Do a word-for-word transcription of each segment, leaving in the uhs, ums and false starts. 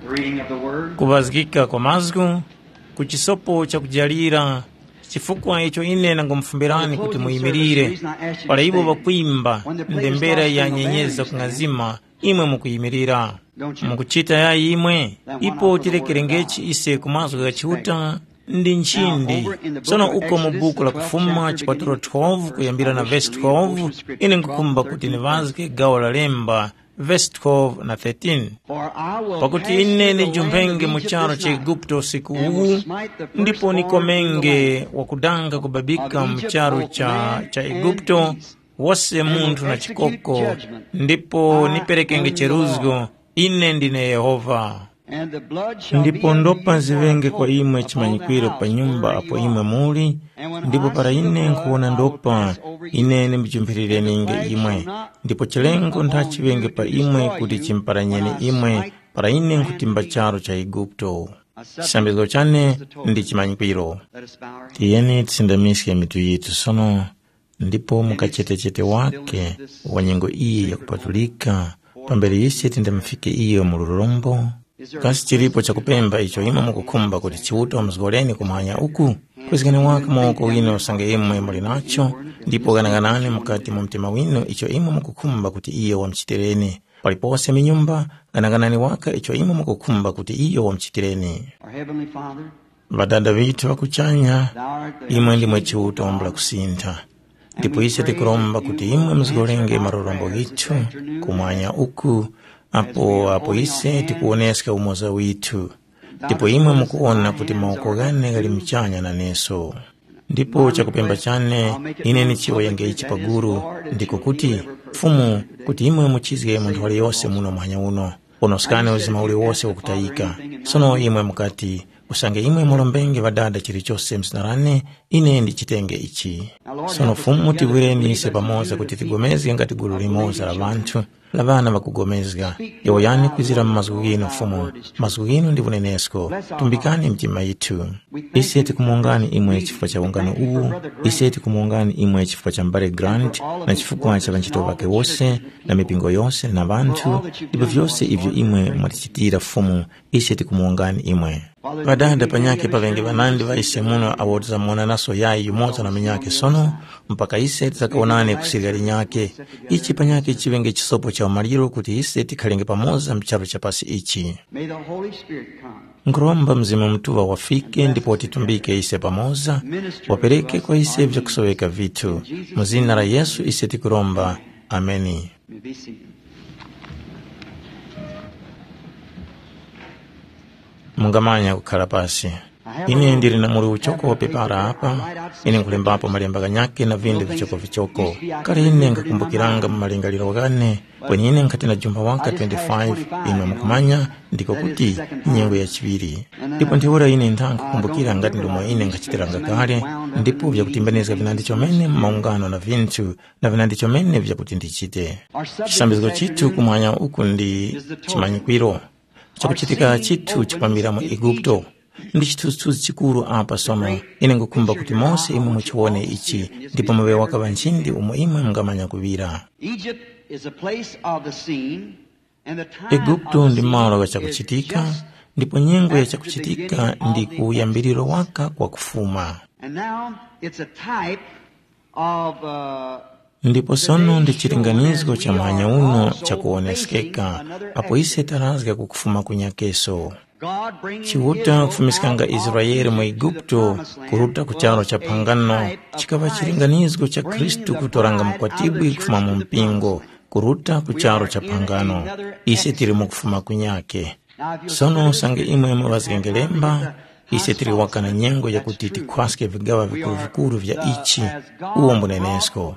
The reading of the word. Kuŵazgika kwa mazgu, ku chisopo chakujalira, chifukwa icho ine nangumufumberani kuti muyimirire, para iwo ŵakwimba ndembera ya nyenyezi zakung'azima, imwe mukuyimirira. Mukuchita yayi imwe? Ipo tirekerengechi ise ku mazgu gha Chiuta ndi nchindi. Sono uko mu buku la Kufuma chipatulo twelve kuyambira na vesi twelve, ine nkukhumba kuti niŵazge gawo la lemba, vesi twelve na thirteen. Pakuti ine nijumphenge mu charu cha Eguputo usiku uwu, ndipo nikomenge wakudanga kubabika mu charu cha, cha Eguputo, wose munthu na chikoko, ndipo niperekenge cheruzgo. Ine ndine Yehova. Ndipo ndopa ziŵenge kwa imwe chimanyikwiro pa nyumba apo imwe muli, ndipo para ine nkhuwona ndopa, ine ndimujumphirireninge imwe. Ndipo chilengo nthachiŵenge pa imwe kuti chimuparanyeni imwe, para ine nkhutimba charu cha Eguputo. Chisambizgo chane ndi chimanyikwiro. Tiyeni tisindamiske mitu yitu sono, ndipo mu kachetechete wake wa nyengo iyi yakupatulika, pambere ise tindamufike iyo mu lurombo, kasi chilipo chakupemba icho imwe mukukhumba kuti Chiuta wamuzgoreni kumwanya uku? Kwezgani waka mawoko winu usange imwe muli nacho, ndipo ghanaghanani mukati mu mtima winu icho imwe mukukhumba kuti iyo wamuchitireni. Palipose mu nyumba, ghanaghanani waka icho imwe mukukhumba kuti iyo wamuchitireni. Our Heavenly Father, Ŵadada ŵithu ŵa kuchanya, imwe ndimwe Chiuta wambula kusintha. Ndipo ise tikuromba kuti imwe muzgolenge marorombo ghithu kumwanya uku, apo apo ise tikuwoneska umoza withu. Ndipo imwe mukuwona kuti mawoko ghane ghali muchanya naneso. Ndipo chakupemba chane, ine nichiwoyenge ichi paguru, ndiko kuti, Fumu, kuti imwe muchizge munthu waliyose muno muhanya uno. Ponoskani uzima uliwose wakutayika. Sono imwe mukati, usange imwe mulombenge Ŵadada chilichose mu zina lane, ine ndichitenge ichi. Sono Fumu, tigwireni ise pamoza kuti tigomezge ngati gulu limoza la ŵanthu, la ŵana ŵakugomezga. Yowoyani kwizira mu mazgu ghinu, Fumu, mazgu ghinu ndi unenesko. Tumbikani mitima yithu. Ise tikumuwongani imwe chifukwa cha ungano uwu, ise tikumuwongani imwe chifukwa cha m'bale Grant na chifukwa cha ŵanchito ŵakhe wose, na mipingo yose na ŵanthu, ndipo vyose ivyo imwe mwatichitira Fumu, ise tikumuwongani imwe. Ŵadada panyakhe pa ŵenge ŵanandi ŵa ise muno awo tizamuwonanaso yayi yumoza na munyakhe sono, mpaka ise tizakawonane ku sirya linyakhe. Ichi panyakhe chiŵenge chisopo cha umaliro kuti ise tikhalenge pamoza mu charu cha pasi ichi. May the Holy Spirit come. Nkhuromba Mzimu Mutuŵa wafike ndipo watitumbike ise pamoza, wapereke kwa ise vyakusoweka vithu. Mu zina la Yesu ise tikuromba. Ameni. You may be seated. Mungamanya kukhala pasi. Ine ndili na muli uchoko wa pepara apa, ine nkulembapo malemba ghanyakhe na vindi vichokovichoko. Kale ine nkhakumbukiranga mu malingaliro ghane, kweni ine nkhati na jumba waka twenty-five, imwe mukumanya, ndiko kuti nyengo ya chiŵiri. Ndipo ntheura ine ntha nkhukumbukira ngati ndomwe ine nkhachitiranga kale, ndipo vyakutimbanizga vinandi chomene mu maungano na vinthu, na vinandi chomene vyakuti ndichite. Chisambizgo chithu kumwanya uku ndi chimanyikwiro. Chakuchitika chithu chikwambira mu Eguputo. Ndi chithunzithunzi chikuru apa sono. Ine ngukhumba kuti mose imwe muchiwone ichi, ndipo muŵe waka ŵa nchindi umo imwe mungamanya kuŵira. Egypt is a place of the scene, and the time Eguputo of ndi the malo scene gha is chakuchitika, just ndipo nyengo ya chakuchitika ndi kuyambiriro waka kwa kufuma. And now it's a type of, uh, Ndipo sono ndi chilinganizo cha muhanya uno chakuwoneskeka, apo ise tarazga kukufuma kunyakeso. Chiuta kufumiskanga Israele mu Eguputo kuruta ku charo cha phangano, chikaŵa chilinganizo cha Khristu kutoranga mukwatibwi kufuma mu mpingo, kuruta ku charo cha phangano. Ise tili mu kufuma kunyake. Sono usange imwe muŵazgenge lemba, ise tili waka na nyengo yakuti tikhwaske vigaŵa vikuru-vikuru vya ichi, uwo mbunenesko.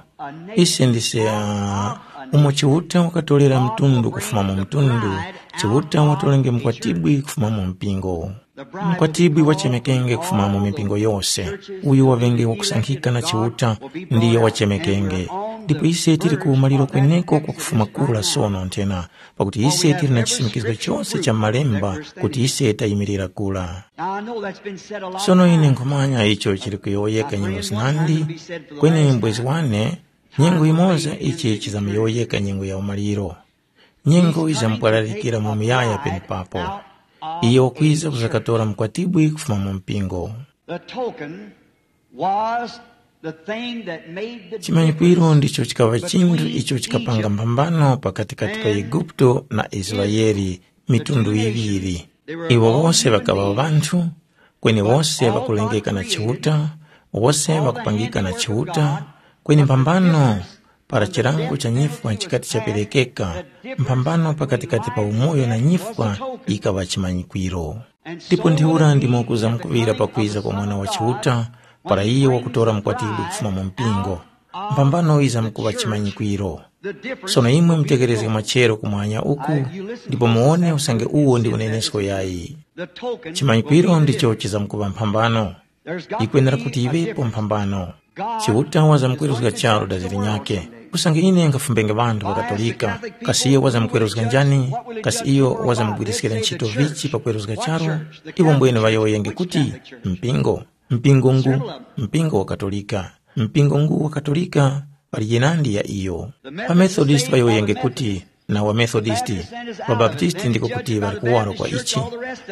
Ise ndise, ah, umo Chiuta wakatorera mtundu kufuma mu mtundu, Chiuta watorenge mukwatibwi kufuma mu mpingo. Mukwatibwi wachemekenge kufuma mu mipingo yose. Uyo waŵenge wakusankhika na Chiuta ndiyo wachemekenge. Ndipo ise tili ku umaliro kweneko kwa kufuma kura sono nthena, pakuti ise tili na chisimikizo chose cha Malemba kuti ise tayimirira kura. Sono ine nkhumanya icho chili kuyowoyeka nyengo zinandi, kweni mbwezi wane, nyengo yimoza ichi chizamuyowoyeka nyengo ya umaliro. Nyengo yizamupwalalikira mu muyaya penepapo. Iyo wakwiza kuzakatora mukwatibwi kufuma mu mpingo. The token was the thing that made the chimanyikwiro difference ndicho chikaŵa chinthu between icho chikapanga Egypt mphambano pakatikati pa and Eguputo na Israeli, mitundu yiŵiri. Iwo wose ŵakaŵa ŵanthu, kweni wose ŵakulengeka na Chiuta, wose ŵakupangika na Chiuta, kweni mphambano para chilango cha nyifwa chikati chaperekeka, mphambano pakatikati pa umoyo na nyifwa yikaŵa chimanyikwiro. Ndipo ntheura ndimo kuzamkuŵira pakwiza kwa Mwana wa Chiuta, para iye wakutora mukwatibwi kufuma mu mpingo. Mphambano yizamkuŵa chimanyikwiro. Sono imwe mutekerezge machero kumwanya uku, ndipo muwone usange uwo ndi unenesko yayi. Chimanyikwiro ndicho chizamkuŵa mphambano. Yikwenera kuti yiŵepo mphambano. Chiuta wazamkweruzga charu daziri nyakhe. Usange ine nkhafumbenge ŵanthu ŵakatolika, kasi iyo wazamkweruzga njani? Kasi iyo wazamgwiriskira ntchito vichi pakweruzga charu? Iwo mbwene ŵayowoyenge kuti, mpingo, mpingo ngu, mpingo wa Katolika, mpingo ngu wa Katolika, pali yinandi ya iyo. Pamethodist ŵayowoyenge kuti, na wa Methodist, wa Baptist ndiko kuti ŵali kuwaro kwa ichi.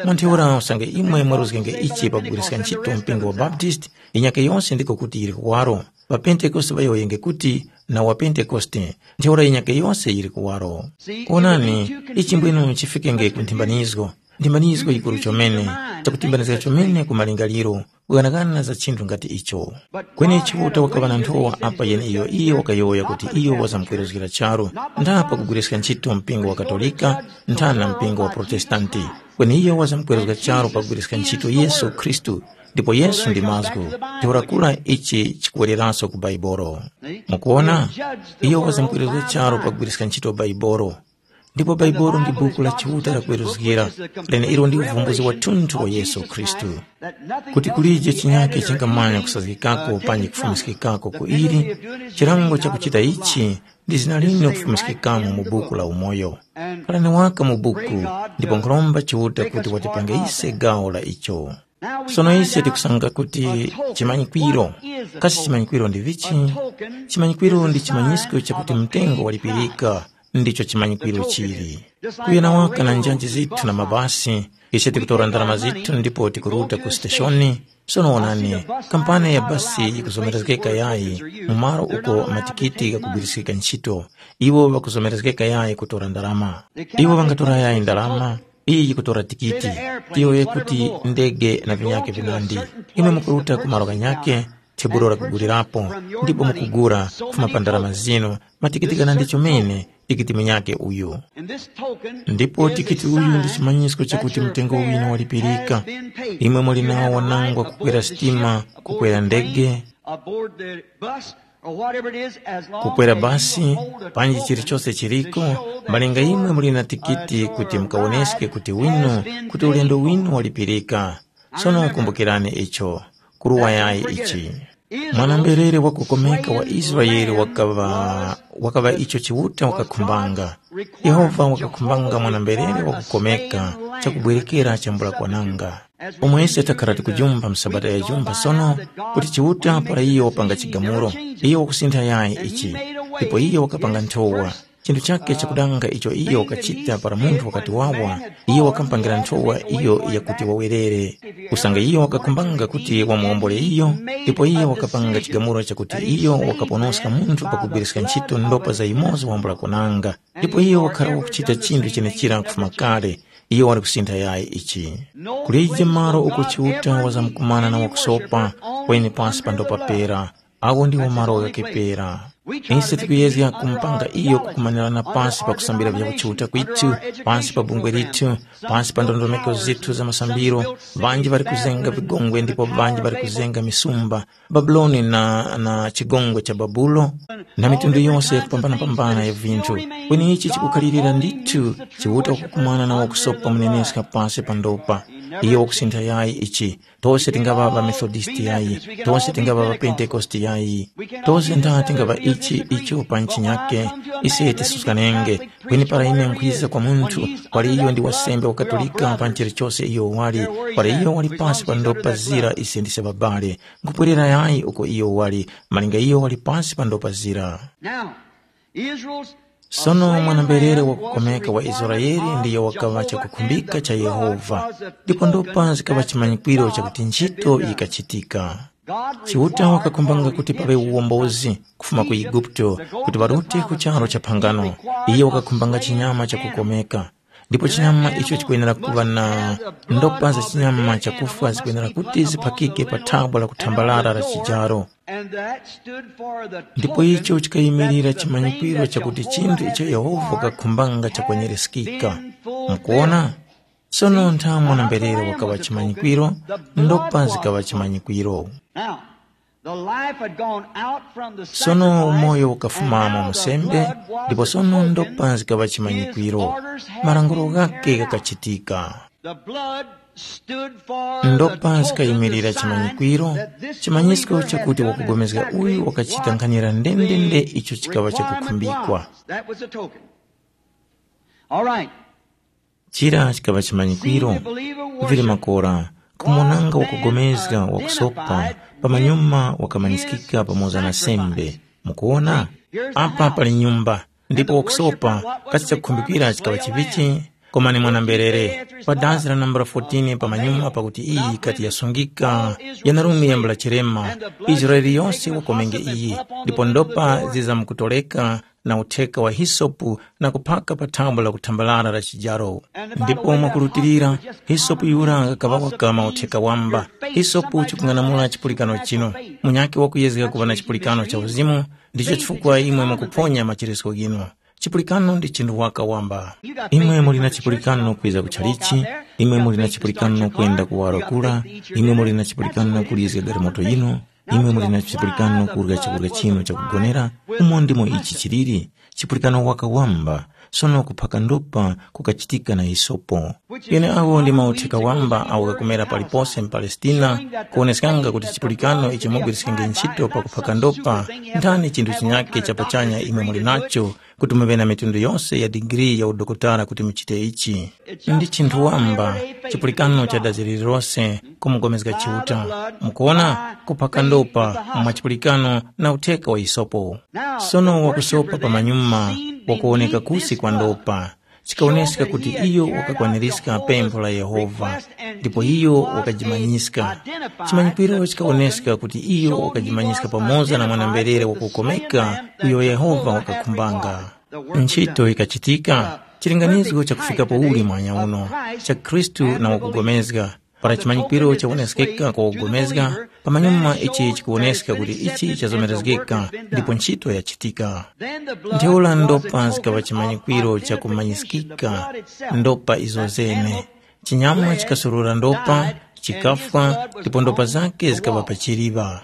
Mwa ntheura usange imwe mwaruzgenge ichi pakugwiriska ntchito mpingo wa Baptist, inyake yose ndiko kuti yili kuwaro. Wa Pentekoste ŵayowoyenge kuti na wa Pentekoste, ntheura inyake yose yili kuwaro. Onani, ichi mbwenu chifikenge ku nthimbanizgo. Nthimbanizgo yikuru chomene, chakutimbanizga chomene ku malingaliro, kughanagana za chinthu ngati icho. Kweni Chiuta wakaŵa na nthowa apa yeneiyo iyo wakayowoya kuti iyo wazamkweruzgira charu, ntha pakugwiriska ntchito mpingo wa Katolika, ntha na mpingo wa Protestanti. Kweni iyo wazamkweruzga charu pakugwiriska ntchito Yesu Khristu, ndipo Yesu ndi mazgu. Ntheura kura ichi chikuwereraso ku Baibolo. Mukuona? Iyo wazamkweruzga charu pakugwiriska ntchito Baibolo. Ndipo Baibolo ndi buku la Chiuta lakweruzgira, leneilo ndi uvumbuzi wathunthu wa Yesu Khristu. Kuti kulije chinyake chingamanya kusazgikako panji kufumiskikako ku ili, chilango chakuchita ichi ndi zina linu kufumiskikamo mu buku la umoyo. Khalani waka mu buku, ndipo nkhuromba Chiuta kuti watipange ise gawo la icho. Sono ise tikusanga kuti chimanyikwiro, kasi chimanyikwiro ndi vichi? Chimanyikwiro ndi chimanyisko chakuti mtengo walipirika, ndicho chimanyikwiro chili. Kuyena waka na njanji zithu na mabasi, ise tikutora ndalama zithu ndipo tikuruta ku siteshoni. Sono wonani, kampani ya basi yikuzomerezgeka yayi mu malo uko matikiti ghakugwiriskika ntchito. Iwo ŵakuzomerezgeka yayi kutora ndalama. Iwo ŵangatora yayi ndalama, iyi yikutora tikiti, iyo yekuti ndege na vinyake vinandi. Imwe mukuruta ku malo ghanyakhe, thebulo lakugulirapo, ndipo mukugula kufuma pa ndalama zinu, matikiti ghanandi chomene, tikiti munyakhe uyu. Ndipo tikiti uyu ndi chimanyisko chakuti mtengo winu walipirika. Imwe muli nawo wanangwa kukwera sitima, kukwera ndege, kukwera basi, panji chilichose chiliko, malinga imwe muli na tikiti kuti mukawoneske kuti winu, kuti ulendo winu walipirika. Sono kumbukirani icho, kuruwa yayi ichi. Mwana-mberere wakukomeka wa Israele wakaŵa, wakaŵa icho Chiuta wakakhumbanga. Yehova wakakhumbanga mwana-mberere wakukomeka chakubwerekera chambula kwananga. Pomwe ise takhara tikujumba msabata ya jumba sono, kuti Chiuta para iyo wapanga chigamulo, iyo wakusintha yayi ichi, ndipo iyo wakapanga nthowa. Chinthu chakhe chakudanga icho iyo wakachita para munthu wakati wawa, iyo wakamupangira nthowa iyo yakuti wawerere. Usange iyo wakakhumbanga kuti wamuwombole iyo, ndipo iyo wakapanga chigamulo chakuti iyo wakaponoska munthu pakugwiriska ntchito ndopa za yumoza wambula kwananga. Ndipo iyo wakhara wakuchita chinthu chenechira kufuma kale, iyo wali kusintha yayi ichi. Kulije malo uko Chiuta wazamkumana na wakusopa, kweni pasi pa ndopa pera. Awo ndiwo malo ghakhe pera. Ise tikuyezga kumupanga iyo kukumanirana pasi pa kusambira vya kuchiuta kwithu, pasi pa bungwe lithu, pasi pa ndondomeko zithu za masambiro. Ŵanji ŵali kuzenga vigongwe ndipo ŵanji ŵali kuzenga misumba. Babuloni na, na chigongwe cha Babulo, na mitundu yose yakupambana-pambana ya vinthu. Kweni ichi chikukhalirira ndithu Chiuta kukumana na wakusopa muneneska pasi pa ndopa. Iyo wakusintha yayi ichi. Tose tingaŵa ŵaMethodisti yayi, tose tingaŵa ŵaPentekoste yayi, tose ntha tingaŵa ichi icho pa nchinyake, ise tisuskanenge. Kweni para ine nkhwiza kwa munthu, wali iyo ndi wasembe wa Katolika pa chilichose iyo wali, wali iyo wali pasi pa ndopa zira ise ndise ŵabale, nkhupwerera yayi uko iyo wali, malinga iyo wali pasi pa ndopa zira. Now, Israel's Sono mwana-mberere wakukomeka wa Israele ndiyo wakaŵa chakukhumbika cha Yehova, ndipo ndopa zikaŵa chimanyikwiro chakuti ntchito yikachitika. Chiuta wakakhumbanga kuti paŵe uwombozi kufuma ku Eguputo kuti ŵarute ku charu cha phangano. Iye wakakhumbanga chinyama chakukomeka, ndipo chinyama icho chikwenera kuŵa na ndopa za chinyama chakufwa zikwenera kuti ziphakike pa thabwa la kuthambalala la chijaro. Ndipo icho chikayimirira chimanyikwiro chakuti chinthu icho Yehova wakakhumbanga chakwenyereska. Mukuona? Sono nthawe mwana-mberere wakaŵa chimanyikwiro, ndopa zikaŵa chimanyikwiro. Now, the life had gone out from the sono sacrifice, umoyo ukafumamo and now the musembe blood was ndipo sono spoken. Ndopa zikaŵa His chimanyikwiro. Orders had Malangulo been ghake carried out. Ghakachitika. The blood stood for the ndopa token, zikayimirira the sign chimanyikwiro that this chimanyisko believer had chakuti done wakugomezga exactly uyu wakachita what nkhanira ndendende the icho chikaŵa requirement chakukhumbikwa was. That was the token. All right. Chira chikaŵa chimanyikwiro. Vili makora kumonanga wakugomezga wakusopa pamanyuma wakamanyisikika pamoza na sembe. Mukuona? Apa pali nyumba ndipo wakusopa kasi chakukhumbikira chikaŵa chivichi? Koma ni mwana-mberere pa dazi la nambala fourteen pamanyuma pakuti iyi kati yasungika yanarume yambula chirema. Israeli yonse wakomenge iyi ndipo ndopa zizamkutoleka na utheka wa hisopu na kuphaka pa thambo la kuthambalala la chijaro. Ndipo mwakurutilira, hisopu yura ngakaŵa wakama utheka wamba. Hisopu chikung'anamula chipulikano chinu. Munyakhe wakuyezga kuŵa na chipulikano cha uzimu, ndicho chifukwa imwe mukuphonya macheresko ghinu. Chipulikano ndi chinthu waka wamba. Imwe muli na chipulikano kwiza ku chalichi, imwe muli na chipulikano kwenda kuwaro kura, imwe muli na chipulikano kulizga galimoto yinu, imwe muli na chipulikano kurya chakurya chinu chakugonera, umo ndimo ichi chiliri. Chipulikano waka wamba, sono kuphaka ndopa kukachitika na hisopo. Yeneawo ndi mautheka wamba awo ghakumera palipose mu Palestina, kuwoneskanga kuti chipulikano icho mugwiriskenge ntchito pakuphaka ndopa, nthani chinthu chinyakhe cha pachanya imwe muli nacho kuti muŵe na mitundu yose ya digiri ya udokotala kuti muchite ichi. Ndi chinthu wamba, chipulikano cha dazi lililose kumugomezga Chiuta. Mukuona, kuphaka ndopa mwa chipulikano na utheka wa isopo. Sono wakusopa pamanyuma wakuwoneka kusi kwa ndopa, chikawoneska kuti iyo wakakwaniska pempho la Yehova, ndipo iyo wakajimanyiska. Chimanyikwiro chikawoneska kuti iyo wakajimanyiska pamoza na mwana-mberere wakukomeka uyo Yehova wakakhumbanga. Ntchito ikachitika, chilinganizo chakufikapo uli mwanya uno, cha Khristu na wakugomezga. Para chimanyikwiro chawoneskeka kwa wakugomezga, pamanyuma ichi chikuwoneska kuti ichi chazomerezgeka ndipo ntchito yachitika. Ntheura ndopa zikaŵa chimanyikwiro chakumanyiskika, ndopa izo zene. Chinyama chikasurura ndopa, chikafwa, ndipo ndopa zake zikaŵa pa chiliŵa.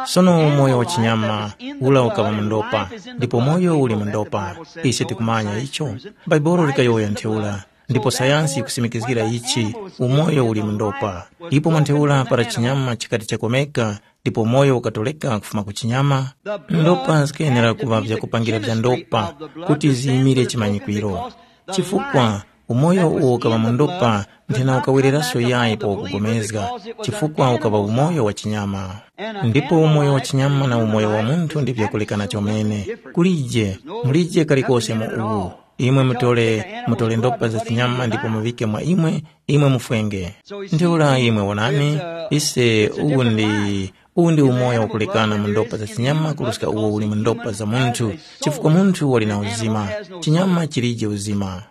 Sono umoyo wa chinyama ula ukaŵa mu ndopa, ndipo moyo uli mu ndopa. Ise tikumanya icho. Bhaibuli likayowoya ntheura, ndipo sayansi yikusimikizgira ichi, umoyo uli mu ndopa. Ipo mwa ntheura para chinyama chikati chakomeka, ndipo moyo ukatoleka kufuma ku chinyama, ndopa zikayenera kuŵa vyakupangira vya ndopa kuti ziyimire chimanyikwiro. Chifukwa umoyo uwo ukaŵa mu ndopa nthena ukawereranso yayi pa wakugomezga, chifukwa ukaŵa umoyo wa chinyama. Ndipo umoyo wa chinyama na umoyo wa munthu ndi vyakulekana chomene. Kulije, mulije kalikose mu uwu. Imwe mutole, mutole ndopa za chinyama ndipo muŵike mwa imwe, imwe mufwenge. Ntheura imwe wonani, ise uwu ndi, uwu ndi umoyo wakulekana mu ndopa za chinyama kuruska uwo uli mu ndopa za munthu, chifukwa munthu wali na uzima, chinyama chilije uzima.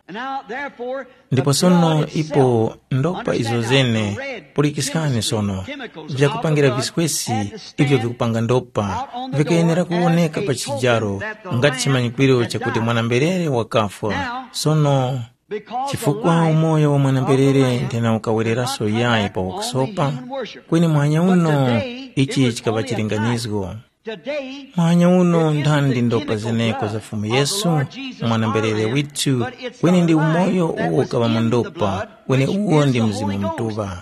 Ndipo sono ipo ndopa izo zene, pulikiskani sono, vyakupangira viswesi ivyo vikupanga ndopa, vikayenera kuwoneka pa chijaro ngati chimanyikwiro chakuti mwana-mberere wakafwa. Sono, chifukwa umoyo wa mwana-mberere nthena ukawereranso yayi pa wakusopa, kweni mwanya uno ichi chikaŵa chilinganizgo. Mwanya uno nthandi ndopa zeneko za Fumu Yesu, mwana-mberere withu, kweni ndi umoyo uwo ukaŵa mu ndopa, kweni uwo ndi Mzimu Mutuŵa.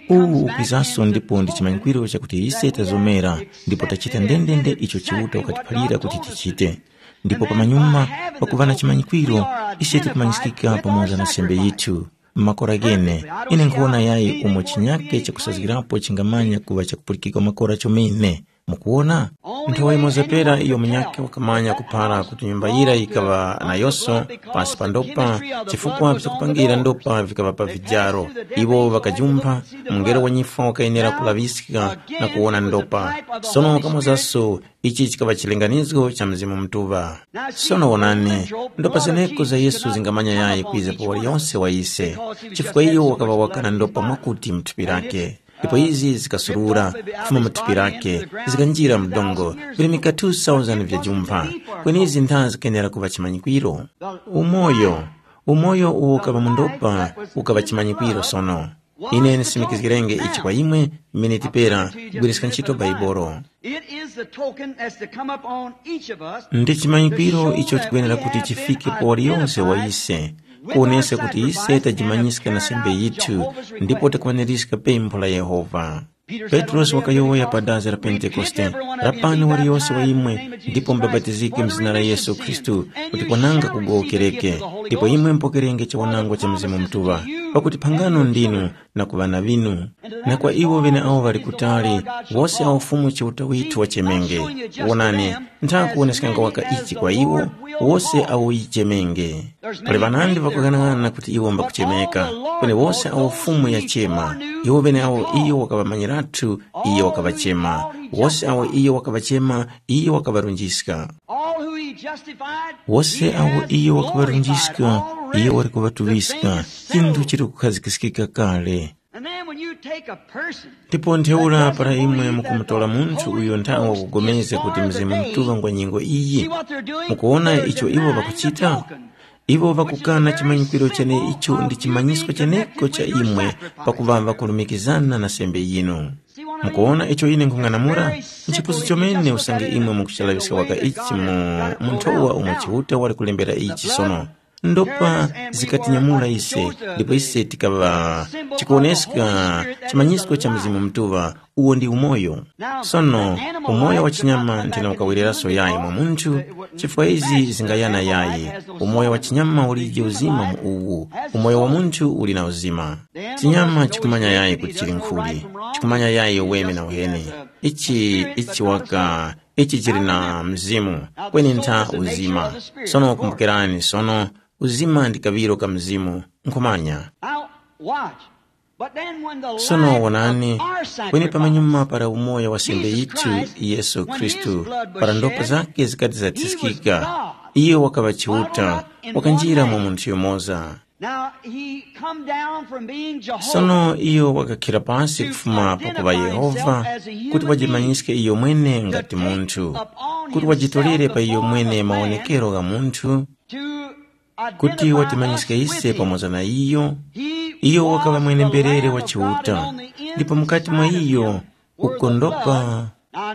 Uwu ukwizanso ndipo ndi chimanyikwiro chakuti ise tazomera ndipo tachita ndendende icho Chiuta wakatiphalira kuti tichite. Ndipo pamanyuma pakuŵa na chimanyikwiro, ise tikumanyiskika pamoza na sembe yithu. Makora ghene, ine nkhuwona yayi umo chinyake chakusazgirapo chingamanya kuŵa chakupulikika makora chomene. Mukuwona? Nthowa yimoza pera iyo munyakhe wakamanya kuphara kuti nyumba yira yikaŵa na yoso pasi pa ndopa, chifukwa vyakupangira ndopa vikaŵa pa vijaro. Iwo ŵakajumpha, mungelo wa nyifwa wakayenera kulaŵiska na kuwona ndopa. Sono wakamozaso, ichi chikaŵa chilinganizgo cha Mzimu Mutuŵa. Sono wonani, ndopa zeneko za Yesu zingamanya yayi kwiza pa waliyonse wa ise, chifukwa iyo wakaŵa wakana ndopa mwakuti mu thupi lake. Ndipo izi zikasurura kufuma mu thupi lake, zikanjira mu dongo, virimika two thousand vya jumpha. Kweni izi ntha zikayenera kuŵa chimanyikwiro. Umoyo, umoyo uwo ukaŵa mu ndopa, ukaŵa chimanyikwiro sono. Ine ndisimikizgirenge ichi kwa imwe, mmene tipera kugwiriska ntchito Baibolo. It is the token that's to come upon each of us. Ndi chimanyikwiro icho chikuyenera kuti chifike pa waliyonse wa ise, kuonesa kuti ise tajimanyiska na sembe yithu, ndipo takwaniska pempho la Yehova. Petrosi wakayowoya pa dazi la Pentekoste, lapani waliyonse wa imwe, ndipo mbabatizike mzina la Yesu Khristu, kuti kwananga kugowokereke, ndipo imwe mpokerenge chiwanangwa cha Mzimu Mutuŵa, pakuti phangano ndinu na ku ŵana ŵinu, na kwa iwo ŵeneawo ŵali kutali, wose awo Fumu Chiuta withu wachemenge. Wonani, nthakuwoneskanga waka ichi kwa iwo, wose awo yichemenge. Pali ŵanandi ŵakughanag'ana kuti iwo mbakuchemeka, kweni wose awo Fumu yachema, iwo ŵeneawo iyo wakaŵamanyiratu, iyo wakaŵachema. Wose awo iyo wakaŵachema, iyo wakaŵarunjiska. All who he justified, wose he awo has iyo glorified wakaŵarunjiska, all iyo wali risen kuŵatuŵiska, chinthu chili kukhazikiskika kale. And then when you take a person, ndipo ntheura para imwe mukumutora munthu uyo nthawi wakugomezga kuti Mzimu Mutuŵa ngwa nyengo iyi, mukuwona icho iwo ŵakuchita? Iwo ŵakukana chimanyikwiro chene icho ndi chimanyisko cheneko cha imwe, pakuŵa ŵakulumikizana na sembe yinu. Mukuwona icho ine nkhung'anamula? Nchipusu chomene usange imwe mukuchalaŵiska waka ichi mu, mu nthowa umo Chiuta wali kulembera ichi sono. Ndopa zikatinyamula ise, ndipo ise tikaŵa chikuwoneska chimanyisko cha Mzimu Mutuŵa, uwo ndi umoyo. Sono, umoyo wa chinyama nthena ukawereraso yayi mwa munthu, chifukwa izi zingayana yayi. Umoyo wa chinyama ulije uzima mu uwu, umoyo wa munthu uli na uzima. Chinyama chikumanya yayi kuti chili nkhuli, chikumanya yayi uweme na uheni. Ichi, ichi waka, ichi chili na mzimu, kweni ntha uzima. Sono kumbukirani, sono uzima ndi kaŵiro ka mzimu, nkhumanya. Now, watch. But then when the sono life wonani, of our kweni sacrifice, pamanyuma para umoyo wa sembe Jesus yithu Christ, Yesu when his Khristu, blood was para ndopa shed, zake zikati he was zatiskika, God. Iyo wakaŵa Chiuta, wakanjira mu munthu yumoza. Now he come down from being Jehovah. Sono iyo wakakhira pasi kufuma pakuŵa Yehova, kuti wajimanyiske iyo mwene ngati munthu, kuti wajitorere pa iyo mwene mawonekero gha munthu, kuti watimanyiske ise pamoza na iyo. Iyo wakaŵa mwene-mberere wa Chiuta, ndipo mukati mwa iyo uko ndopa.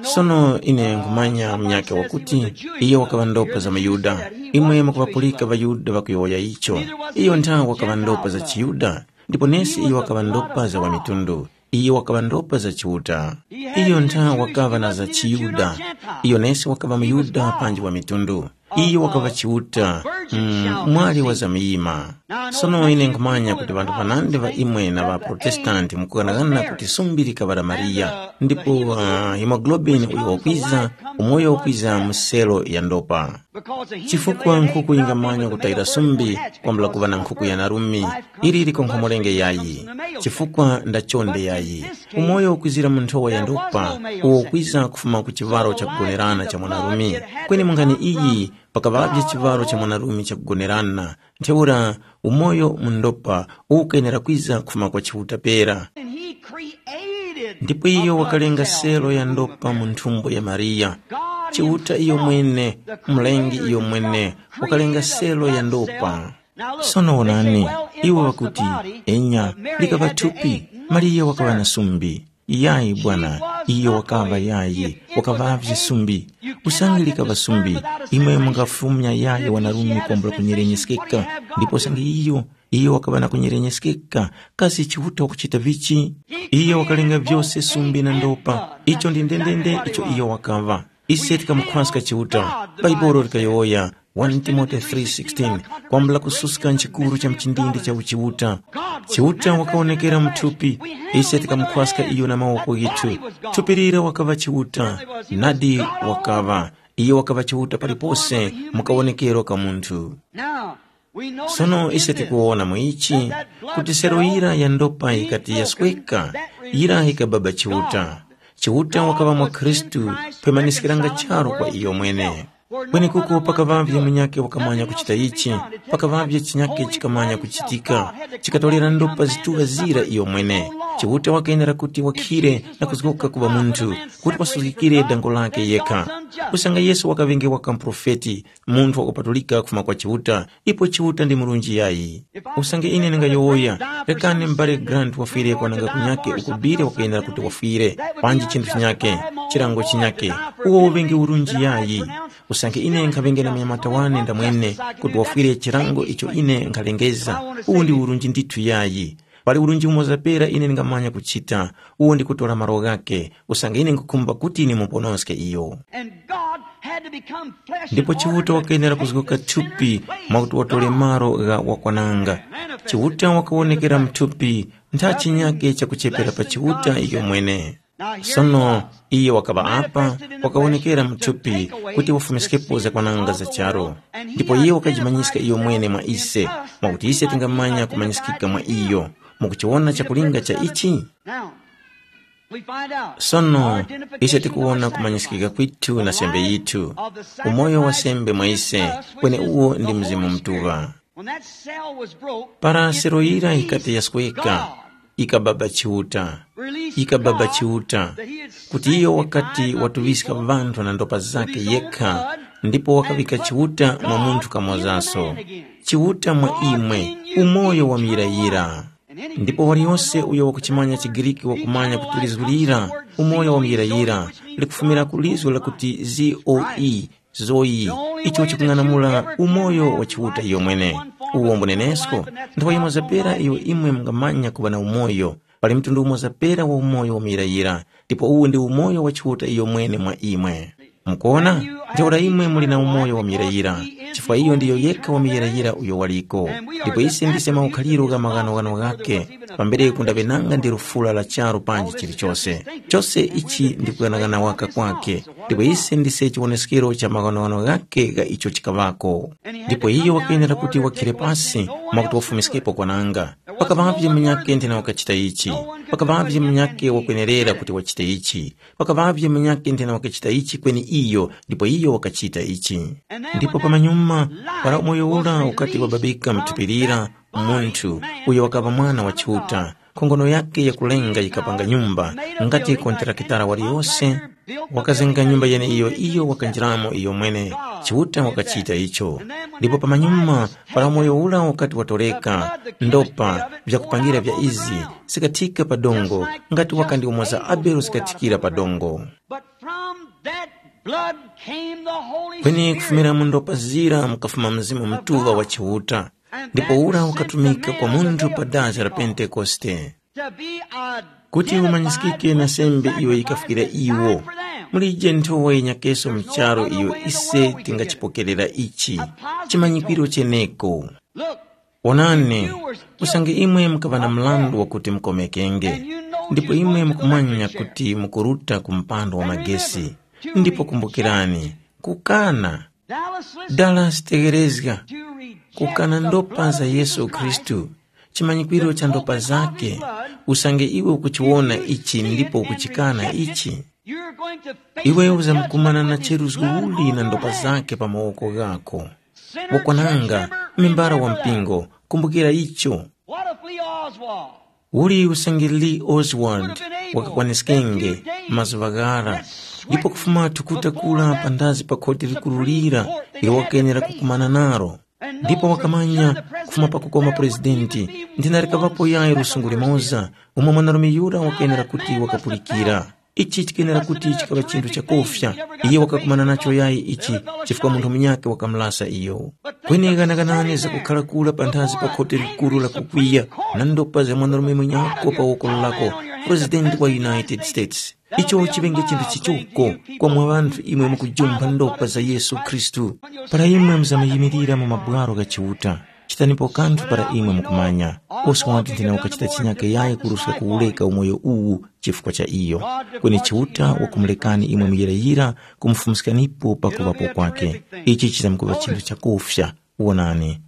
Sono ine nkhumanya munyakhe wakuti iyo wakaŵa ndopa za muYuda. Imwe mukuŵapulika ŵaYuda ŵakuyowoya icho. Iyo ntha wakaŵa ndopa za chiYuda, ndipo nesi iyo wakaŵa ndopa za ŵamitundu. Iyo wakaŵa ndopa za Chiuta. Iyo ntha wakaŵa na za chiYuda. Iyo nesi wakaŵa muYuda panji wa mitundu. Iyo wakaŵa Chiuta, mm, mwali wa zamuyima. Sono ine nkhumanya kuti ŵanthu ŵanandi ŵa imwe na ŵaProtestanti mukughanaghana kuti sumbi likaŵa la Mariya, ndipo uh, hemoglobini uyo wakwiza, umoyo wakwiza mu selo ya ndopa. Chifukwa nkhuku yingamanya kutayira sumbi kwambula kuŵa na nkhuku ya narumi, ili likonkhomolenge yayi, chifukwa ndachonde yayi. Umoyo ukwizira mu nthowa ya ndopa, uwo ukwiza kufuma ku chivalo chakugonerana cha mwanarume. Kweni mungani iyi, pakaŵavye chivalo cha mwanarume chakugonerana, ntheura umoyo mu ndopa ukenera kwiza kufuma kwa Chiuta pera. And he created ndipo iyo a wakalenga blood cell selo ya in the ndopa mu womb. Nthumbo ya Mariya. God Chiuta iyo himself, mwene, the Mlengi creator iyo mwene, himself, wakalenga created selo ya that ndopa cell. Now look, sono they say, onani, well, it iwo was the wakuti body, enya, but Mary likava had the thupi, egg, not mariya wakaŵa na serve. Sumbi. Yayi bwana, iyo wakaŵa yayi, wakaŵavye sumbi. Usange likava sumbi, imwe mungafumya yayi wanarume kwambula kunyerenyeskeka, ndipo usange iyo, iyo wakaŵa na kunyerenyeskeka, kasi Chiuta wakuchita vichi? Iyo wakalenga vyose sumbi na ndopa, icho ndi ndendende icho iyo wakaŵa. Ise tikamukhwaska Chiuta, Baibolo likayowoya, One Timothy three sixteen, kwambula kususka nchikuru cha mchindindi cha uchiuta. Chiuta wakawonekera mu thupi, ise tikamukhwaska iyo na mawoko ghithu. Thupi lira wakaŵa Chiuta, nadi wakaŵa. Iyo wakaŵa Chiuta palipose mu kawonekero ka munthu. Now, we know Sono ise tikuwona mu ichi kuti sero yira ya ndopa yikati yasweka, yira yikababa Chiuta. Chiuta wakaŵa mwa Khristu, pemaniskiranga charu kwa iyo mwene. Kwenekuko pakaŵavye munyakhe wakamanya kuchita ichi, pakaŵavye chinyakhe chikamanya kuchitika, chikatolera ndopa zituŵa zira iyo mwene. Chiuta wakenera kuti wakhire na kuzgoka kuŵa munthu, kuti wasuzgikire dango lakhe yekha. Kusanga Yesu wakaŵenge waka muprofeti, munthu wakupatulika kufuma kwa Chiuta, ipo Chiuta ndi murunji yayi. Usange ine ndingayowoya, rekani m'bale Grant wafwire kwananga kunyakhe uko bile wakuyendera kuti wafwire, panji chinthu chinyakhe, chilango chinyakhe, uwo uŵenge urunji yayi. Usange ine nkhaŵenge na munyamata wane ndamwene kuti wafwire chilango icho ine nkhalengeza, uwu ndi urunji ndithu yayi. Pali urunji umoza pera ine ndingamanya kuchita, uwo ndi kutora malo ghakhe, usange ine nkhukhumba kuti nimuponoske iyo. And God had to become flesh Ndipo in order Chiuta to wakayenera take kuzgoka the thupi sinner mwakuti watole malo gha wakwananga. Chiuta wakawonekera mthupi ntha chinyake chakuchepera pa Chiuta iyo mwene. Sono iye wakaŵa apa, wakawonekera mthupi kuti wafumiskipo zakwananga za charo. Ndipo iye wakajimanyiska iyo mwene mwa ise, mwakuti ise tingamanya kumanyiskika mwa iyo. Mukuchiwona chakulinga cha ichi? Now, we find out Sono our identification ise tikuwona of the kumanyiskika sacrifice, kwithu na sembe yithu, umoyo wa sembe mwa ise, kweni uwo ndi Mzimu Mutuŵa. When that cell was broke, para sero yira yikati yasweka, God ikababa Chiuta, released ikababa God Chiuta, that he had kuti iyo wakati watuŵiska ŵanthu na ndopa zake yekha, ndipo wakavika Chiuta mwa munthu kamozaso, Chiuta mwa imwe, umoyo wa muyirayira. Ndipo waliyose uyo wakuchimanya chiGriki wakumanya kuti lizu lira, umoyo wa muyirayira, likufumira ku lizu lakuti zoe, zoe, icho chikung'anamula umoyo wa Chiuta iyo mwene. Uwo mbunenesko, nthawi yimoza pera iyo imwe mungamanya kuŵa na umoyo, pali mtundu umoza pera wa umoyo wa muyirayira, ndipo uwu ndi umoyo wa Chiuta iyo mwene mwa imwe. Mukuona? Ntheura imwe muli na umoyo wa muyirayira, chifukwa iyo ndiyo yekha wa muyirayira uyo waliko. Ndipo ise ndise maukhaliro gha maghanoghano ghakhe, pambereku ndaŵe nanga ndi lufula la charu panji chilichose. Chose ichi ndi kughanaghana waka kwakhe, ndipo ise ndise chiwoneskero cha maghanoghano ghakhe gha icho chikaŵako. Ndipo iyo wakenera kuti wakhire pasi mwakuti wafumiskepo kwananga. Pakaŵavye munyakhe nthena wakachita ichi, pakaŵavye munyakhe wakwenerera kuti wachite ichi, pakaŵavye munyakhe nthena wakachita ichi kweni iyo, ndipo iyo wakachita ichi. Ndipo pamanyuma, para umoyo ura ukati wababika mthupi lira, munthu uyo wakaŵa mwana wa Chiuta, nkhongono yakhe yakulenga yikapanga nyumba, ngati kontrakitara waliyose wakazenga nyumba yeneiyo iyo wakanjiramo iyo mwene. Chiuta wakachita icho. Ndipo pamanyuma, para umoyo ura ukati watoreka, ndopa, vyakupangira vya izi, zikathika pa dongo, ngati wakandi umoza Abele zikathikira pa dongo. But from that blood came the Holy Kweni Spirit. Kufumira mu ndopa zira mukafuma Mzimu Mutuŵa wa Chiuta, ndipo ura ukatumika kwa munthu pa dazi la Pentekoste, to be kuti identified umanyisikike na with the sembe iyo sacrifice yikafikira that iwo. Died for them. Mulije nthowa yenyakeso mu charu iyo ise tingachipokerera ichi, chimanyikwiro cheneko. Look, onani, usange imwe mukaŵa na mlandu wakuti mukomekenge, ndipo imwe mukumanya kuti mukuruta ku mpando wa magesi, ndipo kumbukirani, kukana. Dallas, tegherezga, kukana ndopa za Yesu Khristu, chimanyikwiro cha ndopa zake, usange iwe ukuchiwona ichi ndipo ukuchikana ichi, iwe uzamkumana na cheruzgo uli na ndopa zake pa mawoko ghako. Wakwananga, membara wa mpingo, kumbukira icho. What if Lee Oswald? Uli usange Lee Oswald wakakwaniskenge mazuŵa ghara, ndipo kufuma thukuta kula pandazi pa khoti likuru lira ilo wakenera kukumana naro. Ndipo wakamanya kufuma pakukoma purezidenti, ndina likaŵapo yayi lusungu limoza umo mwanarume yura wakenera kuti wakapulikira. Ichi chikenera kuti chikaŵa chinthu chakufya. Iye wakakumana nacho yayi ichi, chifukwa munthu munyakhe wakamulasa iyo. Kweni ghanaganani zakukhala kura panthazi pa khoti likuru la kukwiya na ndopa za mwanarume munyako pa woko lako, President wa United States. Icho chiŵenge chinthu chichoko kwa mwa ŵanthu imwe mukujumpha ndopa za Yesu Khristu. Para imwe muzamayimirira mu mabwaro gha Chiuta, chitanipo kanthu para imwe mukumanya. Oswald nthena wakachita chinyaka yayi kuruska kuwureka umoyo uwu chifukwa cha iyo. Kweni Chiuta wakumulekani imwe muyirayira kumufumiskanipo pakuŵapo kwake. Ichi chizamkuŵa chinthu chakufya. Wonani.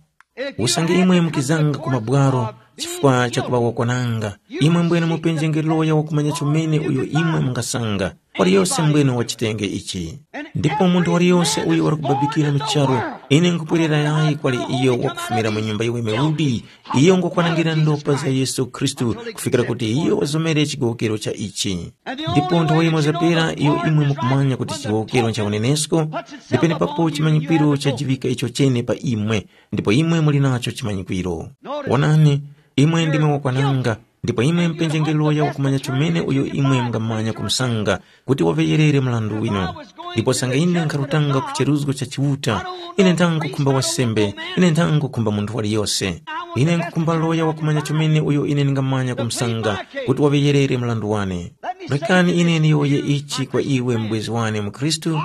Usange imwe mukizanga ku mabwaro chifukwa cha kuŵa wakwananga, imwe mbwene mupenjenge loya wakumanya chomene uyo imwe mungasanga. Waliyose mbwene wachitenge ichi. Ndipo munthu waliyose uyo wali kubabikira mu charu, ine nkupwerera yayi kwali iyo wakufumira mu nyumba yiweme udi, iyo ngokwanangira ndopa za Yesu Khristu kufikira kuti iyo wazomere chigowokero cha ichi. Ndipo nthawe yimoza pera iyo imwe mukumanya kuti chigowokero ncha unenesko, ndipenepapo chimanyikwiro chajiŵika icho chene pa imwe, ndipo imwe muli nacho chimanyikwiro. Wonani, imwe ndimwe wakwananga, ndipo imwe mpenjengero ya wakumanya chomene uyo imwe mungamanya kumusanga kuti waŵeyerere mrandu winu. Ndipo sanga ine nkharutanga ku cheruzgo cha Chiuta, ine nthangukhumba wasembe, ine nthangukhumba munthu waliyose. Ine nkhukhumba loya wakumanya chomene uyo ine ndingamanya kumusanga kuti waŵeyerere mrandu wane. Rekani ine ndiyowoye ichi kwa iwe mbwezi wane mu Khristu.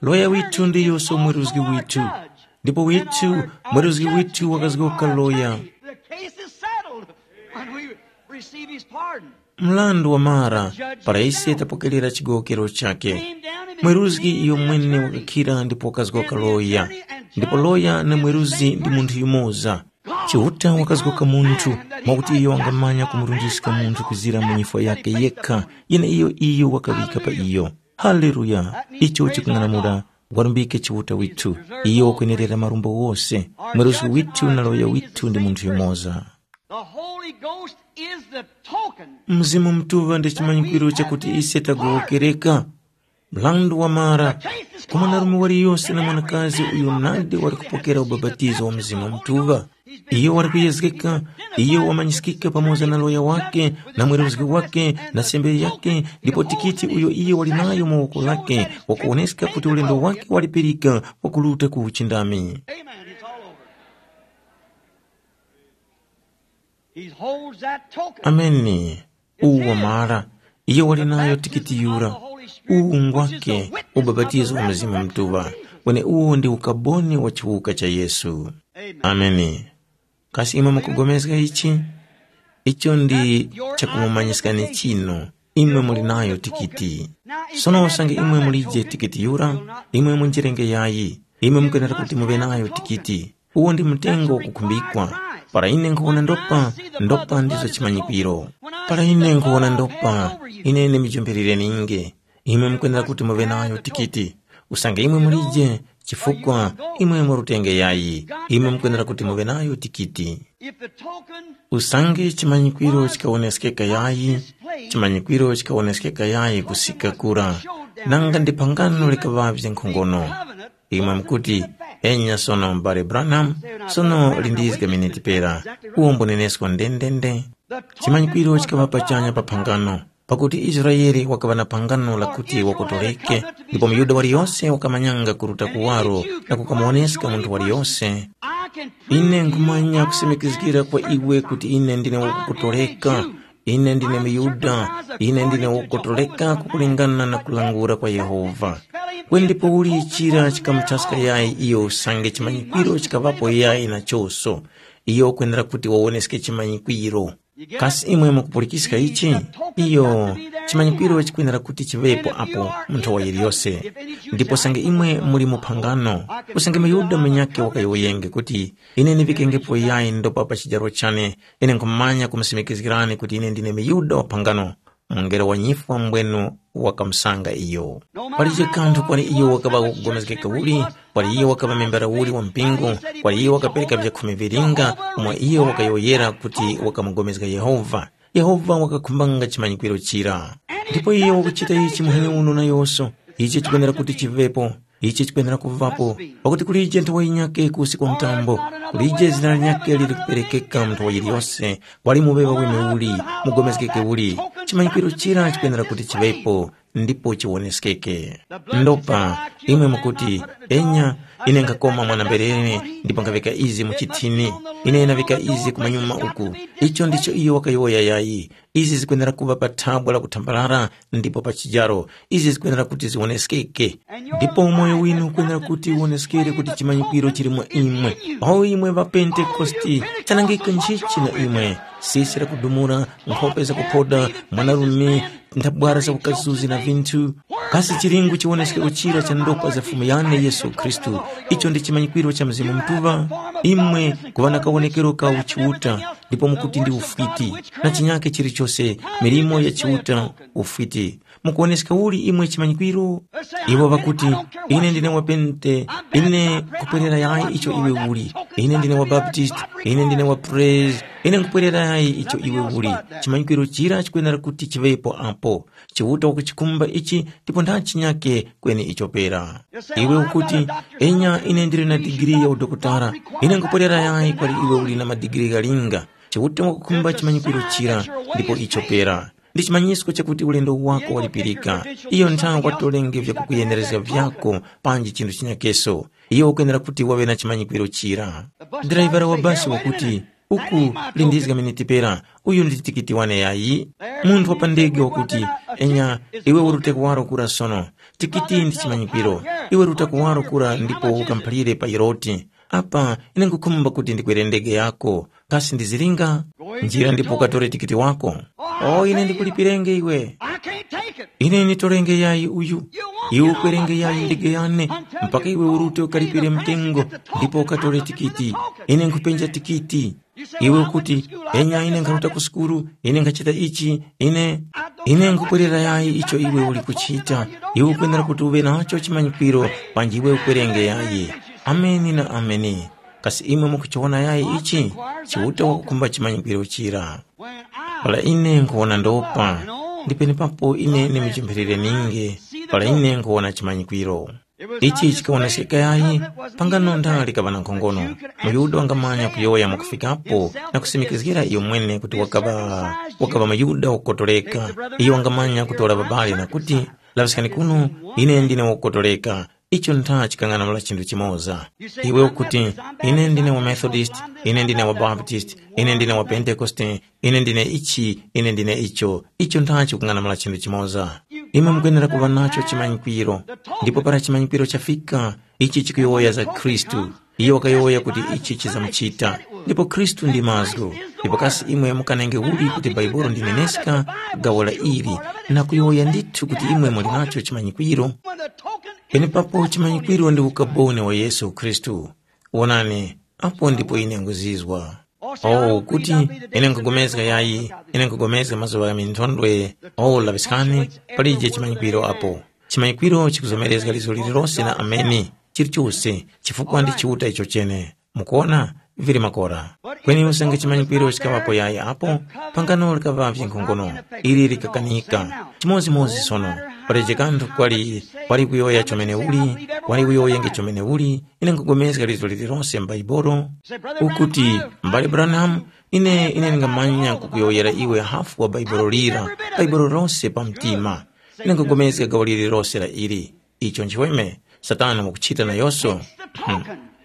Loya withu ndiyuso mweruzgi withu. Ndipo withu, mweruzgi withu wakazgoka loya. The case is settled when we receive his pardon. Mlandu wamara para ise tapokerera chigowokero chake. Mweruzgi iyo mwene wakakhira ndipo wakazgoka loya. Ndipo loya na mweruzi ndi munthu yumoza. Chiuta wakazgoka munthu mwakuti iyo wangamanya kumurundiska munthu kuzira mu nyifwa yake yekha yene iyo iyo wakaŵika pa iyo. Haleluya. Icho chikung'anamula. Warumbike Chiuta withu. Iyo wakwenerera marumbo wose. Mweruzgi withu na loya withu ndi munthu yumoza. The Holy Ghost is the token. Mzimu Mutuŵa ndi chimanyikwiro chakuti ise tagowokereka. Mlandu wamara, kwa mwanarume waliyose na mwanakazi uyo nadi wali kupokera ubapatizo wa Mzimu Mutuŵa. Iyo wali kuyezgeka, iyo wamanyiskika pamoza na loya wake, na mweruzgi wake, na sembe yake, ndipo tikiti uyo iyo wali nayo mu woko lake, wakuwoneska kuti ulendo wake walipirika wakuruta ku uchindami. Amen. It's all over. He holds that token. Ameni. Uwu wamara. Iyo wali nayo tikiti yura. Uwu ngwake ubapatizo wa Mzimu Mutuŵa. Wene uwo ndi ukaboni wa chiwuka cha Yesu. Ameni. Kasi imwe mukugomezga ichi? Icho ndi chakumumanyiskani chinu. Imwe muli nayo tikiti. Sono usange imwe mulije tikiti yura, imwe munjirenge yayi. Imwe mukwenera kuti muŵe nayo tikiti. Uwo ndi mtengo wakukhumbikwa. Para ine nkhuwona ndopa, ndopa ndizo chimanyikwiro. Para ine nkhuwona ndopa, ine ndimujumphirire ninge. Imwe mukwenera kuti muŵe nayo tikiti. Usange imwe mulije, chifukwa imwe murutenge yayi. Imwe mukwenera kuti muŵe nayo tikiti. Usange chimanyikwiro chikawoneskeka yayi, chimanyikwiro chikawoneskeka yayi kusika kura, nanga ndi phangano likaŵavye nkhongono. Imwe mukuti, enya sono m'bale Branham, sono lindizga miniti pera, uwo mbunenesko ndendende. Chimanyikwiro chikaŵa pachanya pa phangano, pakuti Israele wakaŵa na phangano lakuti wakotoleke, ndipo muYuda waliyose wakamanyanga kuruta kuwaro na kukamuwoneska munthu waliyose. Ine nkhumanya kusimikizgira kwa iwe kuti ine ndine wakukotoleka. Ine ndine muYuda, ine ndine wakukotoleka kukulingana na kulangula kwa Yehova. Kweni ndipouli chira chikamuthaska yayi iyo usange chimanyikwiro chikaŵapo yayi na choso. Iyo ukwenera kuti wawoneske chimanyikwiro. Kasi imwe mukupulikiska ichi? Iyo, chimanyikwiro chikwenera kuti chiŵepo apo mu nthowa yiliyose. Ndipo usange imwe muli mu phangano, usange muYuda munyakhe wakayowoyenge kuti, ine ndiŵikengepo yayi ndopa pa chijaro chane, ine nkhumanya kumusimikizgirani kuti ine ndine muYuda wa phangano. Mungelo wa nyifwa mbwenu wakamusanga iyo. Palibe kanthu kwali iyo wakaŵa wakupulikana uli, kwali iyo wakaŵa membara uli wa mpingo, kwali iyo wakapereka vyakhumi vilinga, umo iyo wakayowoyera kuti wakamupulikana Yehova. Yehova wakakhumbanga chimanyikwiro chira. Ndipo iyo wakuchita ichi muhanya uno nayonso. Ichi chikwenera kuti chivepo. Ichi chikwenera kuvapo, pakuti kulije nthowa yinyakhe kusi kwa mtambo, kulije zina linyakhe lili kuperekeka mu nthowa yiliyose, kwali muŵewa wene uli, mugomezgeke uli, chimanyikwiro chira chikwenera kuti chiŵepo, ndipo chiwoneskeke. Ndopa imwe mukuti, enya, ine nkhakoma mwana-mberere ndipo nkhaŵika izi mu chithini, ine ndaŵika izi kumanyuma uku. Icho ndicho iyo wakayowoya yayi. Izi zikwenera kuŵa pa thabwa la kuthambarara ndipo pa chijaro. Izi zikwenera kuti ziwoneskeke. Ndipo umoyo winu ukwenera kuti uwoneskere kuti chimanyikwiro chili mwa imwe. O imwe ŵa Pentekoste, chanangiko nchichi na imwe. Sisi lakudumula, nkhope zakuphoda, mwanarume, nthabwara za ukazuzi na vinthu. Kasi chilingu chiwoneskero chira cha ndopa za Fumu yane Yesu Khristu, icho ndi chimanyikwiro cha Mzimu Mutuŵa? Imwe kuŵa na kawonekero ka uchiuta, ndipo mukuti ndi ufwiti, na chinyake chilichose, milimo ya chiuta, ufwiti. Mukuwoneska uli imwe chimanyikwiro? Iwo ŵakuti, ine ndine wa Pente, ine nkupwerera yayi icho iwe uli. Ine ndine wa Baptist, ine ndine wa Praise, ine nkupwerera yayi icho iwe uli. Chimanyikwiro chira chikwenera kuti chiŵepo apo. Chiuta wakuchikhumba ichi ndipo nthachi nyakhe kweni ichopera. Iwe ukuti, enya ine ndili na digiri ya udokotala, ine nkupwerera yayi kwali iwe uli na madigiri ghalinga. Chiuta wakukhumba chimanyikwiro chira ndipo ichopera. Ndi chimanyisko chakuti ulendo wako walipirika. Iyo nthawe watolenge vyakukuyenerezga vyako panji chinthu chinyakeso. Iyo ukwenera kuti waŵe na chimanyikwiro chira. Driver wa basi wakuti, uku lindizga miniti pera, uyu ndi tikiti wane yayi. Munthu wa pa ndege wakuti, enya, iwe urute kuwaro kura sono. Tikiti ndi chimanyikwiro. Iwe ruta kuwaro kura ndipo ukamphalire pa yiroti. Apa ine nkhukhumba kuti ndikwere ndege yako. Kasi ndizilinga? Njira ndipo ukatore tikiti wako. O ine ndikulipirenge iwe. I can't take it. Ine nitolenge yayi uyu. Iwe ukwerenge yayi ndege yane mpaka iwe urute ukalipire mtengo ndipo ukatore tikiti. Ine nkhupenja tikiti. Iwe ukuti, enya ine nkharuta ku sukulu, ine nkhachita ichi, ine ine nkhukwirira yayi icho iwe uli kuchita. Iwe ukwenera kuti uve nacho chimanyikwiro panji iwe ukwerenge yayi. Ameni na ameni. Kasi imwe mukuchiwona yayi ichi? Chiuta wakukhumba chimanyikwiro chira. Para ine nkhuwona ndopa, ndi penepapo ine ndimujempherere ninge. Para ine nkhuwona chimanyikwiro. Ichi chikawonesekeka yayi pangano ndali kaŵa na nkhongono. MuYuda wangamanya kuyowoya mwakufikapo na kusimikizgira iyo mwene kuti wakaŵa wakaŵa muYuda wakukotoleka. Iyo wangamanya kutora babali na kuti, laŵiskani kuno, ine ndine wakukotoleka. Icho ntha chikang'anamula chinthu chimoza. Iwe ukuti, ine ndine wa Methodist, ine ndine wa Baptist, ine ndine wa Pentekoste, ine ndine ichi, ine ndine icho. Icho ntha chikung'anamula chinthu chimoza. Imwe mukwenera kuŵa nacho chimanyikwiro. Ndipo para chimanyikwiro chafika, ichi chikuyowoya za Khristu. Iyo wakayowoya kuti ichi chizamuchita. Ndipo Khristu ndi mazgu. Ndipo kasi imwe mukanenge uli kuti Bhaibuli ndineneska gawo la ili, na kuyowoya ndithu kuti imwe muli nacho chimanyikwiro? Penepapo chimanyikwiro ndi ukaboni wa Yesu Khristu. Wonani, apo ndipo ine nguzizwa. Oh, kuti ine nkugomezga yayi, ine nkugomezga mazuŵa gha minthondwe. Oh, laŵiskani, palije chimanyikwiro apo. Chimanyikwiro chikuzomerezga lizo lililose na ameni, chilichose, chifukwa ndi Chiuta icho chene. Mukuona, vili makora. Kweni usange chimanyikwiro chikaŵapo yayi apo, pangano likaŵavye nkhongono, ili likakanika. Chimodzimodzi sono, palije kanthu kwali, kwali kuyowoya chomene uli, kwali uyowoyenge chomene uli, ine nkugomezga lizo lililose m'Baibulo, ukuti, M'bale Branham, ine ine ndingamanya kukuyowoyera iwe hafu wa Baibulo lira, Baibulo lose pa mtima. Ine nkugomezga gawo lililose la ili. Icho nchiweme, Satana wakuchita nayonso. Hmm.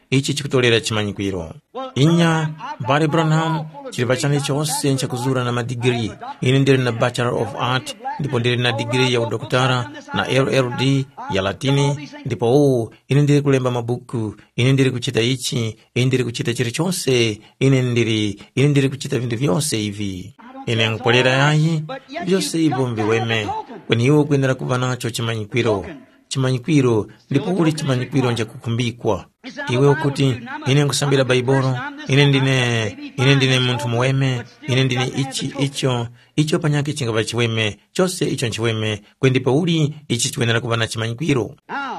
Ichi chikutolera chimanyikwiro. Inya, M'bale Branham, chilipa chane chose nchakuzura na madigiri. Ine ndili na Bachelor of Art, ndipo ndili na digiri ya udokotala, na L L D, ya Latini, ndipo uwu, ine ndili kulemba mabuku, ine ndili kuchita ichi, ine ndili kuchita chilichose, ine ndili, ine ndili kuchita vinthu vyose ivi. Ine nkupolera yayi, vyose ivyo mbiweme, kweni iwe ukwenera kuva nacho chimanyikwiro. Chimanyikwiro, ndipo uli chimanyikwiro nchakukhumbikwa. Iwe ukuti, ine nkusambira Baibolo, ine ndine, ine ndine munthu muweme, ine ndine ichi, icho, icho panyakhe chingava chiweme, chose icho nchiweme, kweni ndipo uli ichi chikwenera kuva na chimanyikwiro. Now,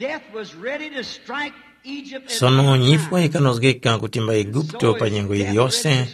death was ready to strike Egypt at Sono the same nyifwa time. Ikanozgeka kutimba Eguputo pa nyengo iliyose,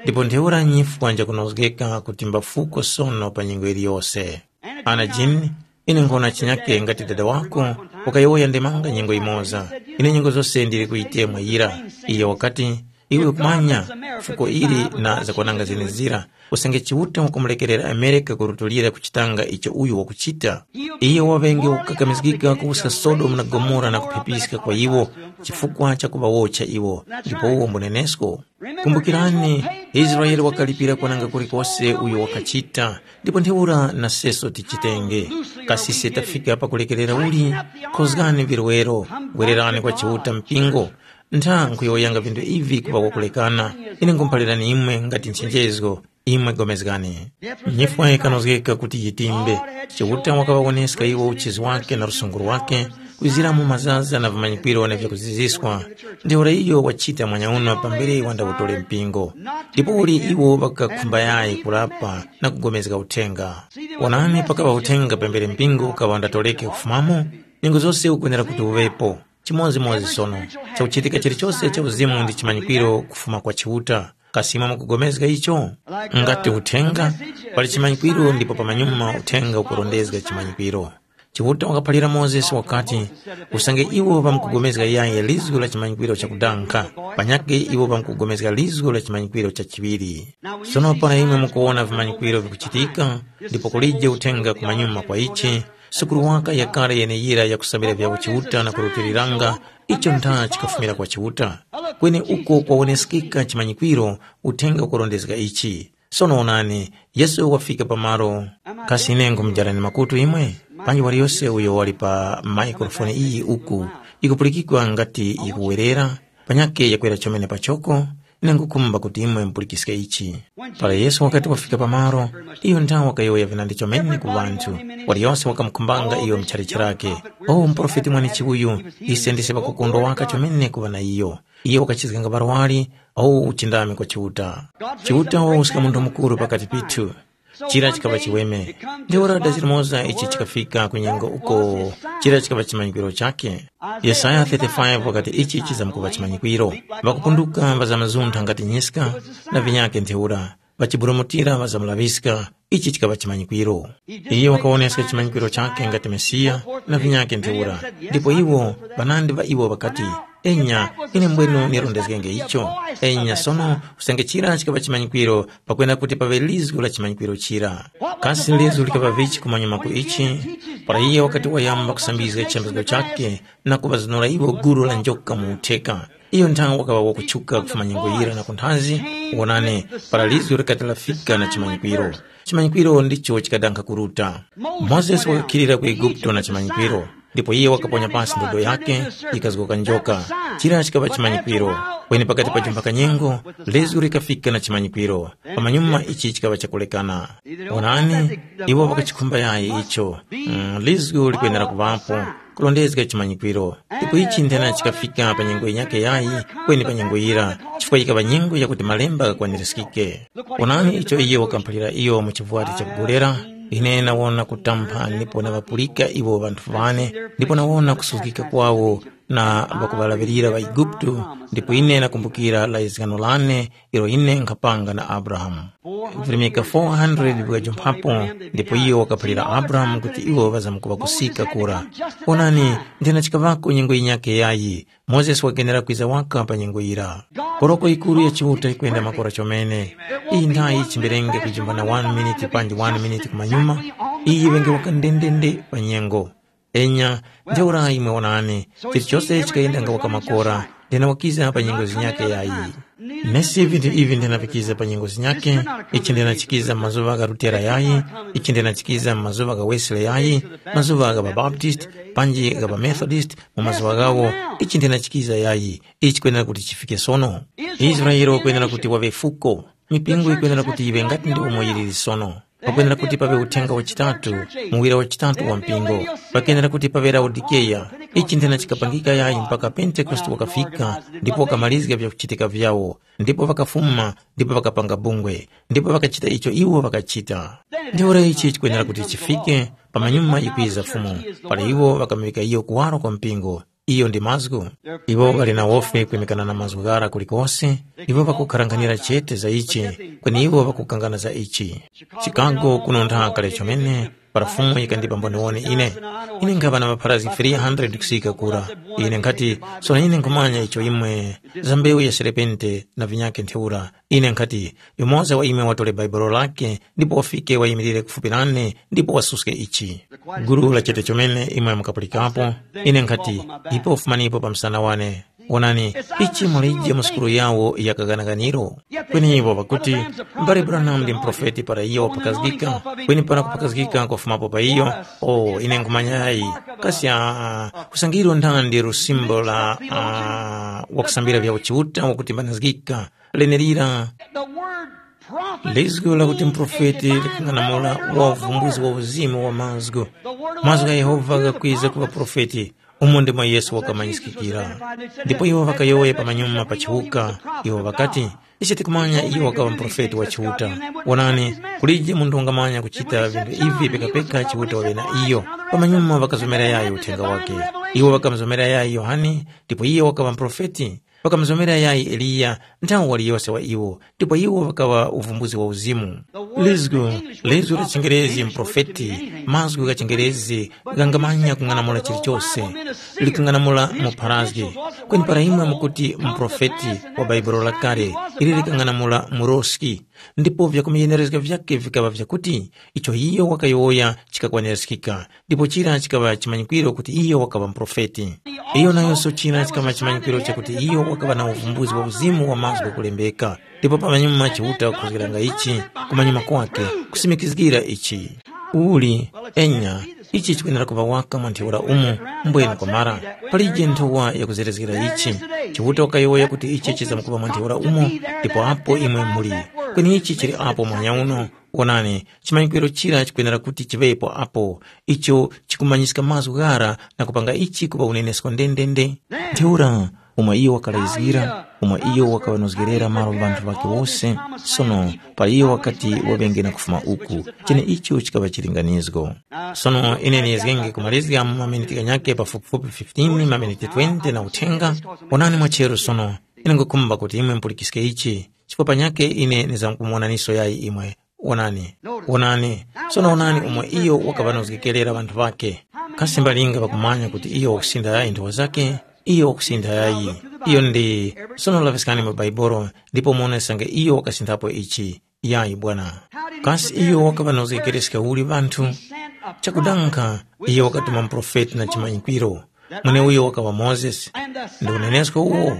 ndipo ntheura nyifwa njakunozgeka kutimba fuko sono pa nyengo iliyose. Ana Jini, ine nkhona chinyake ngati dada wako, ukayowoya ndemanga nyengo imoza. Ine nyengo zose ndili kuyitemwa yira. Iye wakati, Iwe kumanya fuko ili na zakwananga zenezira, usange Chiuta wakumulekerera Amerika kurutulira kuchitanga icho uyo wakuchita. Iyo waŵenge wakukakamizgika kuwuska Sodomu na Gomora na kuphipiska kwa iwo chifukwa cha kuŵawotcha iwo, ndipo uwo mbunenesko. Kumbukirani, Israele wakalipira kwananga kulikose uyo wakachita, ndipo ntheura na seso tichitenge. Kasi se tafika pakulekerera uli? Khozgani virwero, wererani kwa Chiuta mpingo. Ntha nkhuyowoyanga vinthu ivi kuŵa kwakulekana, ine nkhumuphalirani imwe ngati nchenjezgo, imwe pulikani. Nyifwa yikanozgeka kuti yitimbe. Chiuta wakaŵawoneska iwo uchizi wake na lusungu lwake, kwizira mu mazaza na vimanyikwiro na vyakuziziswa. Ntheura iyo wachita mwanyauno pambere wandawutore mpingo. Ndipo uli iwo ŵakakhumba yayi kulapa na kugomezga uthenga. Wonani, pakaŵa uthenga pambere mpingo ukaŵa undatoreke kufumamo, nyengo zose ukwenera kuti uŵepo. Chimodzimodzi sono, chakuchitika chilichose cha uzimu ndi chimanyikwiro kufuma kwa Chiuta. Kasi imwe mukugomezga icho? Ngati uthenga, pali chimanyikwiro ndipo pamanyuma uthenga ukurondezga chimanyikwiro. Chiuta wakaphalira Mozesi wakati, usange iwo ŵamkugomezga yayi lizgu la chimanyikwiro chakudanga, panyakhe iwo ŵamkugomezga lizgu la chimanyikwiro cha chiŵiri. Sono para imwe mukuwona vimanyikwiro vikuchitika, ndipo kulije uthenga kumanyuma kwa ichi, sukuru waka yakale yeneyira yakusambira vyawo Chiuta na kurutiliranga, icho ntha chikafumira kwa Chiuta. Kweni uko kwawoneskeka chimanyikwiro, uthenga ukurondezga ichi. Sono onani, Yesu wafika pamalo. Kasi ine nkhumujarani makutu imwe? Panji waliyose uyo wali pa maikrofoni iyi uku, ikupulikikwa ngati yikuwerera, panyakhe yakwera chomene pachoko, ine nkhukhumba kuti imwe mupulikiske ichi. Para Yesu wakati wafika pamalo, iyo nthawe wakayowoya vinandi chomene ku ŵanthu, waliyose wakamukhumbanga iyo mchalichi lake. O muprofeti mwanechi uyu, ise ndise ŵakukondwa waka chomene kuŵa na iyo. Iyo wakachizganga ŵarwari, o uchindami kwa Chiuta. Chiuta wawuska munthu mukuru pakati pithu. Chira chikaŵa chiweme. Ntheura da chilimoza ichi chikafika ku nyengo uko chira chikaŵa chimanyikwiro chakhe. Yesaya thirty-five wakati ichi chizamkuŵa chimanyikwiro. Ŵakupunduka ŵazamazuntha ngati nyiska, na vinyakhe ntheura. Ŵachiburumutira ŵazamulaŵiska, ichi chikaŵa chimanyikwiro. Iyo wakawoneska chimanyikwiro chakhe ngati Mesiya, na vinyakhe ntheura. Ndipo iwo, ŵanandi ŵa iwo ŵakati, enya, ine mbwenu nirondezgenge icho. Enya sono, usange chira chikaŵa chimanyikwiro, pakwenda kuti paŵe lizgu la chimanyikwiro chira. Kasi lizgu likaŵa vichi kumanyuma ku ichi? Para iye wakati wayamba kusambizga chiyambizgo chakhe na kuŵazunura iwo gulu la njoka mu utheka, iyo nthawe wakaŵa wakutchuka kufuma nyengo yira na kunthazi, wonani, para lizgu likati lafika na chimanyikwiro. Chimanyikwiro ndicho chikadankha kuruta. Mozesi wakakhilira ku Eguputo na chimanyikwiro. Ndipo iye wakaponya pasi ndodo yake, yikazgoka njoka. Chira chikaŵa chimanyikwiro. Kweni pakati pa jumba kanyengo, lizgu likafika na chimanyikwiro. Pamanyuma ichi chikaŵa chakulekana. Onani, iwo ŵakachikhumba yayi icho. Mm, lizgu likwenera kuŵapo, kulondezga chimanyikwiro. Ndipo ichi nthena chikafika pa nyengo yinyakhe yayi, kweni pa nyengo yira, chifukwa yikaŵa nyengo yakuti malemba ghakwanirizgike. Onani icho iye wakamuphalira iyo mu chivwati chakugolera, ine nawona kutampha ndipo naŵapulika iwo ŵanthu ŵane, ndipo nawona kusuzgika kwawo na ŵakuŵalaŵirira ŵaIguputu, ndipo ine nakumbukira lizgano lane ilo ine nkhapanga na Abrahamu. Virimika four hundred vikajumphapo, ndipo iyo wakaphalira Abrahamu kuti iwo ŵazamkuŵa kusika kura. Onani, nthena chikaŵako nyengo yinyakhe yayi, Mozesi wakenera kwiza waka pa nyengo yira. Koroko yikuru ya Chiuta yikwenda makora chomene. Iyi nthayi chimberenge kujimbana one minute panji one minute kumanyuma, iyi yiŵenge waka ndendende pa nyengo. Enya, ntheura imwe wonani, chilichose chikayenda nga waka makora, ndena wakiza pa nyengo zinyakhe yayi. Nesi vinthu ivi ndinavikiza pa nyengo zinyakhe, ichi ndinachikiza mu mazuŵa gha Lutera yayi, ichi ndinachikiza mu mazuŵa gha Wesley yayi, mazuŵa gha Babaptist, panji gha Bamethodist, mu mazuŵa ghawo, ichi ndinachikiza yayi, ichi kwenera kuti chifike sono. Israele wakwenera kuti waŵe fuko, mipingo yikwenera kuti yiŵe ngati ndi umo yiliri sono. Pakwenera kuti paŵe uthenga wachitatu, muwira wachitatu wa mpingo. Pakwenera kuti paŵe Laodikeya. Ichi nthena chikapangika yayi mpaka Pentekoste wakafika, ndipo wakamarizga vyakuchitika vyawo, ndipo ŵakafuma, ndipo ŵakapanga bungwe, ndipo ŵakachita icho iwo ŵakachita. Ntheura ichi chikwenera kuti chifike, pamanyuma yikwiza Fumu, para iwo ŵakamuŵika iyo kuwaro kwa mpingo. Iyo ndi mazgu. Iwo ŵali na wofi kwimikana na mazgu ghara kulikose, iwo ŵakukharanghanira chete za ichi, kweni iwo ŵakukangana za ichi. Chicago kuno ntha kale chomene, Para Fumu yikandipa mboniwoni ine, ine nkhaŵa na ŵapharazgi three hundred kusika kura. Ine nkhati, sono ine nkhumanya icho imwe, za mbewu ya serepente na vinyakhe ntheura. Ine nkhati, yumoza wa imwe watore bhaibolo lake, ndipo wafike wayimilire kufupi nane, ndipo wasuske ichi. Gulu la chete chomene imwe mukapulikapo, ine nkhati, ipo fumanipo pa msana wane. Wonani, ichi mulije mu sukulu yawo ya kaganaganiro. Kweni iwo ŵakuti, mbale Branham ndi muprofeti para iyo wapakazgika, kweni para kupakazgika kwafumapo pa iyo, o, ine nkhumanyayi, kasi aa, kusangiro nthandi lusimbo la aa, wakusambira vya uchiuta wakutimbanizgika, lenerira. The word prophet Lizgu lakuti means muprofeti a kind of likung'anamula wa uvumbuzi wa uzimu wa mazgu. Mazgu gha Yehova ghakwiza ku ŵaprofeti, umo ndimo Yesu wakamanyiskikira. Ndipo iwo ŵakayowoya pamanyuma pa chiwuka, iwo ŵakati, ise tikumanya iyo wakaŵa muprofeti wa Chiuta. Wonani, kulije munthu wangamanya kuchita vinthu ivi pekapeka Chiuta waŵe na iyo. Pamanyuma ŵakazomera yayi uthenga wake. Iwo ŵakamuzomera yayi Yohane, ndipo iye wakaŵa muprofeti. Ŵakamuzomera yayi Eliya, nthawi waliyose wa iwo, ndipo iwo ŵakaŵa uvumbuzi wa uzimu. Lizgu, lizgu la chingerezi mprofeti, mazgu gha chingerezi ghangamanya kung'anamula chilichose, likung'anamula mupharazgi. Kweni para imwe mukuti mprofeti wa Bhaibuli lakale, ili likang'anamula muroski, ndipo vyakumuyenerezga vyake vikaŵa vyakuti icho iyo wakayowoya chikakwanirizgika, ndipo chira chikaŵa chimanyikwiro kuti iyo wakaŵa muprofeti. Iyo nayonso chira chikaŵa chimanyikwiro chakuti iyo wakaŵa na uvumbuzi wa uzimu wa mazgu ghakulembeka. Ndipo pamanyuma Chiuta kukhuzgiranga ichi, kumanyuma kwake, kusimikizgira ichi. Uli, enya, ichi chikwenera kuŵa waka mwa ntheura umo, mbwene kwamara, palije nthowa yakuzerezgera ichi. Chiuta wakayowoya kuti ichi chizamkuŵa mwa ntheura umo, ndipo apo imwe muli. Kweni ichi chili apo muhanya uno, wonani, chimanyikwiro chira chikwenera kuti chiŵepo apo, icho chikumanyiska mazgu ghara na kupanga ichi kuŵa unenesko ndendende. Ntheura, umo iyo wakalayizgira, umo iyo wakaŵanozgerera malo ŵanthu ŵakhe wose, sono pa iyo wakati waŵenge na kufuma uku, cheneicho chikaŵa chilinganizgo. Sono ine niyezgenge kumalizga mu maminiti ghanyakhe pafupifupi fifteen, maminiti twenty na uthenga. Onani mwachero sono, ine nkhukhumba kuti imwe mupulikiske ichi, chifukwa panyakhe ine ndizamkumuwonaniso yayi imwe. Wonani, wonani, sono wonani umo iyo wakaŵanozgekerera ŵanthu ŵakhe. Kasi mbalinga ŵakumanya kuti iyo wakusintha yayi nthowa zakhe? Iyo wakusintha yayi. Iyo ndi, sono laŵiskani mu Baibolo ndipo muwonesange iyo wakasinthapo ichi. Yayi bwana. Kasi iyo wakaŵanozgekereska uli ŵanthu? Chakudanga, iyo wakatuma muprofeti na chimanyikwiro. Mweneuyo wakaŵa Mozesi, ndi unenesko uwo.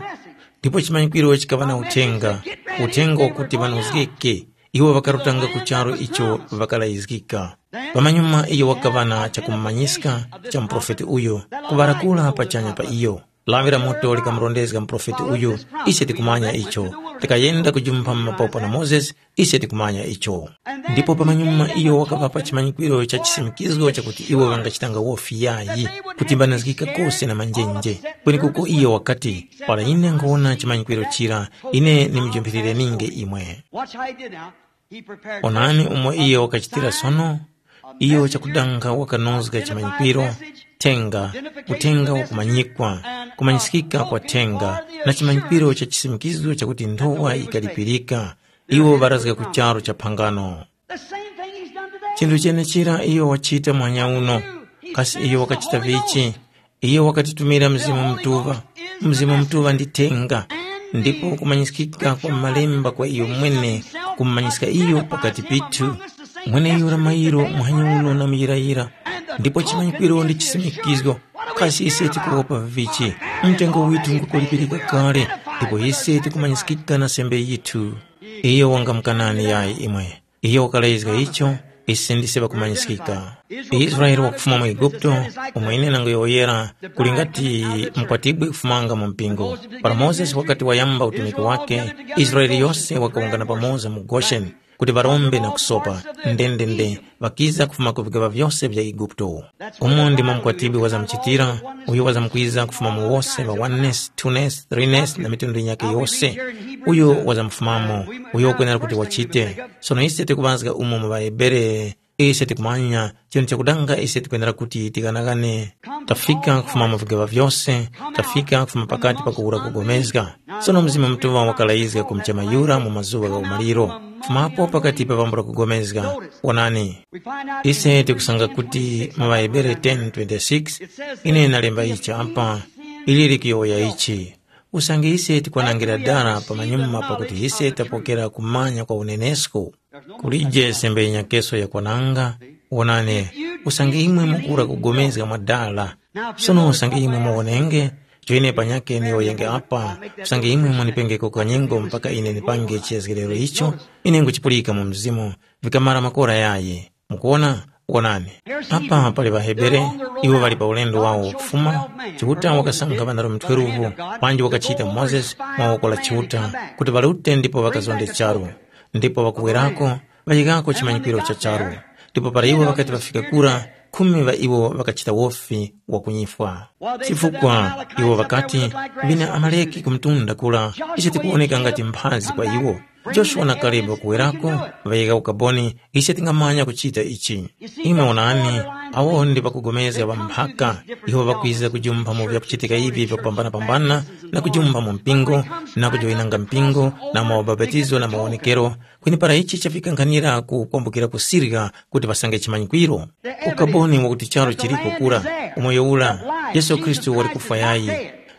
Ndipo chimanyikwiro chikaŵa na uthenga, uthenga wakuti ŵanozgeke. Iwo ŵakarutanga ku charu icho ŵakalayizgika. Pamanyuma iyo wakaŵa na chakumumanyiska cha muprofeti uyo, kuŵarakula pachanya pa iyo. Lawi la moto likamurondezga muprofeti uyu, ise tikumanya icho. Likayenda kujumpha mu mapopo na Mozesi, ise tikumanya icho. Ndipo pamanyuma iyo wakaŵapa chimanyikwiro cha chisimikizgo chakuti iwo ŵangachitanga wofi yayi, kutimbanizgika kose na manjenje. Kwenekuko iyo wakati, para ine nkhwona chimanyikwiro chira, ine nimujumphirireninge imwe. Watch how he did now. He prepared Onani umo iyo wakachitira sono. Iyo chakudanga wakanozga chimanyikwiro, thenga, uthenga wakumanyikwa, kumanyisikika kwa thenga, na chimanyikwiro cha chisimikizgo chakuti nthowa yikalipirika. Iwo ŵarazga ku charu cha phangano. The same thing he's done today. Chinthu chenechira iyo wachita mwanya uno. Kasi iyo wakachita vichi? Iyo wakatitumira Mzimu Mutuŵa. Mzimu Mutuŵa ndi thenga, ndipo kumanyisikika kwa malemba kwa iyo mwene, kumumanyiska iyo pakati pithu. Mweneyura mayiro muhanya uno na muyirayira, ndipo chimanyikwiro ndi chisimikizgo. Kasi ise tikuwopa vichi? Mtengo withu ngukulipirika kale, ndipo ise tikumanyisikika na sembe yithu. Iyo wangamukanani yayi imwe. Iyo wakalezga icho, ise ndise ŵakumanyiskika. Israele wakufuma mu Eguputo, umo ine nangoyowoyera, kuli ngati mukwatibwi kufumanga mu mpingo. Para Mozesi wakati wayamba utumiki wake, Israele yose wakawungana pamoza mu Gosheni, kuti ŵarombe na kusopa. Ndendende, ŵakiza kufuma ku vigaŵa vyose vya Eguputo. Umo ndimo mukwatibwi wazamuchitira, uyo wazamkwiza kufuma mu wose ŵa oneness, twoness, threeness na mitundu yinyakhe yose. Uyo wazamufumamo, uyo ukwenera kuti wachite. Sono ise tikuŵazga umo mu ŵaHebere, ise tikumanya, chinthu chakudanga ise tikwenera kuti tighanaghane. Tafika kufuma mu vigaŵa vyose, tafika kufuma pakati pa kuwura kugomezga. Sono Mzimu Mutuŵa wakalayizga kumuchema yura mu mazuŵa gha umaliro. Fumapo pakati pa pambula kugomezga. Onani, ise tikusanga kuti mu ŵaHebere ten twenty-six, ine nalemba ichi apa, ili likuyowoya ichi. Usange ise tikwanangira dara pamanyuma pakuti ise tapokera kumanya kwa unenesko, kulije sembe inyakeso yakwananga. Wonani, usange imwe mukura kugomezga mwa dala. Sono usange imwe muwonenge, choine panyake niyowoyenge apa, usange imwe munipengeko kanyengo mpaka ine nipange chiyazgiriro icho, ine nguchipulika mu mzimu, vikamara makora yayi. Mukuwona? Wonani, apa pali ŵaHebere, iwo ŵali pa ulendo wawo wakufuma. Chiuta wakasankha ŵanarume twelve, panji wakachita Mozesi mwa woko la Chiuta, kuti ŵalute ndipo ŵakazonde charu. Ndipo ŵakuwerako, ŵayikako chimanyikiro cha charu. Ndipo para iwo ŵakati ŵafika kura, khumi ŵa iwo ŵakachita wofi wa kunyifwa. Chifukwa iwo ŵakati, vine Amaleki ku mtunda kura, icho tikuwoneka ngati mphazi kwa iwo. Joshua na Kalebe kuwerako, ŵayika ukaboni, ise tingamanya kuchita ichi. Imwe onani, awo ndi ŵakugomezga ŵa mphaka, iwo ŵakwiza kujumpha mu vyakuchitika ivi vyakupambanapambana, na kujumpha mu mpingo, na kujoyinanga mpingo, na mwa ubapatizo na mawonekero, kweni para ichi chafika nkhanira ku kwambukira kusirya kuti ŵasange chimanyikwiro. Ukaboni wakuti charu chiriko kura, umoyo ura, Yesu Khristu wali kufwa yayi.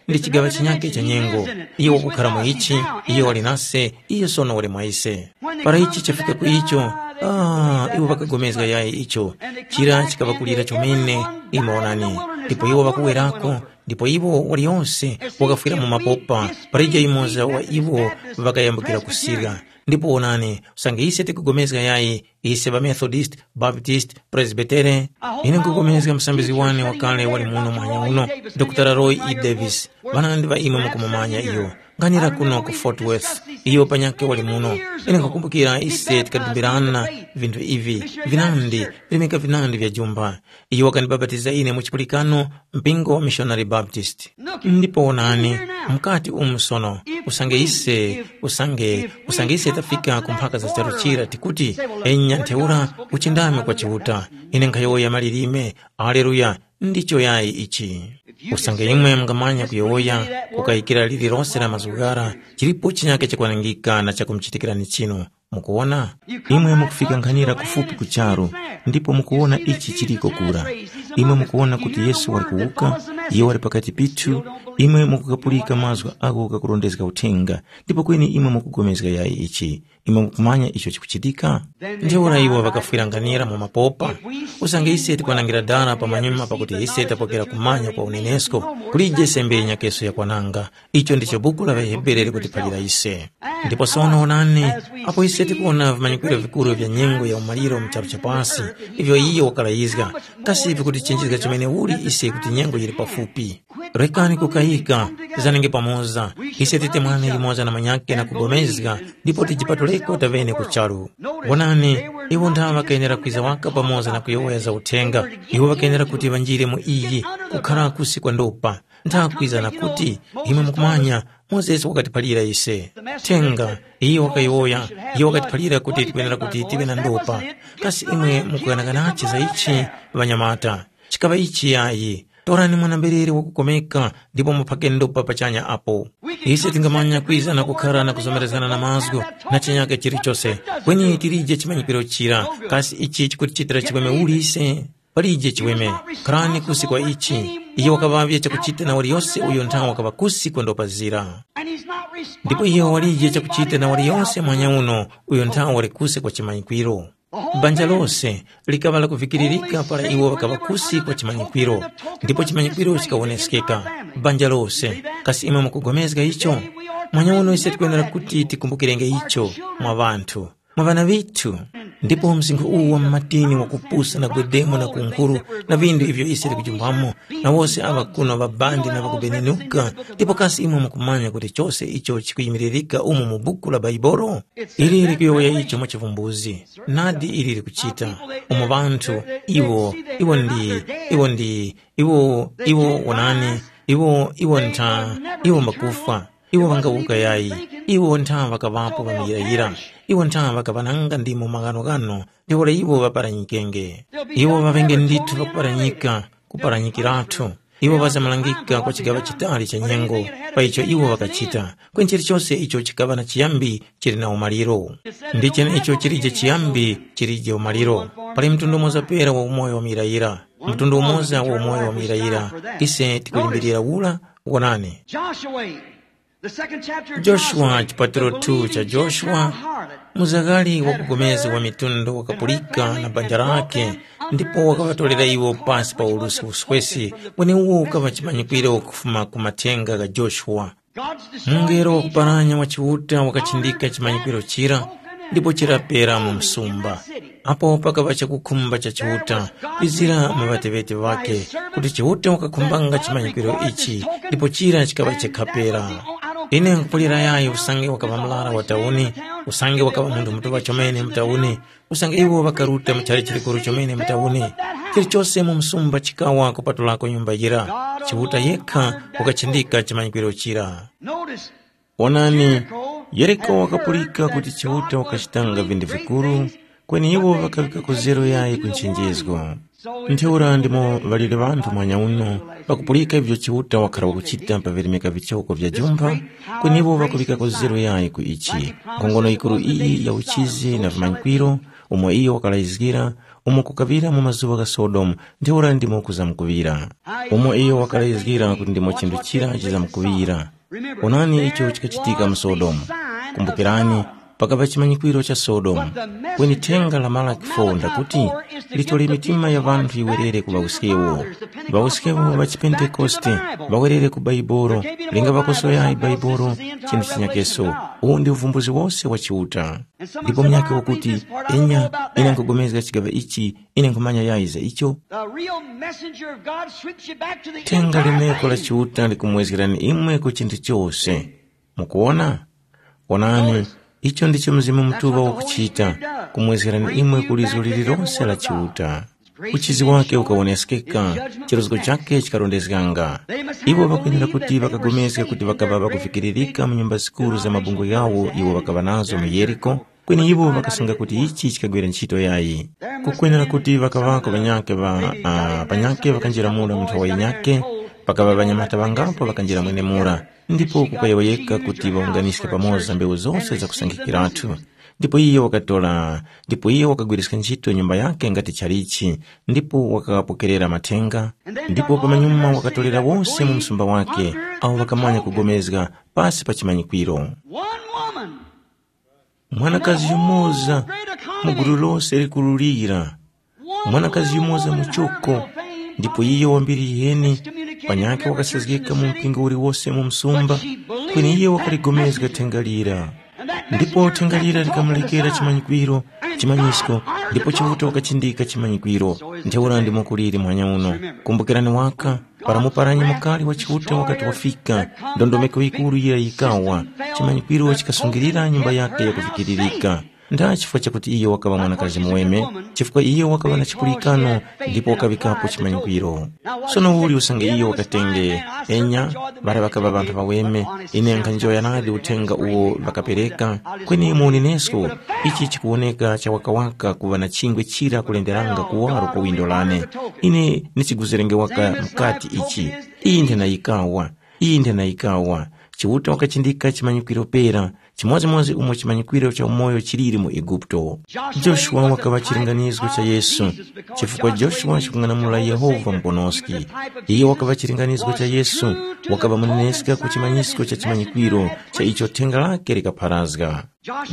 Ndi chigaŵa chinyakhe cha nyengo. Iyo wakukhala mu ichi, iyo wali nase, iyo sono wali mwa ise. Para ichi chafika ku icho, ah, iwo ŵakagomezga yayi icho. Chira chikaŵakulira chomene, imwe onani. Ndipo iwo ŵakuwerako, ndipo iwo waliyonse wakafwira mu mapopa, para ija yumoza wa iwo ŵakayambukira kusirya. Ndipo wonani, usange ise tikugomezga yayi, ise ŵaMethodist, Baptist, Presbytere, ine nkugomezga msambizgi wane wakale wali muno muhanya uno, Dr. Roy E. Davis, ŵanandi ŵa imwe mukumumanya iyo, nganira kuno ku Fort Worth, iyo panyakhe wali muno. Ine nkhakumbukira ise tikadumbirana vinthu ivi, vinandi, virimika vinandi vya jumba. Iyo wakandibapatiza ine mu chipulikano, mpingo wa Missionary Baptist. Ndipo wonani, mukati umu sono, usange ise, usange, usange ise tafika ku mphaka za charu chira tikuti, enya ntheura, uchindami kwa Chiuta, ine nkhayowoya malilime, aleluya, ndicho yayi ichi. Usange imwe mungamanya kuyowoya, kukayikira lililose la mazgu ghara, chilipo chinyake chakwanangika na chakumuchitikirani chinu. Mukuwona? Imwe mukufika nkhanira kufupi ku charu, ndipo mukuwona ichi chiliko kura. Imwe mukuwona kuti Yesu wali kuwuka, iyo wali pakati pithu, imwe mukukapulika mazgu agho ghakurondezga uthenga, ndipo kweni imwe mukugomezga yayi ichi. Imwe mukumanya icho chikuchitika? Ntheura iwo ŵakafwira nkhanira mu mapopa. Usange ise tikwanangira dara pamanyuma pakuti ise tapokera kumanya kwa unenesko, kulije sembe yenyakeso yakwananga. Icho ndicho buku la ŵaHebere likutiphalira ise. Ndipo sono onani, apo ise tikuwona vimanyikwiro vikuru vya nyengo ya umaliro mu charu cha pasi, ivyo iyo wakalayizga, kasi vikutichenjezga chomene uli ise kuti nyengo yili pafupi? Rekani kukayika, tizanenge pamoza, ise titemwane yumoza na manyake na kugomezga, ndipo tijipatuleko tavene ku charu. Wonani, iwo ntha ŵakayenera kwiza waka pamoza na kuyowoya za uthenga, iwo ŵakayenera kuti ŵanjire mu iyi, kukhala kusi kwa ndopa. Nthakwiza na kuti, imwe mukumanya, Mozesi wakatiphalira ise. Thenga, iye wakayowoya, iye wakatiphalira kuti tikwenera kuti tive na ndopa. Kasi imwe mukughanaghanachi za ichi, ŵanyamata? Chikaŵa ichi yayi. Torani mwana-mberere wakukomeka ndipo muphake ndopa pachanya apo. Ise tingamanya kwiza na kukhara na kuzomerezgana na mazgu na chinyake chilichose, kweni tilije chimanyikwiro chira. Kasi ichi chikutichitira chiweme uli ise? Palije chiweme, kharani kusi kwa ichi. Iye wakaŵavye chakuchita na waliyose uyo nthawe wakaŵa kusi kwandopazira. Ndipo iye walije chakuchita na waliyose mwanya uno uyo nthawe wali kusi kwa chimanyikwiro. Banja lose likaŵa lakuvikiririka para iwo ŵakaŵa kusi kwa chimanyikwiro, ndipo chimanyikwiro chikawonesekeka. Banja lose, kasi imwe mukupulikana icho? Mwanya uno ise tikwenera kuti tikumbukirenge icho mwa ŵanthu. Mwa ŵana ŵithu. Ndipo msinkhu uwu wa mumatini wakupusa na gwedemo na kunkhuru na vindu ivyo ise tikujumpamo, na wose aŵa kuno ŵabandi na ŵakubenenuka, ndipo kasi imwe mukumanya kuti chose icho chikuyimiririka umu mu buku la Baibolo? Ili likuyowoya icho mwa chivumbuzi. Nadi ili likuchita. Umo ŵanthu, iwo, iwo ndi, iwo ndi, iwo, iwo wonani, iwo, iwo ntha, iwo mbakufwa. Iwo ŵangawuka yayi, iwo ntha ŵakaŵapo ŵamuyirayira, iwo ntha ŵakaŵananga ndimo maghanoghano, ntheura iwo ŵaparanyikenge. Iwo ŵaŵenge ndithu ŵakuparanyika, kuparanyikirathu. Iwo ŵazamalangika kwa chigaŵa chitali cha nyengo, pa icho iwo ŵakachita, kweni chilichose icho chikaŵa na chiyambi chili na umaliro. Ndi chenecho chilije chiyambi chilije umaliro. Pali mtundu umoza pera wa umoyo wa muyirayira, mtundu umoza wa umoyo wa muyirayira. Ise tikulimbirira ura. Wonani. Joshua, the second chapter of Joshua, Joshua, chipatiro the two cha believing Joshua, Gentile harlot, muzakali wa kugomezga wa mitundu wakapulika na banja lake, ndipo wakaŵatolera iwo pasi pa ulusi uswesi wene uwo ukaŵa chimanyikwiro kufuma ku mathenga gha Joshua. God's destroying mungelo angel wakuparanya wa Chiuta wakachindika chimanyikwiro chira, ndipo chirapera mu msumba. Apo pakaŵa chakukhumba cha Chiuta, kwizira maŵateŵete ŵakhe, kuti Chiuta wakakhumbanga chimanyikwiro ichi, ndipo chira chikaŵa chekhapera. Ine nkupulira yayi usange wakaŵa mlara wa tauni, usange wakaŵa munthu mutuŵa chomene mu tauni, usange iwo ŵakaruta mu chali chikuru chomene mu tauni. Chilichose mu msumba chikawa kupatulako nyumba yira. Chiuta yekha wakachindika chimanyikwiro chira. Notice, Onani, Yeriko wakapulika kuti Chiuta wakachitanga vinthu vikuru, kweni iwo ŵakaŵika kuzero yayi ku nchenjezgo. Ntheura ndimo ŵaliri ŵanthu muhanya uno, ŵakupulika ivyo Chiuta wakhala wakuchita pa virimika vichoko vya jumpha, kweni iwo ŵakuŵika kuzero yayi ku ichi. Nkhongono yikuru iyi ya uchizi na vimanyikwiro, umo iyo wakalayizgira, umo kukaŵira mu mazuŵa gha Sodomu, ntheura ndimo kuzamkuŵira. Umo iyo wakalayizgira kuti ndimo chinthu chira chizamkuŵira. Onani icho chikachitika mu Sodomu. Kumbukirani, pakaŵa chimanyikwiro cha Sodomu, kweni thenga la Malaki four ndakuti, litole mitima ya ŵanthu yiwerere ku ŵawuskewo. Ŵawuskewo ŵa chipentekoste ŵawerere ku Baibolo, linga ŵakoso yayi Baibolo, chinthu chinyakeso. Uwu ndi uvumbuzi wose wa Chiuta. Ndipo munyakhe wakuti, enya, ine nkugomezga chigaŵa ichi, ine nkhumanya yayi za icho. The real messenger of God sweeps you back to the Thenga entire limeko la thing. Chiuta likumwezgerani imwe ku chinthu chose. Mukuwona? Wonani, icho ndicho Mzimu Mutuŵa wakuchita, kumwezgerani imwe ku lizo lililonse la Chiuta. Uchizi wake ukawoneskeka, chirozgo chake chikarondezganga. Iwo ŵakwenera kuti ŵakagomezga kuti ŵakaŵa ŵakuvikiririka mu nyumba zikuru za mabungwe ghawo iwo ŵakaŵa nazo mu Yeriko, kweni iwo ŵakasunga kuti ichi chikagwira ntchito yayi. Kukwenera kuti ŵakaŵako ŵanyakhe ŵa, ah, panyakhe ŵakanjira mura mu nthowa yinyakhe, pakaŵa ŵanyamata ŵangapo ŵakanjira mwenemura, ndipo kukayowoyeka kuti ŵawunganiske pamoza mbewu zose zakusankhikiratu. Ndipo iye wakatora, ndipo iye wakagwiriska ntchito nyumba yakhe ngati chalichi, ndipo wakapokerera mathenga, ndipo pamanyuma wakatorera wose mu msumba wake, awo ŵakamanya kugomezga pasi pa chimanyikwiro. One woman, mwanakazi yumoza mu gulu lose likululira, mwanakazi yumoza muchoko, ndipo iyo wambiri yiheni, panyakhe wakasazgika mu mpingo uliwose mu msumba, kweni iyo wakaligomezga thenga lira. Ndipo thenga lira likamulekera chimanyikwiro, chimanyisko, ndipo Chiuta wakachindika chimanyikwiro. Ntheura ndimo kuliri muhanya uno. Kumbukirani waka, para muparanyi mukali wa Chiuta wakati wafika, ndondomeko yikuru yira yikawa, chimanyikwiro chikasungirira nyumba yake yakuvikiririka. Nd'a chifukwa chakuti iyo wakaŵa mwanakazi muweme, chifukwa iyo wakaŵa na chipulikano ndipo wakaŵikapo chimanyikwiro. Sono uli usange iyo wakatenge, enya, ŵara ŵakaŵa ŵanthu ŵaweme, ine nkhanjoya nadi uthenga uwo ŵakapereka, kweni mu unenesko, ichi chikuwoneka chawakawaka kuŵa na chingwe chira kulenderanga kuwaro kwa windo lane. Ine ndichiguzirenge waka mukati ichi. Iyi ndhenayikawa, iyi ndhenayikawa. Chiuta wakachindika chimanyikwiro pera, chimodzimodzi umo chimanyikwiro cha umoyo chiliri mu Eguputo. Joshua wakaŵa chilinganizo cha Yesu, chifukwa Joshua chikung'anamula Yehova Muponoski. Iye wakaŵa chilinganizo cha Yesu, wakaŵa muneneska ku chimanyisko cha chimanyikwiro cha icho thenga lake likapharazga.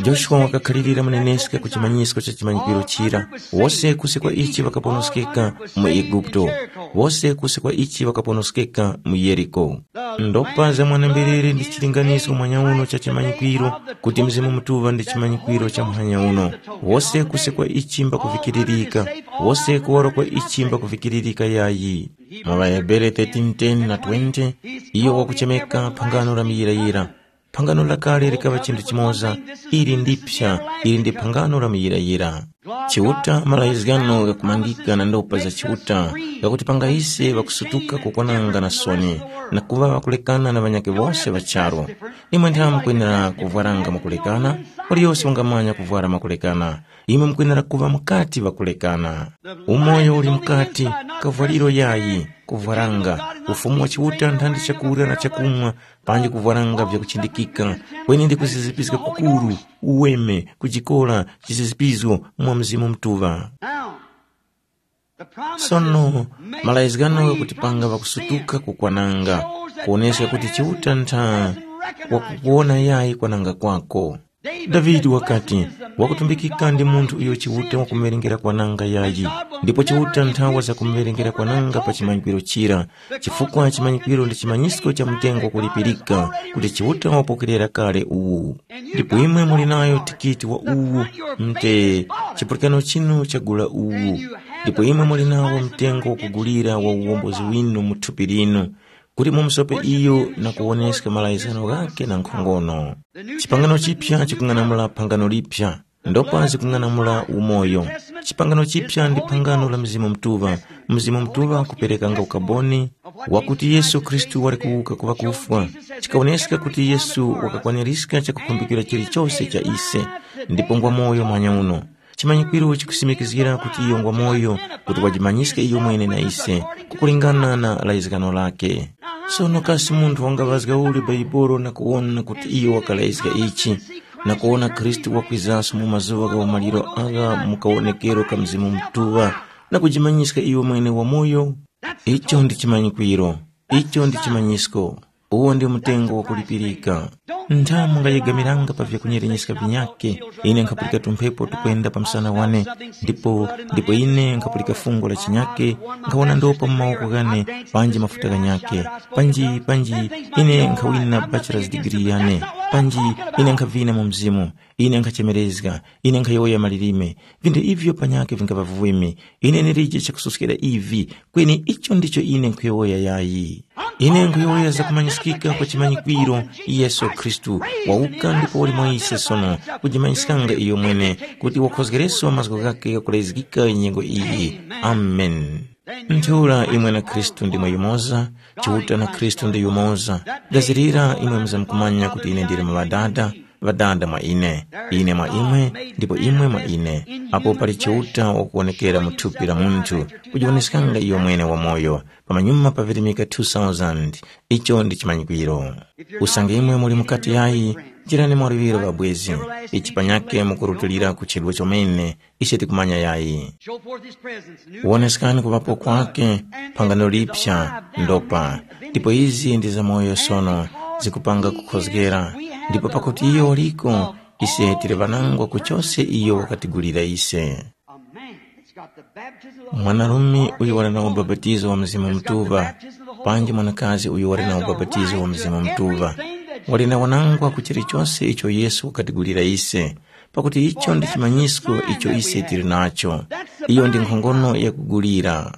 Joshua wakakhalirira muneneska ku chimanyisko cha chimanyikwiro chira, wose kusi kwa ichi ŵakaponoskeka mu Eguputo, wose kusi kwa ichi ŵakaponoskeka mu Yeriko. Ndopa za mwana-mberere ndi chilinganiso mwanyauno cha chimanyikwiro, kuti Mzimu Mutuŵa ndi chimanyikwiro cha muhanya uno. Wose kusekwa ichi mbakuvikiririka, wose kuwaro kwa ichi mbakuvikiririka yayi. Mwa ŵaHebere thirteen ten na twenty, iyo wakuchemeka phangano la muyirayira. Phangano lakale likaŵa chinthu chimoza, ili ndiphya, ili ndi phangano la muyirayira. Chiuta, malayizgano ghakumangika na ndopa za Chiuta, ghakuti panga ise ŵakusutuka kukwananga na soni, na kuŵa ŵakulekana na ŵanyakhe wose ŵa charu. Imwe ntha mukwenera kuvwaranga mwakulekana? Waliyose wangamanya kuvwara makulekana. Imwe mukwenera kuŵa mukati ŵakulekana. Umoyo uli mukati, kavwaliro yayi, kuvwaranga. Ufumu wa Chiuta nthandi chakurya na chakumwa, panji kuvwaranga vyakuchindikika, kweni ndi kuzizipiska kukuru, uweme, kujikola, chizizipizo mwa Mzimu Mutuŵa. Sono, malayizgano ghakutipanga ŵakusutuka kukwananga, kuwoneska kuti Chiuta ntha wakukuwona yayi kwananga kwako. Davide wakati, wakutumbikika ndi munthu uyo Chiuta wakumuŵerengera kwananga yayi, ndipo Chiuta ntha wazakumuŵerengera kwananga pa chimanyikwiro chira, chifukwa chimanyikwiro ndi chimanyisko cha mtengo wakulipirika kuti Chiuta wapokerera kale uwu. Ndipo imwe muli nayo tikiti wa uwu, mte chipulikano chinu chagula uwu, ndipo imwe muli nawo mtengo wakugulira wa uwombozi winu mu thupi linu, kuti mumusope iyo na kuwoneska malayizgano ghakhe na nkhongono. Chipangano chipya chikung'anamula phangano lipya, ndopa zikung'anamula umoyo. Chipangano chipya ndi phangano la Mzimu Mutuŵa. Mzimu Mutuŵa kuperekanga ukaboni wakuti Yesu Khristu wali kuwuka ku ŵakufwa. Chikawoneska kuti Yesu wakakwaniska chakukhumbikira chilichose cha ise, ndipo ngwa moyo mwanyauno. Chimanyikwiro chikusimikizgira kuti iyo ngwa moyo, kuti wajimanyiska iyo mwene na ise, kukulingana na layizgano lake. Sono kasi munthu wangaŵazga uli Baibolo na kuwona kuti iyo wakalayizga ichi, na kuwona Khristu wakwizaso mu mazuŵa gha umaliro agha mu kawonekero ka Mzimu Mutuŵa, na kujimanyiska iyo mwene wamoyo? Icho ndi chimanyikwiro, icho ndi chimanyisko. Uwo ndi mtengo wakulipirika. Ntha mungayegamiranga pa vyakunyerenyeskanga vinyakhe. Ine nkhapulika tumphepo tukwenda pa msana wane, ndipo ndipo ine nkhapulika fungo la chinyakhe, nkhawona ndopa mu mawoko ghane, panji mafuta ghanyakhe, panji panji ine nkhawina bachelor's degree yane, panji ine nkhavina mu mzimu, ine nkhachemerezga, ine nkhayowoya malilime. Vinthu ivyo panyakhe vingava viweme. Ine ndilije chakusoskera ivi, kweni icho ndicho ine nkhuyowoya yayi. Ine nkhuyowoya zakumanyiskika kwa chimanyikwiro, Yesu Khristu wawuka ndipo wali mwa ise sono, kujimanyiskanga iyo mwene, kuti wakhozgereso mazgu ghakhe ghakulezgika nyengo iyi. Amen. Ntheura imwe na Khristu ndimwe yumoza, Chiuta na Khristu ndi yumoza. Gazirira imwe muzamkumanya kuti ine ndili mu Ŵadada, Ŵadada mwa ine, ine mwa imwe, ndipo imwe mwa ine. Apo pali Chiuta wakuwonekera mu thupi la munthu, kujiwoneskanga iyo mwene wamoyo, pamanyuma pa virimika two thousand. Icho ndi chimanyikwiro. Usange imwe muli mukati yayi, njirani mwaluŵiro ŵabwezi. Ichi panyakhe mukurutulira ku chedwe chomene, ise tikumanya yayi. Show forth his presence. New Woneskani kuŵapo kwake, phangano lipsa, ndopa. Ndipo izi ndi zamoyo sono, zikupanga kukhozgera. Ndipo pakuti iyo waliko, ise tili ŵanangwa ku chose iyo wakatigulira ise. A man that's got the baptism of the Holy Ghost. Mwanarume uyu wali na ubapatizo wa Mzimu Mutuŵa, panji mwanakazi uyu wali na ubapatizo wa Mzimu Mutuŵa, wali na wanangwa ku chilichose icho Yesu wakatigulira ise, pakuti icho ndi chimanyisko icho ise tili nacho. Iyo ndi nkhongono yakugulira.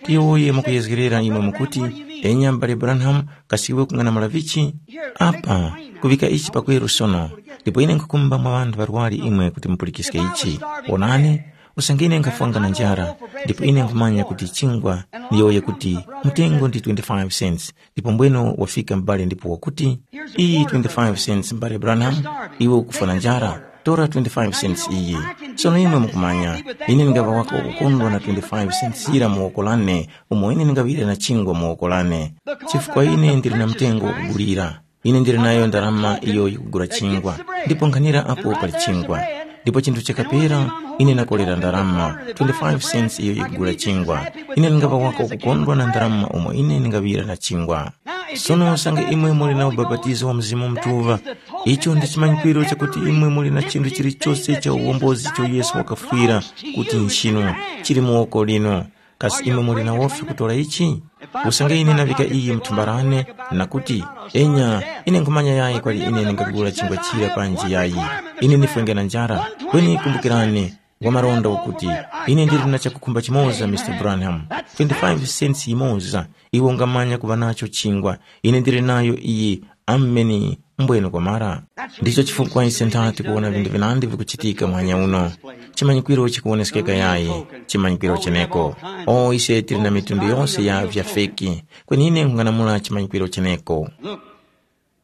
Tiyowoye mukuyezgerera imwe mukuti, enya m'bale Branham, kasi iwe kung'anamula vichi? Apa, kuŵika ichi pakweru sono, ndipo ine nkhukumba mwa ŵanthu ŵarwari imwe kuti mupulikiske ichi. Wonani, usange ine nkhafwanga na njara, ndipo ine nkhumanya kuti chingwa, ndiyowoye kuti, mtengo ndi twenty-five cents, ndipo mbweno wafika m'bale ndipo wakuti, iyi twenty-five cents m'bale Branham, iwe ukufwa na njara, tora twenty-five cents iyi. Sono imwe mukumanya, ine ndingaŵa waka wakukondwa na twenty-five cents yira mu woko lane, umo ine ndingaŵire na chingwa mu woko lane. Chifukwa ine ndili na mtengo wakugulira. Ine ndili nayo ndarama iyo yikugula chingwa, ndipo nkhanira apo pali chingwa. Ndipo chinthu chakapera, ine nakolera ndarama, twenty-five cents iyo yikugula chingwa. Ine ndingaŵa waka wakukondwa na ndarama umo ine ndingaŵira na chingwa. Sono usange imwe muli na ubapatizo wa Mzimu Mutuŵa, icho ndi chimanyikwiro chakuti imwe muli na chinthu chilichose cha uwombozi icho Yesu wakafwira kuti nchinu, chili mu woko linu. Kasi imwe muli na wofi kutora ichi? Usange ine naŵika iyi mu thumba lane, na kuti, enya, ine nkhumanya yayi kwali ine ndingagula chingwa chira panji yayi. Ine ndifwenge na njara, kweni kumbukirani, wa malonda wakuti, ine ndili na chakukhumba chimoza, Mister Branham, twenty-five cents yimoza, iwe ungamanya kuŵa nacho chingwa, ine ndili nayo iyi. Ameni. Mbwene kwamara. Ndicho chifukwa ise nthati kuwona vinthu vinandi vikuchitika muhanya uno. Chimanyikwiro chikuwoneskeka yayi, chimanyikwiro cheneko. O, ise tili na mitundu yonse ya vyafeki, kweni ine nkung'anamula chimanyikwiro cheneko.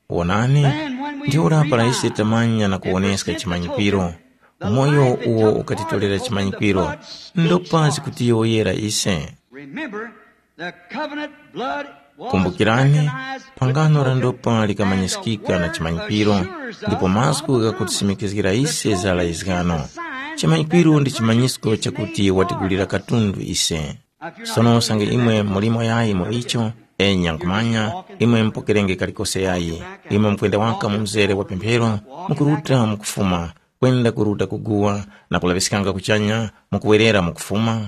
Wonani, ntheura para ise tamanya na kuwoneska chimanyikwiro, umoyo uwo ukatitolera chimanyikwiro, ndopa zikutiyowoyera ise. Remember, the covenant blood was Kumbukirani, recognized phangano la ndopa likamanyiskika na chimanyikwiro, ndipo mazgu ghakutisimikiskira ise za laizgano. Chimanyikwiro ndi chimanyisko chakuti watigulira katundu ise. Sono usange imwe mulimo yayi mu icho, enya nkhumanya, imwe mupokerenge kalikose yayi, imwe mukwenda waka mu mzere wa pemphero, mukuruta mukufuma, kwenda kuruta kuguwa na kulaŵiskanga kuchanya, mukuwerera mukufuma.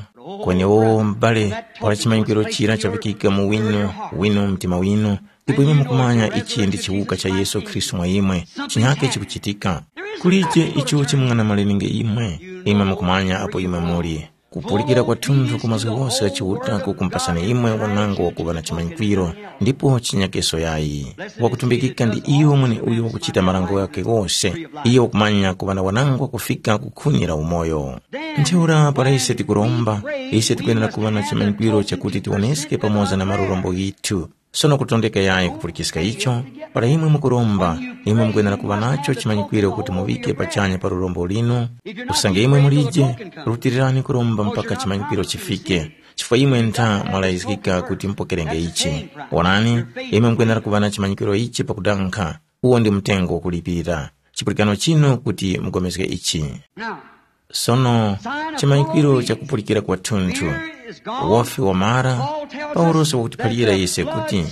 Kweni o m'bale, para chimanyikwiro chira chavikika mu winu, winu mtima winu, ndipo imwe mukumanya ichi ndi chiwuka cha Yesu Khristu mwa imwe, chinyake chikuchitika. Kulije icho chimung'anamaleninge imwe, imwe mukumanya apo imwe muli. Kupulikira kwathunthu ku mazgu ghose gha Chiuta kukumpasani imwe wanango wakuŵa na chimanyikwiro ndipo chinyakeso yayi. Wakutumbikika ndi iyo mweneuyo wakuchita marango ghakhe ghose, iyo wakumanya kuŵa na wanango kufika ku khuni la umoyo. Ntheura para ise tikuromba, ise tikwenera kuŵa na chimanyikwiro chakuti tiwoneske pamoza na malurombo ghithu. Sono kutondeka yayi kupulikiska icho, para imwe mukuromba, imwe mukwenera kuŵa nacho chimanyikwiro kuti muŵike pachanya pa lurombo linu. Usange imwe mulije, rutirirani kuromba mpaka chimanyikwiro chifike, chifukwa imwe ntha mwalayizgika kuti mupokerenge ichi. Wonani, imwe mukwenera kuŵa na chimanyikwiro ichi pakudankha, uwo ndi mtengo wakulipira. Chipulikano chinu kuti mugomezge ichi. Sono, chimanyikwiro chakupulikira kwathunthu. Wofi wamara, Paulosi wakutiphalira ise kuti,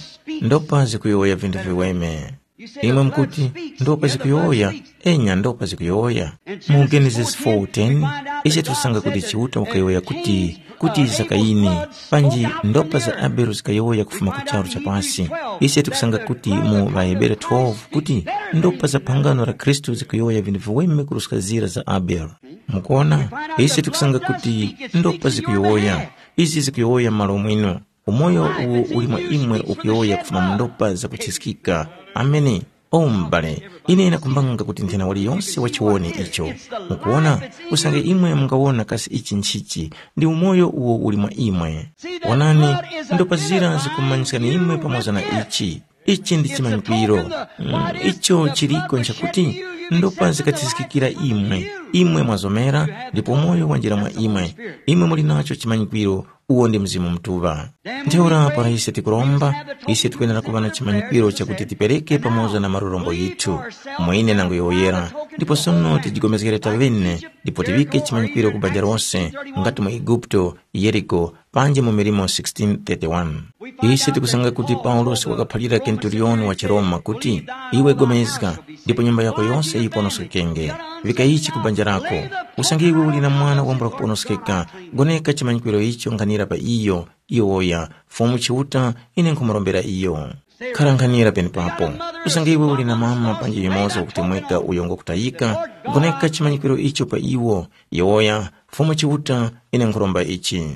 ndopa zikuyowoya vinthu viweme. Imwe mukuti, ndopa zikuyowoya? Enya, ndopa zikuyowoya. Mu Genesis four ten, ise tikusanga kuti Chiuta wakayowoya kuti, kuti za Kayini, panji ndopa za Abele zikayowoya kufuma ku charu cha pasi. Ise tikusanga kuti mu ŵaHebere twelve kuti ndopa za phangano la Khristu zikuyowoya vinthu viweme kuruska zira za Abele. Mukuona, ise tikusanga kuti ndopa zikuyowoya. Izi zikuyowoya m'malo mwinu. Umoyo uwo uli mwa imwe ukuyowoya kufuma mu ndopa zakuthiskika. Ameni. O m'bale, ine ndakhumbanga kuti nthena waliyonse wachiwone icho. Mukuwona, usange imwe mungawona kasi ichi nchichi, ndi umoyo uwo uli mwa imwe. Wonani, ndopa zira zikumanyiskani imwe pamoza na ichi. Ichi ndi chimanyikwiro. Mm, icho chiliko nchakuti ndopa zikathiskikira imwe, imwe mwazomera, ndipo moyo wanjira mwa imwe. Imwe muli nacho chimanyikwiro, uwo ndi Mzimu Mutuŵa. Ntheura para ise tikuromba, ise tikwenera kuŵa na chimanyikwiro chakuti tipereke pamoza na marurombo yithu, mwine nangu yoyera, ndipo sono tijigomezgere tavene, ndipo tiŵike chimanyikwiro ku banja lose, ngati mu Eguputo, Yeriko, panji mu Milimo sixteen thirty-one. Ise tikusanga kuti Paulosi wakaphalira kenturioni wa chiRoma kuti, iwe gomezga, ndipo nyumba yako yose yiponoskekenge. Vika ichi ku banja lako. Usange iwe uli na mwana wambula kuponoskeka, goneka chimanyikwiro icho nkhanira pa iyo, iwoya, Fumu Chiuta, ine nkhumurombera iyo. Khara nkhanira penepapo. Usange iwe uli na mama panji yumoza wakutemweka uyo ngokutayika, goneka chimanyikwiro icho pa iwo, iwoya, Fumu Chiuta, ine nkhuromba ichi.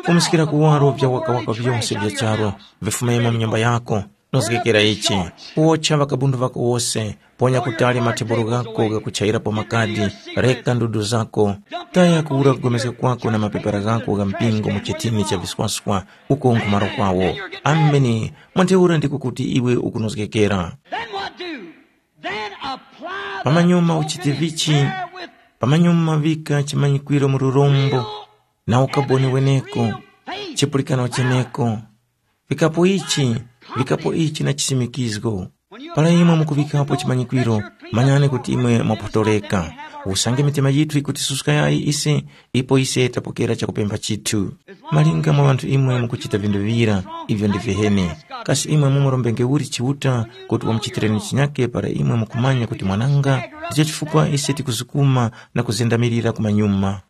Fumiskira kuwaro vya wakawaka vyonse vya charu, vifumemo mu nyumba yako, nozgekera ichi. Wocha ŵakabundu ŵako wose, ponya kutali mathebolo ghako ghakuchayirapo makadi, reka ndudu zako, taya kuwura kugomezga kwako na mapepara ghako gha mpingo mu chitini cha viswaswa, uko nkhumaro kwawo. Ameni. Mwantheura ndiko kuti iwe ukunozgekera. Then what do? Then apply the Pamanyuma uchite Covenant vichi, prayer with pamanyuma vika chimanyikwiro mu lurombo, na ukaboni weneko, chipulikano cheneko. Vikapo ichi, vikapo ichi na chisimikizgo. Para imwe mukuvikapo chimanyikwiro, manyani kuti imwe mwaphotoreka. Usange mitima yithu ikutisuska yayi ise, ipo ise tapokera chakupempha chithu. Malinga mwa ŵanthu imwe mukuchita vinthu vira, ivyo ndi viheni. Kasi imwe mumurombenge uli Chiuta kuti wamuchitireni chinyake para imwe mukumanya kuti mwananga? Ndicho chifukwa ise tikuzukuma na kuzendamirira kumanyuma.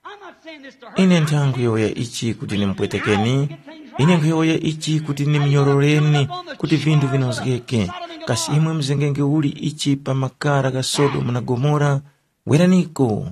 Ine ntha nkhuyowoya ichi kuti nimupwetekeni, ine nkhuyowoya ichi kuti nimnyororeni kuti vinthu vinozgeke. Kasi imwe muzengenge uli ichi pa makara gha Sodomu na Gomora? Weraniko.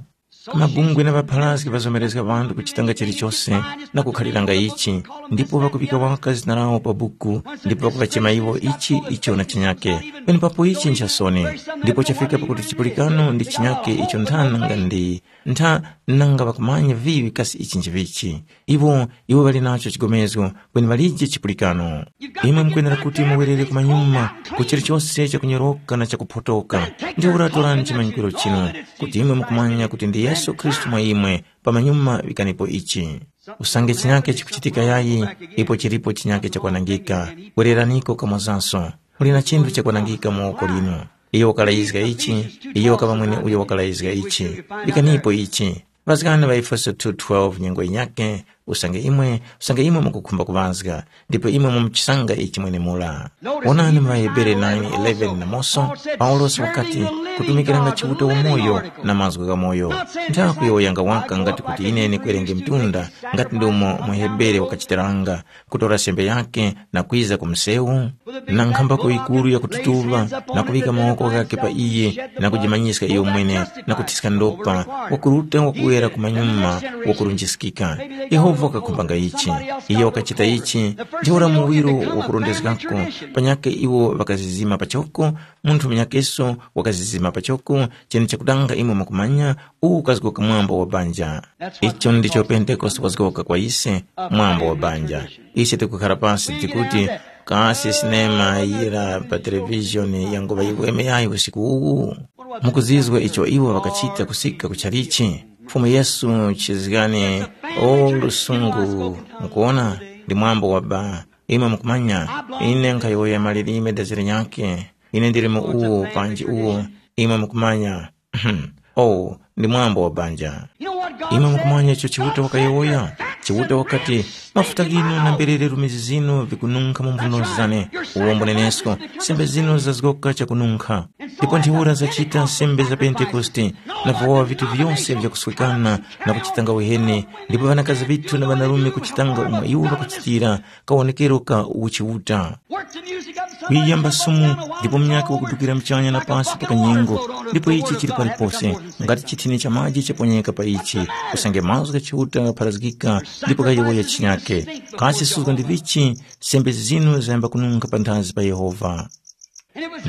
Mabungwe na ŵapharazgi ŵazomerezga ŵanthu kuchitanga chilichose na kukhaliranga ichi, ndipo ŵakuŵika waka zina lawo pa buku, ndipo ŵakuŵachema iwo ichi icho na chinyake. Penepapo ichi nchasoni, ndipo chafika pakuti chipulikano ndi chinyake icho nthana nga ndi ntha nanga ŵakumanya viŵi kasi ichi nchivichi. Iwo iwo ŵali nacho chigomezgo kweni ŵalije chipulikano. Imwe mukwenera kuti muwerere kumanyuma ku chilichose chakunyoroka na chakuphotoka. Ntheura torani chimanyikiro chinu kuti imwe mukumanya kuti ndi Yesu Khristu mwa imwe. Pamanyuma vikanipo ichi. Usange chinyake chikuchitika yayi, ipo chilipo chinyake chakwanangika. Wereraniko kamwazanso. Muli na chinthu chakwanangika mu woko linu. Iyo wakalayizga ichi, iyo wakaŵa mwene uyo wakalayizga ichi. Vikanipo ichi. Ŵazgani ŵa Efeso two twelve nyengo yinyakhe, usange imwe usange imwe mukukhumba kuŵazga, ndipo imwe mumuchisanga ichi mwenemura. Wonani mu ŵaHebere nine eleven namoso, Paulosi wakati, kutumikiranga Chiuta wamoyo na mazgu ghamoyo. Nthakuyowoyanga waka ngati kuti ine ndikwerenge mtunda, ngati ndumo muHebere wakachitiranga, kutora sembe yake na kwiza ku msewu, na nkhambako yikuru yakututuŵa, na kuŵika mawoko ghakhe pa iye, na kujimanyiska iyo mwene, na kuthiska ndopa, wakuruta wakuwera ku manyuma, wakurunjiskika. Yehova wakakhumbanga ichi. Iyo wakachita ichi, ntheura muwiro wakurondezgako, panyakhe iwo ŵakazizima pachoko, munthu munyakeso wakazizima pachoko, chene chakudanga imwe mwakumanya, uwu ukazgoka mwambo wa banja. Icho ndicho Pentekoste wazgoka kwa ise, mwambo wa banja. Ise tikukhara pasi tikuti, kasi sinema yira pa televishoni yanguŵa yiweme yayi usiku uwu? Mukuzizwa icho iwo ŵakachita kusika ku chalichi? Fumu Yesu chizgani, o lusungu, mukuwona, ndi mwambo wa ba. Imwe mukumanya, ine nkhayowoya malilime dazira nyakhe. Ine ndili mu uwo panji uwo, imwe mukumanya. Oh, ndi mwambo wa banja. Imwe mukumanya icho Chiuta wakayowoya? Chiuta wakati, mafuta ghinu na mberere rumizi zinu vikununkha mu mphuno zane. Uwombo nenesko, sembe zinu zazgoka chakununkha. Ndipo ntheura zachita sembe za Pentekoste, na vowa vitu vyose vyakuswekana na kuchitanga uheni, ndipo ŵanakazi ŵithu na ŵanarume kuchitanga umo iwo ŵakuchitira, kawonekero ka uchiuta. Wiyamba sumu, ndipo munyakhe wakudukira muchanya na pasi pa kanyengo, ndipo ichi chili palipose, ngati chithini cha maji chaponyeka pa ichi, usange mazgu gha Chiuta ghapharazgika, ndipo ghayowoya chinyakhe. Kasi suzgo ndi vichi, sembe zinu zayamba kununkha panthazi pa Yehova.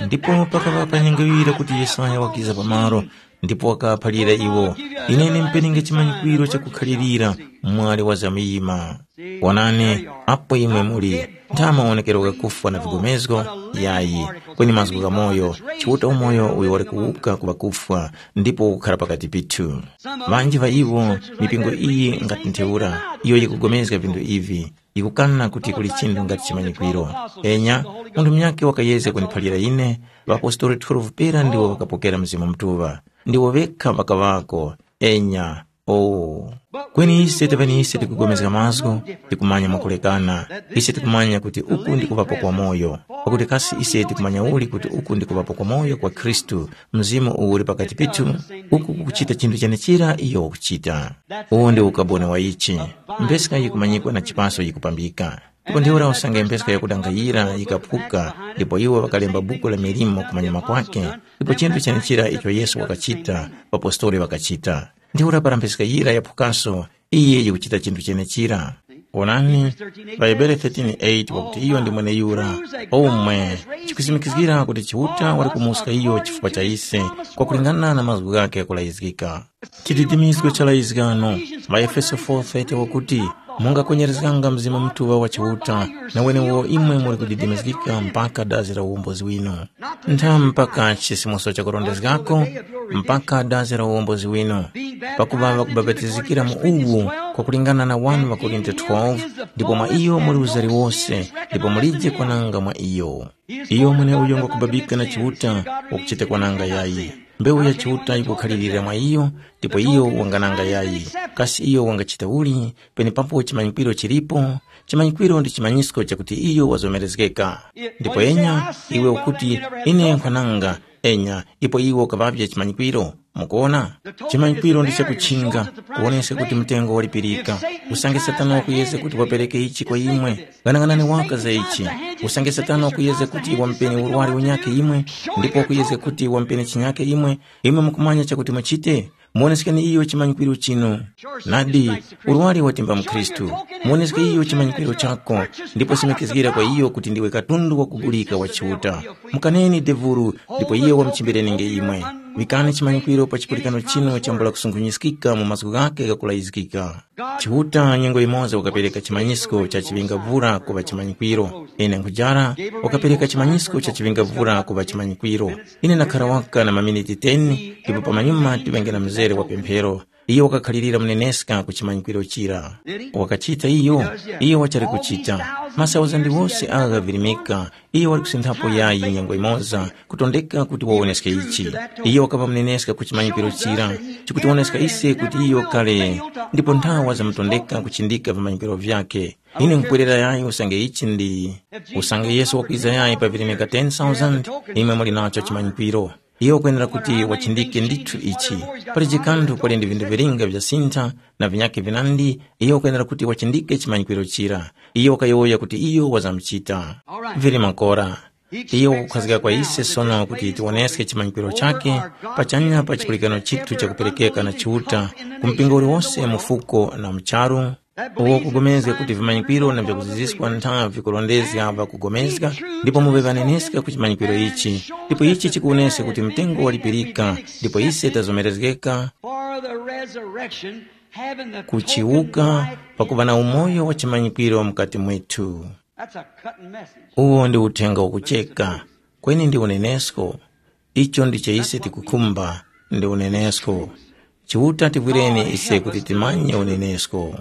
Ndipo pakaŵa pa nyengo yira kuti Yesaya wakiza pamalo, ndipo wakaphalira iwo, ine ndimpenenge chimanyikwiro chakukhalirira mwali wa zamuyima. Wonani, apo imwe muli, ntha mawonekero ghakufwa na vigomezgo, yayi, kweni mazgu gha moyo, Chiuta umoyo uyo wali kuwuka ku ŵakufwa, ndipo ukukhara pakati pithu. Ŵanji ŵa iwo, mipingo iyi ngati ntheura, iyo yikugomezga vinthu ivi, yikukana kuti kuli chinthu ngati chimanyikwiro. Enya, munthu munyakhe wakayezga kundiphalira ine, ŵapostoli twelve pera ndiwo ŵakapokera Mzimu Mutuŵa. Ndiwo ŵekha ŵakaŵako. Enya, oh. Kweni ise taŵeni ise tikupulikana mazgu, tikumanya mwakulekana. Ise tikumanya kuti uku ndi kuŵapo kwa moyo. Pakuti kasi ise tikumanya uli kuti uku ndi kuŵapo kwa moyo kwa Khristu, Mzimu uwu uli pakati pithu, uku kukuchita chinthu chenechira iyo wakuchita. Uwu ndi ukaboni wa ichi. Mpheska yikumanyikwa na chipaso yikupambika. Ndipo ntheura usange mpheska yakudanga yira yikaphuka, ndipo iwo ŵakalemba buku la milimo kumanyuma kwake, ndipo chinthu chenechira icho Yesu wakachita, ŵapostoli ŵakachita. Ntheura para mpheska yira yaphukanso, iye yikuchita chinthu chenechira. Onani, pa Hebere thirteen eight wakuti iyo ndi mweneyura, omwe chikusimikizgira kuti Chiuta wali kumuska iyo chifukwa cha ise, kwakulingana na mazgu ghakhe ghakulayizgika. Chididimizgo cha layizgano, maEfeso four thirty wakuti, mungakwenyerezganga Mzimu Mutuŵa wa Chiuta, na wenewo imwe muli kudidimizgika mpaka dazi la uwombozi winu. Ntha mpaka chisimuso chakurondezgako, mpaka dazi la uwombozi winu. Pakuŵa ŵakubapatizikira mu uwu, kwakulingana na one Korinto twelve, ndipo mwa iyo muli uzari wose, ndipo mulije kwananga mwa iyo. Iyo mweneuyo ngwakubabika na Chiuta, wakuchita kwananga yayi. Mbewu ya Chiuta yikukhalirira mwa iyo, ndipo iyo wangananga yayi. Kasi iyo wangachita uli, penepapo chimanyikwiro chilipo? Chimanyikwiro ndi chimanyisko chakuti iyo wazomerezgeka. Ndipo enya, iwe ukuti, ine nkhananga, enya, ipo iwe ukaŵavye chimanyikwiro. Mukuona? Chimanyikwiro ndi chakuchinga, kuwoneska kuti mtengo walipirika. Usange Satana wakuyezga kuti wapereke ichi kwa imwe, ghanaghanani waka za ichi. Usange Satana wakuyezga kuti wampeni urwari unyakhe imwe, ndipo wakuyezga kuti wampeni chinyakhe imwe, imwe mukumanya chakuti muchite? Muwoneskeni iyo chimanyikwiro chinu. Nadi, urwari watimba mkhristu. Muwoneske iyo chimanyikwiro chako, ndipo simikizgira kwa iyo kuti ndiwe katundu wakugulika wa Chiuta. Mukaneni devuru, ndipo iyo wamuchimbirenenge imwe. Vikani chimanyikwiro pa chipulikano chinu chambula kusungunyiskika mu mazgu ghake ghakulayizgika. Chiuta nyengo yimoza wakapereka chimanyisko cha chiŵingavura kuŵa chimanyikwiro. Ine nkhujara, wakapereka chimanyisko cha chiŵingavura kuŵa chimanyikwiro. Ine ndakhara waka na maminiti ten, ndipo pamanyuma tiŵenge na mzere wa pemphero. Iyo wakakhalirira muneneska ku chimanyikwiro chira. Wakachita iyo, iyo wachali kuchita. Masauzandi wose agha ghavirimika, iyo wali kusinthapo yayi nyengo imoza, kutondeka kuti wawoneske ichi. Iyo wakapa muneneska ku chimanyikwiro chira, chikutiwoneska ise kuti iyo kale, ndipo nthawa zamutondeka kuchindika vimanyikwiro vyakhe. Ine nkupwerera yayi usange ichi ndi usange Yesu wakwiza yayi pa virimika ten thousand, imwe muli nacho chimanyikwiro. Iyo ukwenera kuti wachindike ndithu ichi. Pali chikanthu pali ndi vinthu vilinga vyasintha na vinyakhe vinandi, iyo ukwenera kuti wachindike chimanyikwiro chira. Iyo wakayowoya kuti iyo wazamuchita. Vili makora. Iyo wakukhazika kwa ise sono kuti tiwoneske chimanyikwiro chake pachanya pa chipulikano chithu chakuperekeka na Chiuta ku mpingo uliwonse mu fuko na mu charu, uwo kupulikana kuti vimanyikwiro na vyakuziziska ntha vikurondezga ŵakupulikana, ndipo muŵe ŵaneneska ku chimanyikwiro ichi, ndipo ichi chikuwoneska kuti mtengo walipirika, ndipo ise tazomerezgeka For the resurrection, having the kuchiwuka, token of pakuva na umoyo wa chimanyikwiro mukati mwethu. That's a cutting message. Uwo ndi uthenga wakucheka. Kweni ndi unenesko. Icho ndicho ise tikukhumba, ndi unenesko. Chiuta tivwireni ise kuti timanye unenesko.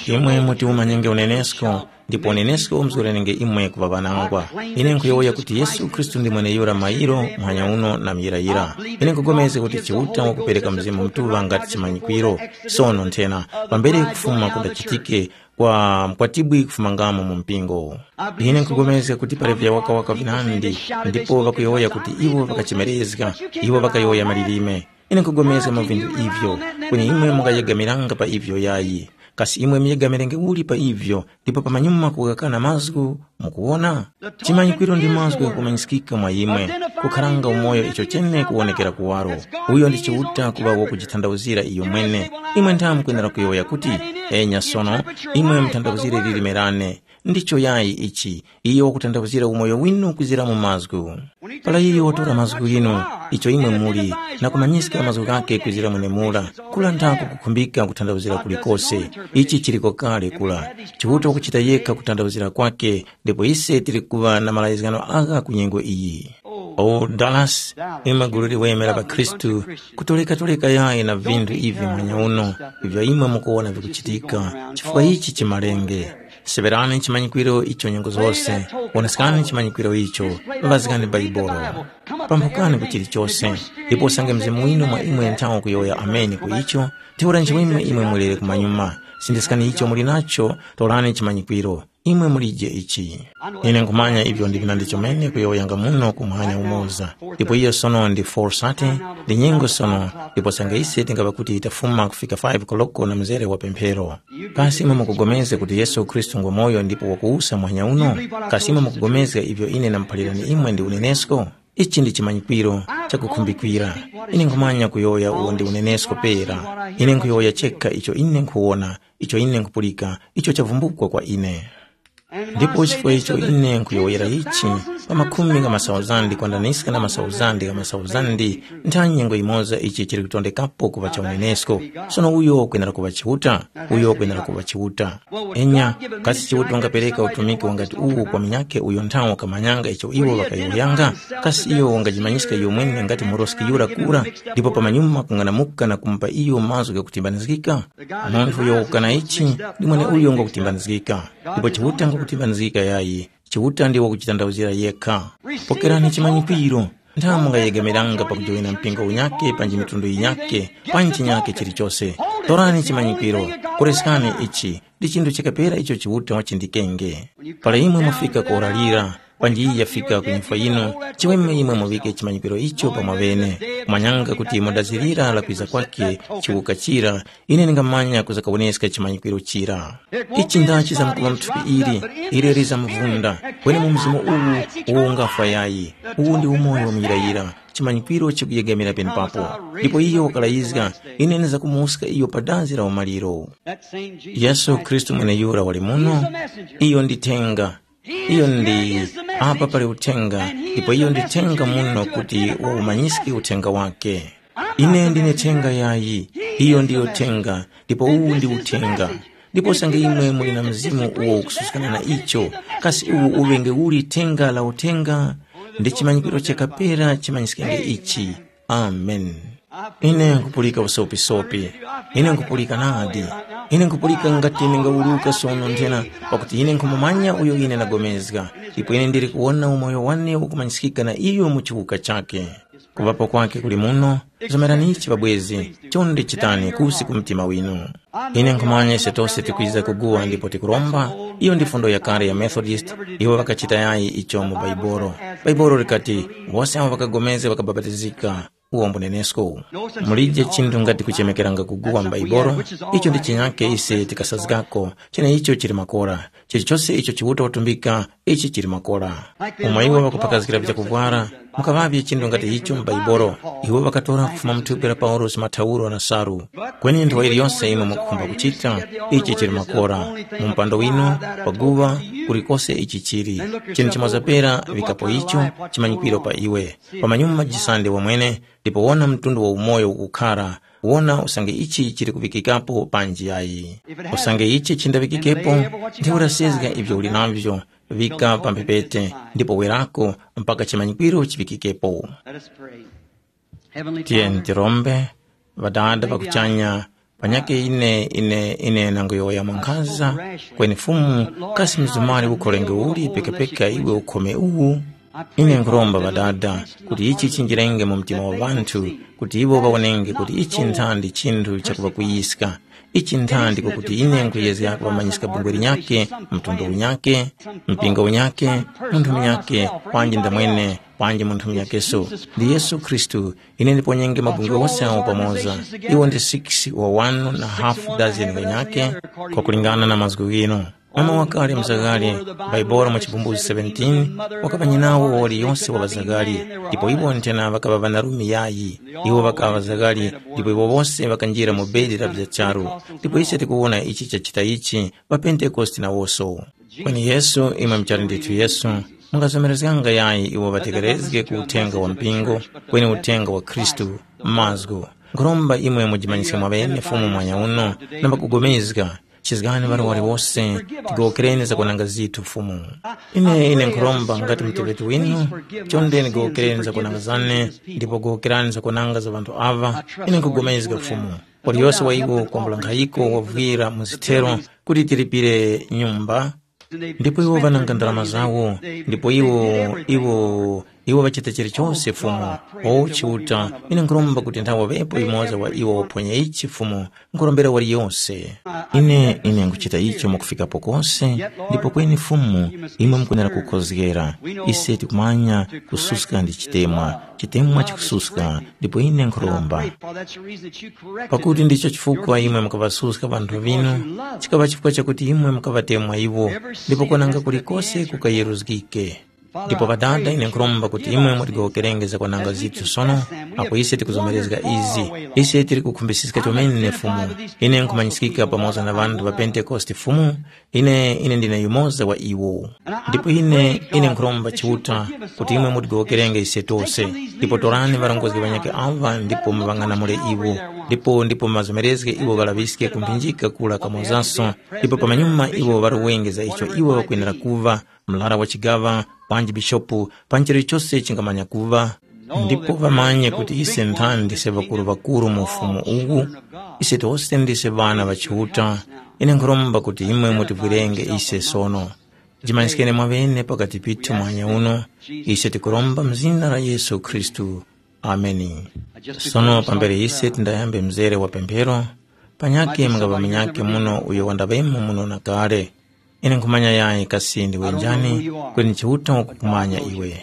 Imwe muti umanyenge unenesko, ndipo unenesko umzgorenenge imwe kuŵa ŵanangwa. Ine nkhuyowoya kuti Yesu Khristu ndi mweneyura mayiro, muhanya uno na muyirayira. Ine nkugomezga kuti Chiuta wakupereka Mzimu Mutuŵa ngati chimanyikwiro. Sono nthena, pambere kufuma kundachitike, kwa mkwatibwi kufumangamo mu mpingo. Ine nkugomezga kuti pali vyawakawaka vinandi, ndipo ŵakuyowoya kuti iwo ŵakachemerezga, iwo ŵakayowoya malilime. Ine nkugomezga mu vinthu ivyo, kweni imwe mungayegamiranga pa ivyo yayi. Kasi imwe muyegamirenge uli pa ivyo, ndipo pamanyuma kukakana mazgu, mukuwona? Chimanyikwiro ndi mazgu ghakumanyiskika mwa imwe, kukharanga umoyo icho chene kuwonekera kuwaro. Uyo ndi Chiuta kuŵa wakujithandawuzira iyo mwene. Imwe ntha mukwenera kuyowoya kuti, enya sono, imwe muthandawuzire lilime lane. Ndicho yayi ichi, iyo wakuthandawuzira umoyo winu kwizira mu mazgu. Para iyo watora mazgu ghinu, icho imwe muli, na kumanyiska mazgu ghakhe kwizira mwenemura, kula nthako kukhumbika kuthandawuzira kulikose. Ichi chiliko kale kula. Chiuta wakuchita yekha kuthandawuzira kwakhe, ndipo ise tili kuŵa na malayizgano agha ku nyengo iyi. O Dallas, imwe gulu liweme la ŵakhristu, kutoleka-toleka yayi na vinthu ivi mwanya uno, ivyo imwe mukuwona vikuchitika, chifukwa ichi chimalenge. Seŵerani chimanyikwiro icho nyengo zose, woneskani chimanyikwiro icho, ŵazgani Bhaibuli. Pamphukani ku chilichose, ndipo usange Mzimu winu mwa imwe nthawi kuyowoya ameni ku icho, ntheura nchiweme imwe mulere kumanyuma. Sindiskani icho muli nacho, torani chimanyikwiro. Imwe mulije ichi. Ine nkhumanya ivyo ndi vinandi chomene kuyowoyanga muno kumwanya umoza. Ndipo iyo sono ndi four thirty, ndi nyengo sono, ndipo usange ise tingaŵa kuti tafuma kufika five koloko na mzere wa pemphero. Kasi imwe mukupulikana kuti Yesu Khristu ngwa moyo ndipo wakuwusa muhanya uno? Kasi imwe mukupulikana ivyo ine ndamuphalirani imwe ndi unenesko? Ichi ndi chimanyikwiro chakukhumbikira. Ine nkhumanya kuyowoya uwo ndi unenesko pera. Ine nkhuyowoya chekha icho ine nkhuwona, icho ine nkhupulika, icho chavumbukwa kwa ine. Ndipo chifukwa icho ine nkhuyowoyera ichi, pa makhumi gha masauzandi kwandaniska na masauzandi gha masauzandi, ntha nyengo yimoza ichi chili kutondekapo kuŵa cha unenesko. Sono uyo wakwenera kuŵa Chiuta, uyo wakwenera kuŵa Chiuta. Enya, kasi Chiuta wangapereka utumiki wangati uwu kwa munyakhe uyo nthawo wakamanyanga icho iwo ŵakayowoyanga? Kasi iyo wangajimanyiska iyo mwene ngati muroski yura kura, ndipo pamanyuma kung'anamuka na kumupa iyo mazgu ghakutimbanizgika? Munthu uyo wakukana ichi ndi mweneuyo ngwakutimbanizgika, ndipo Chiuta ngwakutimbanizgika yayi. Chiuta ndiwo wakuchitanthauzira yekha. Pokerani chimanyikwiro. Ntha mungayegamiranga pakujoyina mpingo unyakhe panji mitundu yinyakhe, panji chinyakhe chilichose. Torani chimanyikwiro. Koreskani ichi. Ndi chinthu chakapera icho Chiuta wachindikenge. Para imwe mwafika kuwuralira, panji iyi yafika ku nyifwa yinu, chiweme imwe muŵike chimanyikwiro icho pa mwaŵene, kumanyanga kuti mu dazi lira la kwiza kwakhe chiwuka chira, ine ndingamanya kuzakawoneska chimanyikwiro chira. Ichi ndachi zamkuŵa mu thupi ili, ili lizamvunda, kweni mu mzimu uwu, uwo ungafwa yayi. Uwu ndi umoyo muyirayira. chimanyikwiro chikuyegamira penepapo. Ndipo iyo wakalayizga, ine ndizakumuska iyo pa dazi la umaliro. Yesu Khristu mweneyura wali muno. Iyo ndi thenga. Iyo ndi apa pali uthenga, ndipo iyo ndi thenga muno kuti waumanyiske uthenga wake. Ine ndine thenga yayi. Iyo ndiyo thenga, ndipo uwu ndi uthenga. Ndipo usange imwe muli na mzimu uwo ukususkana na icho, kasi uwu uŵenge uli thenga la uthenga? Ndi chimanyikwiro chakapera chimanyiskenge ichi. Amen. Ine nkupulika usopisopi. Ine nkupulika nadi. Ine nkupulika ngati ningawuluka sono nthena, pakuti ine nkhumumanya uyo ine ndagomezga, ndipo ine ndili kuwona umoyo wane ukumanyiskika na iyo mu chiwuka chake. Kuŵapo kwake kuli muno. Zomeranichi pabwezi, chonde chitani kusi ku mtima winu. Ine nkhumanya ise tose tikwiza kuguwa ndipo tikuromba. Iyo ndi fundo yakale ya Methodist. Iwo ŵakachita yayi icho mu Baibolo. Baibolo likati, wose awo ŵakagomezga ŵakabapatizika. Uwo mbunenesko. Mulije chinthu ngati kuchemekeranga kuguwa m'Baibolo. Icho ndi chinyake ise tikasazgako. Cheneicho chili makora. Chilichose icho Chiuta watumbika, ichi chili makora. Umo iwo ŵakuphakazgira vyakuvwara, mukaŵavye chinthu ngati icho m'Baibolo. Iwo ŵakatora kufuma mu thupi la Paulosi mathauro na salu. Kweni nthowa iliyonse imwe mukukhumba kuchita, ichi chili makora. Mu mpando winu, paguŵa, kulikose ichi chili. Chinthu chimoza pera, vikapo icho, chimanyikwiro pa iwe. Pamanyuma jisande wamwene, ndipo wona mtundu wa umoyo ukukhara, wona usange ichi chili kuŵikikapo panji yayi. Usange ichi chindaŵikikepo, ndiwe urasezga ivyo uli navyo, vika pa mphepete, ndipo werako mpaka chimanyikwiro chiŵikikepo. Let us pray. Heavenly Tiyeni Father, tirombe. Ŵadada pakuchanya, panyake ine ine ine nangoyowoya mwankhaza, kweni Fumu, kasi mzumali ukholenge uli pekepeke iwe ukhome uwu? Ine nkhuromba Ŵadada, kuti ichi chinjirenge mu mtima wa ŵanthu, kuti iwo ŵawonenge kuti ichi nthandi chinthu chakuŵakwiyiska. Ichi nthandi kwakuti ine nkhuyezga kuŵamanyiska bungwe linyakhe, mtundu unyakhe, mpingo unyakhe, munthu munyakhe, panji ndamwene, panji munthu munyakeso. Ndi Yesu Khristu, ine ndiponyenge mabungwe ghose awo pamoza. Iwo ndi six wa one na half dozen ghanyakhe, kwakulingana na mazgu ghinu. Mama wakale mzaghali, Baibolo mu Chibumbuzi seventeen, wakaŵa nyinawo wa waliyose wa ŵazaghali, ndipo iwo nthena ŵakaŵa ŵanarume yayi. Iwo ŵakaŵa ŵazaghali, ndipo iwo wose ŵakanjira mu bedi la vya charu. Ndipo ise tikuwona ichi chachita ichi, ŵapentekoste nawoso. Kweni Yesu, imwe muchali ndithu Yesu, mungazomerezganga yayi iwo ŵatekerezge ku uthenga wa mpingo, kweni uthenga wa Khristu, mazgu. Nkhuromba imwe mujimanyiske mwaŵene Fumu mwanya uno, namba kugomezga, chizgani ŵali wose, tigowokereni zakwananga zithu Fumu. Ine ine nkhuromba ngati muteŵeti winu, chonde nigowokereni zakwananga zane, ndipo gowokerani zakwananga za ŵanthu aŵa, ine nkhugomezga Fumu. Waliyose wa iwo kwambula nkhayiko wavwira mu zithero kuti tilipire nyumba, ndipo iwo ŵananga ndalama zawo, ndipo iwo iwo iwo ŵachita chilichonse Fumu. O Chiuta, ine nkhuromba kuti nthawe ŵepo yumoza wa iwo waphwanya ichi Fumu, nkhuromberera waliyose. Ine ine nkhuchita icho mwakufikapo kose, ndipo kweni Fumu, imwe mukunera kukhozgera. Ise tikumanya kususka ndi chitemwa, chitemwa chikususka, ndipo ine nkhuromba. Pakuti ndicho chifukwa imwe mukaŵasuska ŵanthu ŵinu, chikaŵa chifukwa chakuti imwe mukaŵatemwa iwo, ndipo kwananga kulikose kukayeruzgike. Ndipo Ŵadada, ine nkhuromba kuti imwe mutigowokerenge zakwananga zithu sono, apo ise tikuzomerezga izi. Ise tili kukhumbisiska chomene Fumu. Ine nkhumanyiskika pamoza na ŵanthu ŵa Pentekoste Fumu, ine ine ndine yumoza wa iwo. Ndipo ine ine nkhuromba Chiuta kuti imwe mutigowokerenge ise tose, ndipo torani ŵarongozgi ŵanyakhe aŵa ndipo muŵang'anamule iwo, ndipo ndipo muŵazomerezge iwo ŵalaŵiske kumphinjika kura kamozanso, ndipo pamanyuma iwo ŵaruwenge za icho iwo ŵakwenera kuŵa, mlara wa chigaŵa, panji bishopu, panji chilichose chingamanya kuŵa. Ndipo ŵamanye kuti ise nthani ndise ŵakuru-ŵakuru mu ufumu uwu, ise tose ndise ŵana ŵa Chiuta. Ine nkhuromba kuti imwe mutivwirenge ise sono. Jimanyiskeni mwaŵene pakati pithu mwanya uno, ise tikuromba mu zina la Yesu Khristu. Ameni. Sono pambere ise tindayambe mzere wa pemphero, panyakhe mungaŵa munyakhe muno uyo wandaŵemo muno na kale. Ine nkhumanya yayi kasi ndiwe njani, kweni Chiuta wakukumanya iwe.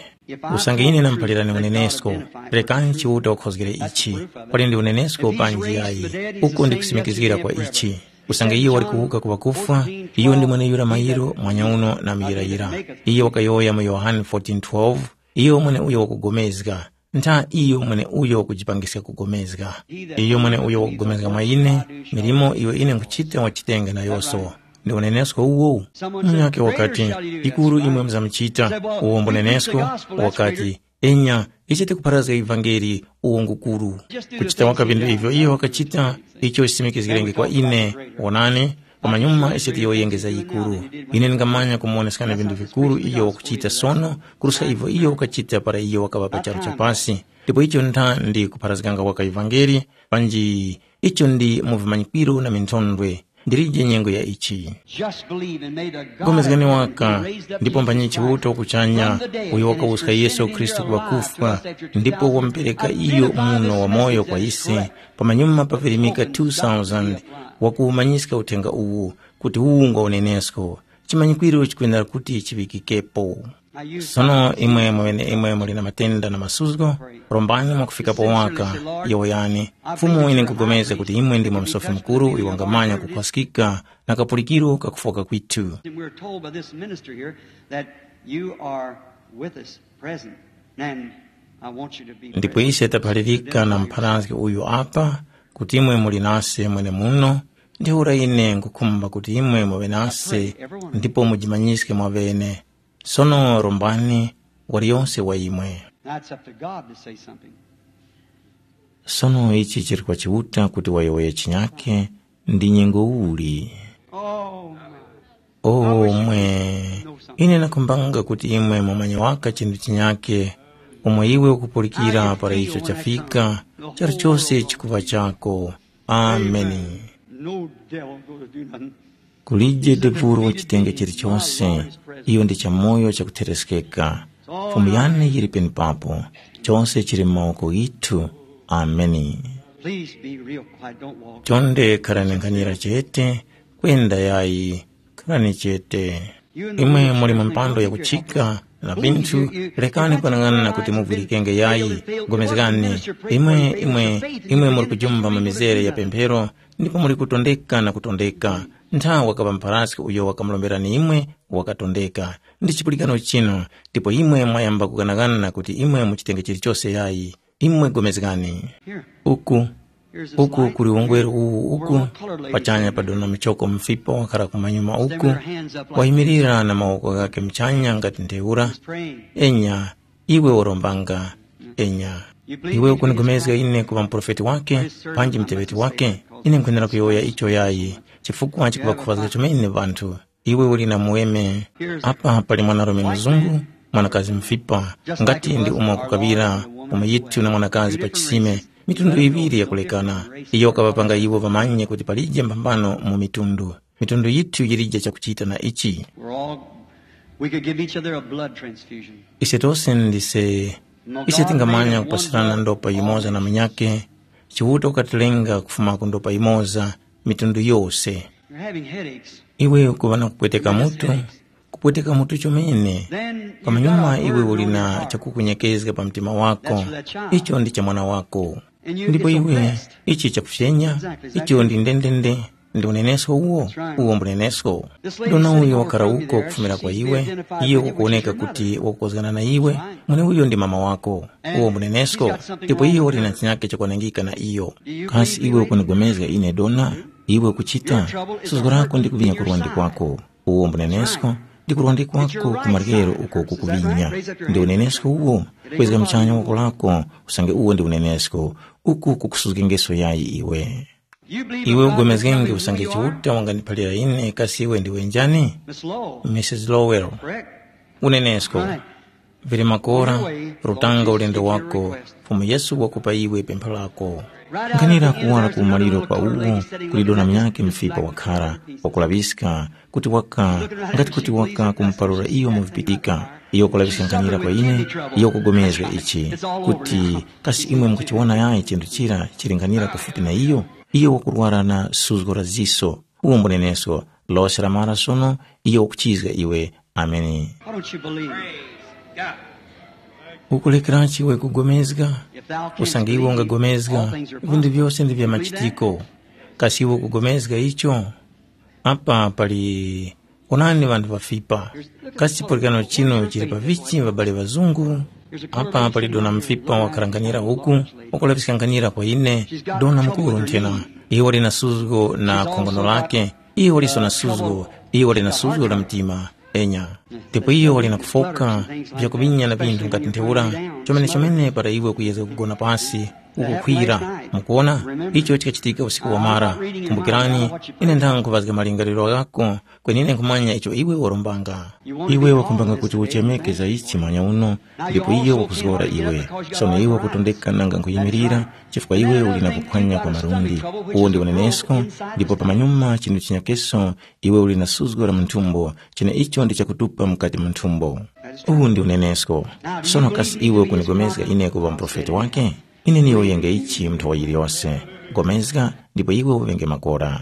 Usange ine namuphalirani unenesko, rekani Chiuta wakhozgere ichi. Pali ndi unenesko panji yayi, uku ndikusimikizgira kwa ichi. Usange iyo wali kuwuka ku ŵakufwa, iyo ndi mweneyura mayiro mwanyauno na muyirayira. Iyo wakayowoya mu Yohane fourteen twelve, iyo mweneuyo wakugomezga. ntha iyo mweneuyo wakujipangiska kugomezga. Iyo mweneuyo wakugomezga mwa ine, milimo iyo ine nkhuchita wachitenga nayose. Ndi unenesko uwo? Munyakhe wakati, ikuru imwe muzamuchita. Uwo mbunenesko? Wakati, enya, ichi tikupharazga ivangeli, uwo ngukuru. Kuchita waka vindu ivyo iyo wakachita, icho chisimikizgirenge kwa ine. Wonani, pamanyuma ise tiyowoyenge za yikuru. Ine ndingamanya kumuwoneskani vindu vikuru iyo wakuchita sono, kuruska ivyo iyo wakachita para iyo wakaŵa pa charu cha pasi. Ndipo icho ntha ndi kupharazganga waka ivangeli, panji icho ndi mu vimanyikwiro na minthondwe. Ndilije nyengo ya ichi. Just believe and may the God Gomezgani who waka, raised up ndipo Jesus mphanyi Christ chiuto kuchanya, from the dead uyo and has wakawuska Yesu presented him Khristu into ku our lives to ŵakufa, us after ndipo two thousand wamupereka years, iyo and muno wa moyo kwa ise. Pamanyuma pavirimika two thousand, wakuwumanyiska uthenga uwu, kuti uwu ngwa unenesko. Chimanyikwiro chikwenera kuti chiŵikikepo. Sono imwe mweneimwe muli na matenda na masuzgo, rombani mwakufikapo waka, yowoyani, Fumu ine nkugomeza kuti imwe ndimwe Musofi Mukuru uyo wangamanya kukhwaskika na kapulikiro kakufoka kwithu. And we're told by this minister here that you are with us present. And I want you to be Ndipo present. Ise taphalirika na mpharazgi uyu apa, kuti imwe muli nase mwenemuno, ntheura ine nkhukhumba kuti imwe muŵe nase ndipo mujimanyiske mwaŵene. Sono rombani, waliyonse wa imwe. Now it's up to God to say something. Sono ichi chili kwa Chiuta kuti wayowoye chinyake. Ndi nyengo uli? Oh, my. Oh, mwe. Ine nakhumbanga kuti imwe mumanye waka chinthu chinyake, umo iwe ukupulikira para icho chafika, chalichose chikuŵa chako. Ameni. No devil gonna do nothing. Kulije devulo chitenge chilichonse, iyo ndi chamoyo chakuthereskeka. Fumu yane yili penepapo, chose chili mu mawoko ghithu. Ameni. Please be real quiet. Don't walk. Chonde kharani nkhanira chete, kwenda yayi, kharani chete. Imwe muli mu mpando yakuchika na vinthu, lekani kwanang'ana kuti muvwirikenge yayi, gomezgani. Imwe, imwe, imwe muli kujumba mu mizere ya pemphero, ndipo muli kutondeka na kutondeka. Ntha wakaŵa mparaski uyo wakamuromberani imwe, wakatondeka. Ndi chipulikano chinu, ndipo imwe mwayamba kughanaghana kuti imwe muchitenge chilichose yayi. Imwe gomezgani. Uku, uku kuli ungweru uwu uku, pachanya padona muchoko mfipa wakhara kumanyuma uku, wayimirira na mawoko ghakhe muchanya ngati ntheura. Enya, iwe warombanga. Enya. Iwe ukunigomezga ine kuŵa muprofeti wake, panji muteŵeti wake? Ine nkhwenera kuyowoya icho yayi, chifukwa chikuŵakhufazga chomene ŵanthu. Iwe uli na muweme. Apa pali mwanarume mzungu, mwanakazi mfipa, ngati ndi umo kukaŵira umo yithu na mwanakazi pa chisime, mitundu iŵiri yakulekana. Iyo wakaŵapanga iwo ŵamanye kuti palije mphambano mu mitundu. Mitundu yithu yilije chakuchita na ichi. We're all, we could give each other a blood transfusion. Ise tose ndise, ise tingamanya kupasirana ndopa yumoza na munyake. Chiuta ukatilenga kufuma ku ndopa yumoza, mitundu yose. You're having headaches. Iwe ukuŵa na kupweteka mutu, kupweteka mutu chomene. Then you got pamanyuma a iwe burden uli on your na heart. Chakukunyekezga pa mtima wako. That's for that child. Icho ndi cha mwana wako. And you, ndipo it's a iwe rest. Ichi chakufyenya. Exactly, is that icho ndi ndendende. Ndi unenesko uwo. That's right. Uwo mbunenesko. This lady dona sitting uyo on wakhala front of you uko there, kufumira she kwa seems to be iwe, identified iyo with you, which is ukuoneka your kuti mother. Wakukozgana na iwe. Right. Mwene uyo ndi mama wako. And uwo mbunenesko. She's got something ndipo wrong iyo with uli na her. Chinake chakwanangika na iyo. Do you kasi believe iwe me? Ukunigomezga ine dona? Iwe ukuchita. Your trouble is a suzgo lako hurting ndi kuvinya in your kurwandi side. Kwako. Uwo mbunenesko. Ndi kurwandi kwako kumaryero uko kukuvinya. Ndi unenesko uwo. Kwezga mchanya wako lako, usange uwo ndi unenesko. Uku kukusuzgengeso yayi iwe. Iwe ugomezgenge usange Chiuta wangandiphalira ine kasi iwe ndiwe njani? Missus Lowell. Unenesko. Vili makora, rutanga ulendo wako. Fumu Yesu wakupa iwe pempho lako. Nkhanira kuwala ku umaliro pa uwo kuli dona munyakhe mfipa wakhara wakulaŵiska kuti waka ngati kuti waka kumuparura iyo mu vipitika. Iyo wakulaŵiska nkhanira kwa ine. Iyo wakugomezga ichi kuti kasi imwe mukuchiwona yayi chinthu chira chili nkhanira pafupi na iyo? Iyo wakurwara na suzgo la ziso. Uwo mbunenesko. Lose lamara sono. Iyo wakuchizga iwe. Ameni. Why don't you believe? Ukulekeranji iwe kugomezga? If thou canst usange iwe believe, ungagomezga all things are vinthu possible. Vyose ndi vya machitiko. Kasi iwe ukugomezga icho? Apa pali onani vanthu vafipa. Kasi chipulikano chino chili pa vichi vabale ŵazungu? Apa pali dona mfipa wakharanganyira uku, wakulaŵiskanganyira kwa ine, dona mukuru nthena. Iwo lina suzgo na khongono lake, iwo liso na suzgo, iwo lina suzgo la mtima. Enya, ndipo iyo wali na kufoka vyakuŵinya na vinthu ngati ntheura, chomene-chomene para iwe ukuyezga kugona pasi, ukukhwira. Mukuwona, icho chikachitika usiku wamara. Kumbukirani, ine ndanguvazga malingaliro ghako, kwenine nkhumanya icho iwe warombanga. Iwe wakumbanga kuti uchemeke za ichi manya uno, ndipo iyo wakuzgora iwe. Sono iwe wakutondeka nanga nkhuyimirira, chifukwa iwe uli na kuphwanya kwa malundi. Uwo ndi unenesko, ndipo pamanyuma chinthu chinyakeso, iwe uli na suzgo la munthumbo, cheneicho ndi chakutupa mukati mu nthumbo. Uwu ndi unenesko. Sono kasi iwe ukunigomezga ine kuŵa muprofeti wake? Ine niyowoyenge ichi munthu wa yiliyose. Gomezga, ndipo iwe uŵenge makora.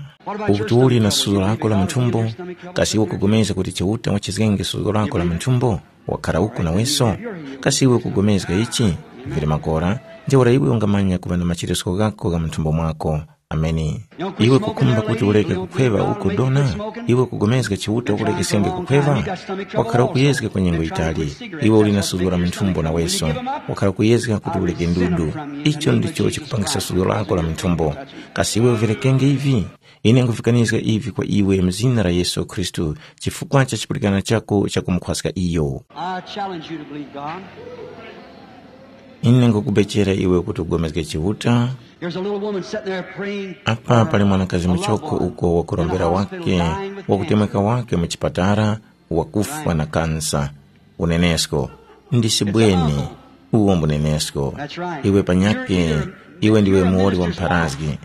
Ukuti uli na suzgo lako la munthumbo, kasi iwe ukugomezga kuti Chiuta wachizgenge suzgo lako la munthumbo? Wakhara uku naweso? Kasi iwe ukugomezga ichi? Vili makora, ntheura iwe ungamanya kuŵa na macheresko ghako gha munthumbo mwako. Ameni. Iwe kukhumba kuti ureke kukhweŵa uko dona? Iwe kugomezga Chiuta ukurekesenge kukhweŵa? Wakhara ukuyezga kwa nyengo yitali. Iwe uli na suzgo la munthumbo naweso. Wakhara ukuyezga kuti ureke ndudu. Icho ndicho chikupangisa suzgo lako la munthumbo. Kasi iwe uverekenge ivi? Ine nkhuvikanizga ivi kwa iwe mu zina la Yesu Khristu, chifukwa cha chipulikana chako chakumukhwaska iyo. I challenge you to believe God. Ine nkukubechera iwe kuti ugomezge Chiuta. There's a little woman sitting there praying. Apa pali mwanakazi muchoko uko wakurombera wake, wakutemweka wake mu chipatara, wakufwa na kansa. Unenesko, ndisibweni. Uwo mbunenesko. Iwe panyake, iwe ndiwe muwoli wa mpharazgi.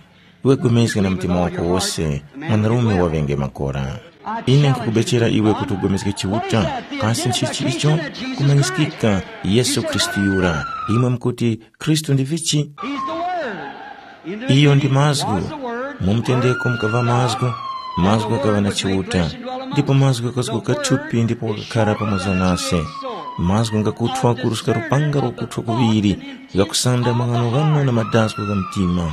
Iwe gwemezga na mtima wako wose, mwanarume waŵenge makora. Ine nkukubechera iwe kuti ugomezge Chiuta, kasi nchichi icho? Kumanyiskika, Yesu Khristu yura. Imwe mukuti, Khristu ndi vichi? Iyo ndi mazgu. Mu mutendeko mukava mazgu, mazgu ghakaŵa na Chiuta, ndipo mazgu ghakazguka thupi ndipo ghakakhara pamoza nase. Mazgu ngakuthwa kuruska lupanga lwakuthwa kuŵiri, ghakusanda maghanoghano na madasku gha mtima.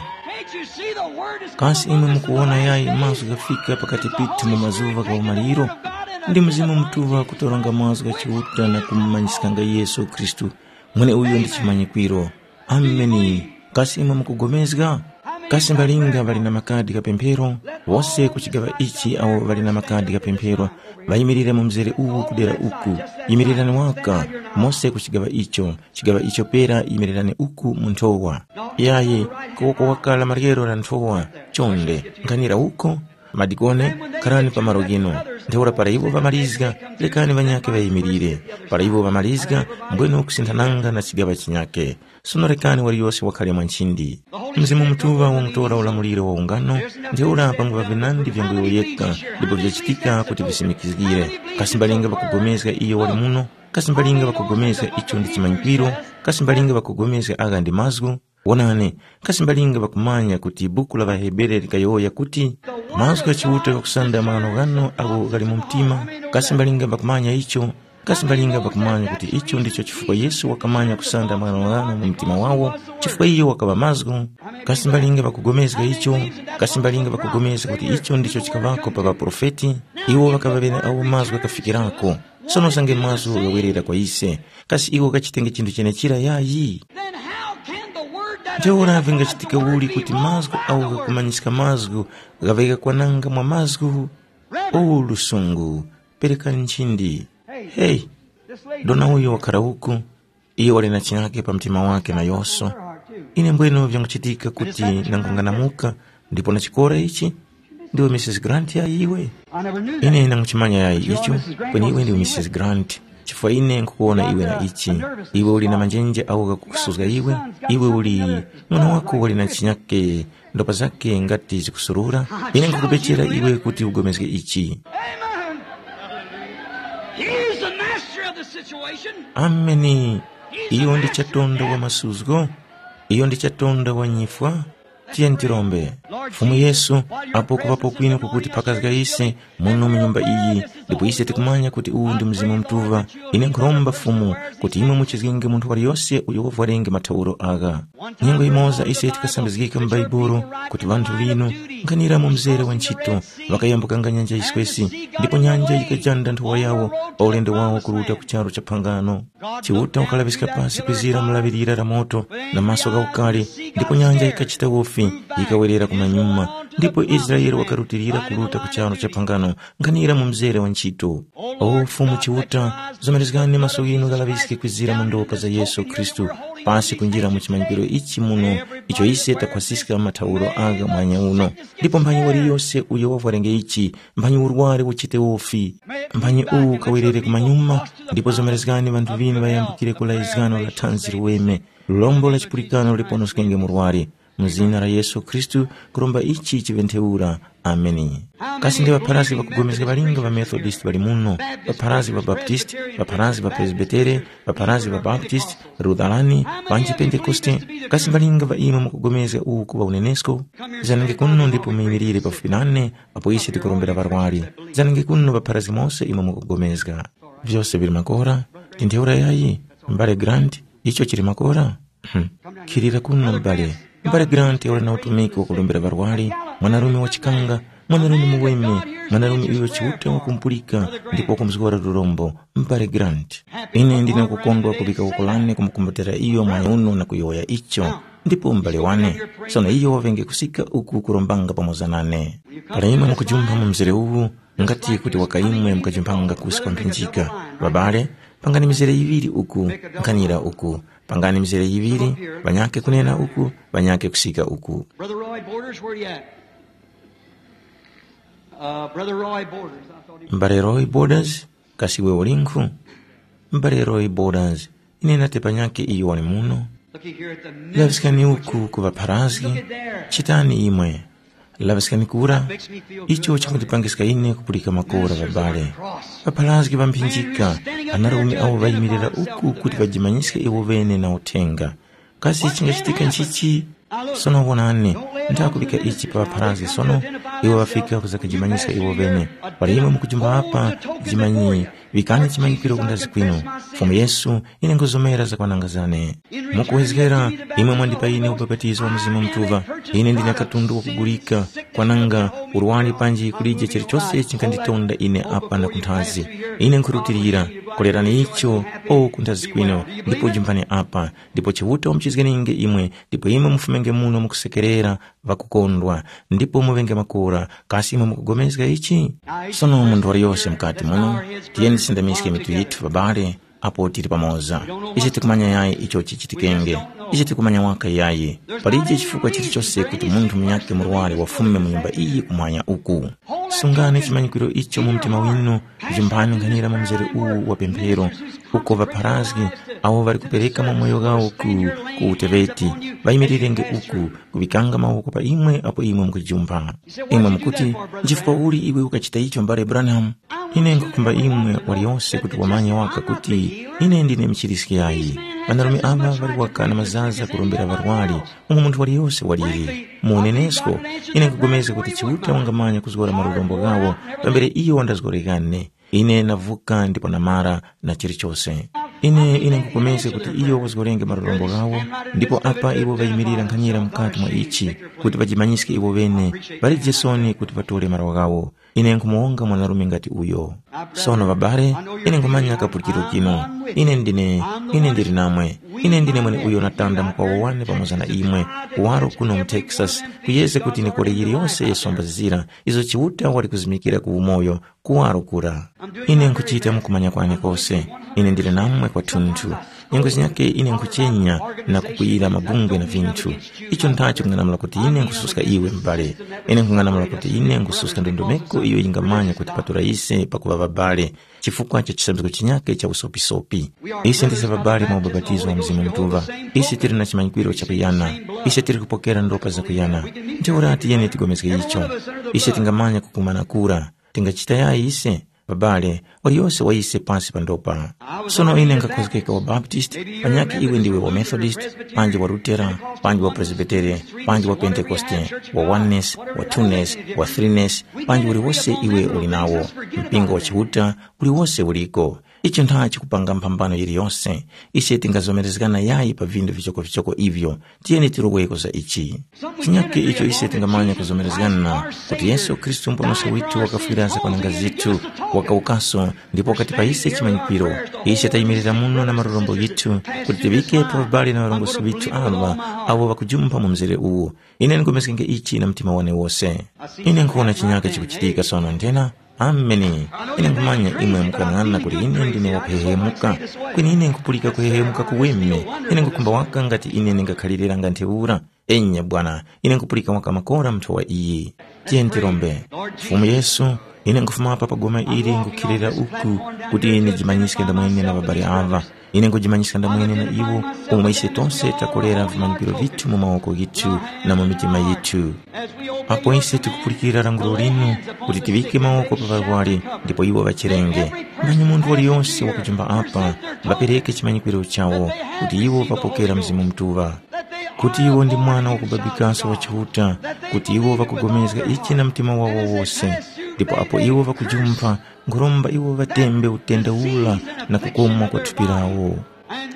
Kasi imwe mukuwona yayi mazgu ghafika pakati pithu mu mazuŵa gha umaliro? Ndi Mzimu Mutuŵa kutoranga mazgu gha Chiuta na kumumanyiskanga Yesu Khristu. Mweneuyo ndi chimanyikwiro. Ameni. Kasi imwe mukugomezga? Kasi mbalinga ŵali na makadi gha pemphero? Wose ku chigaŵa ichi awo ŵali na makadi gha pemphero, ŵayimirire mu mzere uwu kudera uku. Yimirirani waka, mose ku chigaŵa icho, chigaŵa icho pera yimirirani uku mu nthowa. Yayi, kuwoko wakala maryero la nthowa, chonde, nkhanira uko, Madikone, kharani pa malo ghinu. Ntheura para iwo ŵamalizga, rekani ŵanyakhe ŵayimirire. Para iwo ŵamalizga, mbwenu kusinthananga na chigaŵa chinyakhe. Sono rekani waliyose wakhale mwa nchindi. Mzimu Mutuŵa wamutora ulamuliro wa ungano, ntheura panguŵa vinandi vyanguyowoyeka, ndipo vyachitika kuti visimikizgire. Kasi mbalinga ŵakugomezga iyo wali muno? Kasi mbalinga ŵakugomezga icho ndi chimanyikwiro? Kasi mbalinga ŵakugomezga agha ndi mazgu? Wonani, kasi mbalinga ŵakumanya kuti buku la ŵaHebere likayowoya kuti, mazgu gha Chiuta ghakusanda maghanoghano agho ghali mu mtima? Kasi mbalinga ŵakumanya icho? Kasi mbalinga ŵakumanya kuti icho ndicho chifukwa Yesu wakamanya kusanda maghanoghano mu mtima wawo, chifukwa iyo wakaŵa mazgu? Kasi mbalinga ŵakugomezga icho? Kasi mbalinga ŵakugomezga kuti icho ndicho chikaŵako pa ŵaprofeti? Iwo ŵakaŵa ŵeneawo mazgu ghakafikirako. Sono usange mazgu ghawerera kwa ise, kasi iwo ghachitenge chinthu chenechira yayi? Then how can the word that Ntheura vingachitika uli kuti mazgu awo ghakumanyiska mazgu ghaŵe ghakwananga mwa mazgu? O lusungu, perekani nchindi. Hey, dona uyo wakhara uku, iyo wali na chinyake pa mtima wake na yoso. Ine mbwenu vyanguchitika kuti nangunganamuka ndipo na chikora ichi? Ndiwe Missus Grant ya iwe? Ine nanguchimanya yayi icho, kweni iwe ndiwe Missus Grant, chifukwa ine nkukuwona iwe na ichi. Iwe uli na manjenje awo ghakukusuzga iwe. Iwe uli, mwana wako wali na chinyake, ndopa zake ngati zikusurura. Ine nkukubechera iwe kuti ugomezge ichi. Amen. He's the master of the situation. Ameni. Iyo ndi chatonda wa masuzgo. Iyo ndi chatonda wa nyifwa. Tiyeni tirombe. Fumu Yesu, apo kuŵapo kwinu kukuti pakazga ise muno mu nyumba iyi, Ndipo ise tikumanya kuti uwu ndi Mzimu Mutuŵa. Ine nkhuromba Fumu kuti imwe muchizgenge munthu waliyose uyo wavwarenge mathauro agha. Nyengo yimoza ise tikasambizgika mu Bhaibuli kuti ŵanthu ŵinu nkhanira mu mzere wa ntchito ŵakayambukanga nyanja yiswesi, ndipo nyanja yikajanda nthowa yawo pa ulendo wawo kuruta ku charu cha phangano. Chiuta wakalaŵiska pasi kwizira mulaŵirira la moto na maso gha ukali, ndipo nyanja yikachita wofi, yikawerera kumanyuma, ndipo Israele wakarutilira kuruta ku charu cha phangano nkhanira mu mzere wa ntchito. O Fumu Chiuta, zomerezgani maso ghinu ghalaŵiske kwizira mu ndopa za Yesu Khristu, pasi kunjira mu chimanyikiro ichi muno, icho ise takhwasiska mathauro agha mwanya uno. Ndipo mphanyi waliyose uyo wavwarenge ichi, mphanyi urwari uchite wofi, mphanyi uwu ukawerere kumanyuma, ndipo zomerezgani ŵanthu ŵinu ŵayambukire ku laizgano la thanzi liweme, lombo la chipulikano liponoskenge murwari. Mu zina la Yesu Khristu, kuromba ichi chiŵe ntheura. Ameni. Kasi ndi ŵapharazgi ŵakugomezga ŵalinga ŵa Methodist ŵali muno, ŵapharazgi ŵa Baptist, ŵapharazgi ŵa Presbitere, ŵapharazgi ŵa Baptist, Lutherani, panji Pentekoste? Kasi mbalinga ŵa imwe mukugomezga uwu kuŵa unenesko? Zanenge kuno ndipo muyimirire pafupi nane apo ise tikurombera ŵarwari. Zanenge kuno ŵapharazgi mose imwe mukugomezga. Vyose vili makora, ndi ntheura yayi, m'bale Grant, icho chili makora? Hmm. Khilira kuno m'bale. M'bale Grant wali na utumiki wakurombera ŵarwari, mwanarume wachikanga, mwanarume muweme, mwanarume uyo Chiuta wakumpulika ndipo wakumuzgora lurombo. M'bale Grant, ine ndine kukondwa kuŵika wuko lane kumukumbatira iyo mwayi uno na kuyowoya icho. Ndipo m'bale wane, sono iyo waŵenge kusika uku kurombanga pamoza nane. Para imwe mukujumpha mu mzere uwu, ngati kuti waka imwe mukajumpanga kusi kwa mphinjika. Ŵabale, pangani mizere yiŵiri uku, nkhanira uku. Pangani mizere yiŵiri, ŵanyakhe kunena uku, ŵanyakhe kusika uku. Brother Roy Borders, where you at? Uh, Brother Roy Borders, I thought he... M'bale Roy Borders, kasi iwe ulinkhu? M'bale Roy Borders, ine nati panyakhe iyo wali muno. Looky here at the minister. Laŵiskani uku ku ŵapharazgi. Chitani imwe? Laŵiskani kura. Icho chikundipangiska ine kupulika makora ŵabale. Ŵapharazgi ŵamphinjika, anarume awo ŵayimirira uku kuti ŵajimanyiske iwo ŵene na uthenga. Kasi chingachitika nchichi? Sono wonani, ndakubika ichi pa ŵapharazgi sono, iwo ŵafika kuzakajimanyiska iwo ŵene. Para imwe mukujimba apa, jimanyi, vikani chimanyikiro kundazi kwinu. Fumu Yesu, ine nguzomera zakwananga zane. Mukuwezgera, imwe mwandipa ine ubapatizo wa Mzimu Mutuŵa. Ine ndine katundu wakugulika, kwananga, urwani panji kulije chilichose chinganditonda ine apa na kunthazi. Ine nkhurutilira, kolerani icho, o kunthazi kwinu, ndipo jimbani apa, ndipo Chiuta wamuchizgeninge imwe, ndipo imwe mufumenge muno mukusekerera, ŵakukondwa, ndipo muŵenge makora. Kasi imwe mukugomezga ichi? Sono munthu waliyose mukati muno, tiyeni tisindamiske mitu yithu, ŵabale, apo tili pamoza. Ise tikumanya yayi icho chichitikenge. Ise tikumanya waka yayi. Palije chifukwa chilichose kuti munthu munyakhe murwari wafume mu nyumba iyi kumwanya uku. Sungani chimanyikiro icho mu mtima winu, jumpani nkhanira mu mzere uwu wa pemphero, uko ŵapharazgi awo ŵali kupereka mamoyo ghawo ku, ku uteŵeti, ŵayimirirenge uku, kuŵikanga mawoko pa imwe apo imwe mukujumpha. Imwe mukuti, nchifukwa uli iwe ukachita icho, mbale Branham? Ine nkhukhumba imwe waliyose kuti wamanye waka kuti ine ndine mchiriskiyayi. Ŵanarume ava ŵali waka na mazaza kurombera ŵarwari, umo munthu waliyose waliri. Mu unenesko, ine nkhupulikana kuti Chiuta wangamanya kuzgora malurombo ghawo pambere iyo wandazgorekane. Ine navuka ndipo namara na chilichose. Ine, ine nkhupulikana kuti iyo wazgorenge malurombo ghawo, ndipo apa iwo ŵayimirira nkhanyira mukati mwa ichi, kuti ŵajimanyiske iwo ŵene, ŵalije soni kuti ŵatore malo ghawo. Ine nkhumuwonga mwanarume ngati uyo. Sono ŵabale, ine nkhumanya kapulikiro kinu. Ine ndine, ine ndili namwe. Ine ndine mweneuyo natanda mukwawo wane pamoza na imwe, kuwaro kuno mu Texas, kuyeze kuti ndikole yiliyose ya somba zira izo Chiuta wali kuzimikira ku umoyo, kuwaro kura. Ine nkhuchita mukumanya kwane kose. Ine ndili namwe kwathunthu. Nyengo zinyakhe ine nkhuchenya na kukwiyira mabungwe na vinthu. Icho ndacho kung'anamula kuti ine nkhususka iwe m'bale. Ine nkhung'anamula kuti ine nkhususka ndondomeko iyo yingamanya kuti patula ise pakuŵa ŵabale chifukwa cha chisambizgo chinyakhe cha usopisopi. Ise ndise ŵabale mwa ubapatizo wa Mzimu Mutuŵa. Ise tili na chimanyikwiro chakuyana. Ise tili kupokera ndopa zakuyana. Ntheura tiyeni tigomezge icho. Ise tingamanya kukumana kura. Tingachita yayi ise? Babale, waliyose wa ise pasi pa ndopa. Sono ine nkhakhozgeka wa Baptist, panyakhe iwe ndiwe wa Methodist, panji wa Lutera, panji wa Presbytere, panji wa Pentekoste, wa Oneness, wa Twoness, wa Threeness, panji uliwose iwe uli nawo, mpingo wa Chiuta, uliwose uliko. Icho ntha chikupanga mphambano yiliyose. Ise tingazomerezgana yayi pa vindu vichokovichoko ivyo. Tiyeni tiloweko za ichi. Chinyake icho ise tingamanya kuzomerezgana kuti Yesu Khristu Muponoski withu wakafwira zakwananga zithu, wakawukaso ndipo wakatipa ise chimanyikiro. Ise tayimirira muno na malorombo ghithu kuti tiŵike pa ubale na ŵarongozgi ŵithu aŵa awo ŵakujumpha mu mzere uwu. Ine nkhumeskenge ichi na mtima wane wose. Ine nkhuwona chinyake chikuchitika sono nthena. Ameni. Ine nkhumanya imwe mukuyang'ana kuti ine ndine wakuhehemuka. Kweni ine nkhupulika kuhehemuka kuweme. Ine nkhukhumba waka ngati ine ndingakhaliranga ntheura. Enya bwana, ine nkupulika waka makora mnthowa iyi. Tiye ntirombe. Fumu Yesu, ine nkufumapa pa goma ili ngukhilira uku kuti ndijimanyiske ndamwene na babali ava. Ine nkujimanyiska ndamwene na iwo, umo ise tose takolera vimanyikiro vithu mu mawoko ghithu na mu mitima yithu. Apo ise tikupulikira languro linu kuti tiŵike mawoko pa ŵarwari ndipo iwo ŵachirenge. Manyi munthu waliyonse wakujumba apa, ŵapereke chimanyikiro chawo kuti iwo ŵapokera Mzimu Mutuŵa. Kuti iwo ndi mwana wakubabikaso wa Chiuta, kuti iwo ŵakugomezga ichi na mtima wawo wose, ndipo apo iwo ŵakujumpha, nkhuromba iwo ŵatembe utenda ura na kukomwa kwa thupi lawo.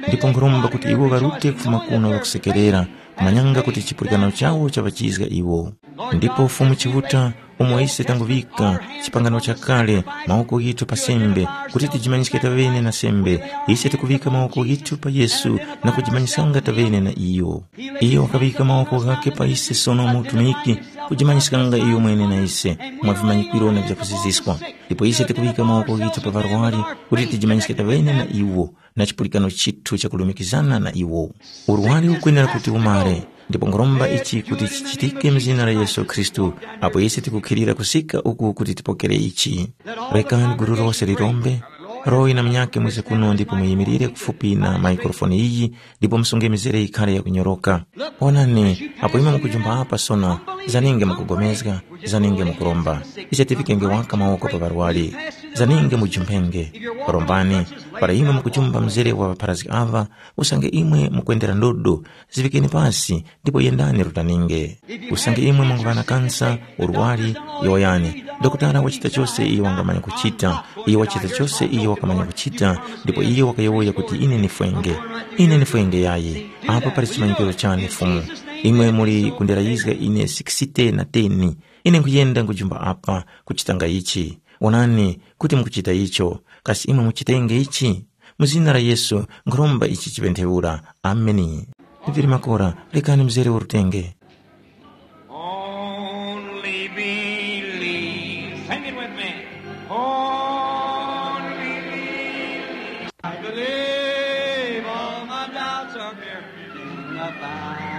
Ndipo nkhuromba kuti iwo ŵarute kufuma kuno ŵakusekerera, kumanyanga kuti chipulikano chawo chaŵachizga iwo. Ndipo Fumu Chiuta, umo ise tanguŵika chipangano chakale mawoko ghithu pa sembe, kuti tijimanyiske taŵene na sembe, ise tikuŵika mawoko ghithu pa Yesu na kujimanyiskanga taŵene na iyo. Iyo wakaŵika mawoko ghakhe pa ise sono mu utumiki, kujimanyiskanga iyo mwene na ise mwa vimanyikiro na vyakuziziskwa. Ndipo ise tikuŵika mawoko ghithu pa ŵarwari kuti tijimanyiske taŵene na iwo na chipulikano chithu chakulumikizana na iwo. Urwari ukwenera kuti umare, ndipo nkhuromba ichi kuti chichitike mu zina la Yesu Khristu, apo ise tikukhilira kusika uku kuti tipokere ichi. Rekani gulu lose lirombe, Roy na munyakhe mwize kuno ndipo muyimirire kufupi na maikrofoni iyi, ndipo musunge mizere yikhale yakunyoroka. Onani, apo imwe mukujumba apa sono, zaninge mukugomezga, zaninge mukuromba. Ise tivikenge waka mawoko pa ŵarwari. Zaninge mujumpenge. Rombani, para imwe mukujumba mzere wa ŵapharazgi ava, usange imwe mukwendera ndodo, zivikeni pasi, ndipo yendani rutaninge. Usange imwe munguŵa na kansa, urwari, yowoyani. Dokotala wachita chose iyo wangamanya kuchita. Iyo wachita chose iyo wakamanya kuchita, ndipo iyo wakayowoya kuti ine nifwenge. Ine nifwenge yayi. Apa pali chimanyikiro chane Fumu. Imwe muli kundirayizga ine sikisite na teni. Ine nkuyenda nkujumba apa kuchitanga ichi. Onani kuti mukuchita icho. Kasi imwe muchitenge ichi? Mu zina la Yesu nkhuromba ichi chiŵe ntheura. Ameni. Vili makora, rekani mzere urutenge. Only believe. Sing it with me. Only believe. I believe all my doubts are here in the Father.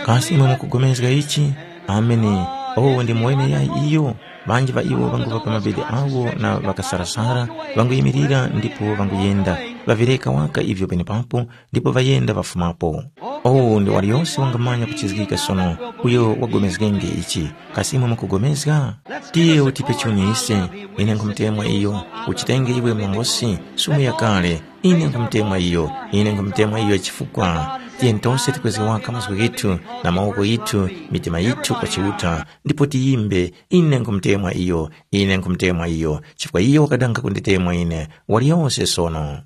Kasi imwe mukugomezga ichi? Ameni. Oh, ndi muwene yayi iyo. Ŵanji ŵa iwo ŵanguŵa pa mabedi awo na ŵakasarasara, ŵanguyimirira ndipo ŵanguyenda. Ŵavireka waka ivyo penepapo, ndipo ŵayenda ŵafumapo. Oh, ndi waliyose wangamanya kuchizgika sono, uyo wagomezgenge ichi. Kasi imwe mukugomezga? Tiye utipe chuni ise. Ine nkhumutemwa iyo. Uchitenge iwe mlongosi, sumu yakale. Ine nkhumutemwa iyo. Ine nkhumutemwa iyo chifukwa. Tiye ntose tikwezge waka mazgu ghithu, na mawoko ghithu, mitima yithu kwa Chiuta, ndipo tiyimbe, ine nkhumutemwa iyo. Ine nkhumutemwa iyo, chifukwa iyo wakadanga kunditemwa ine, waliyose sono.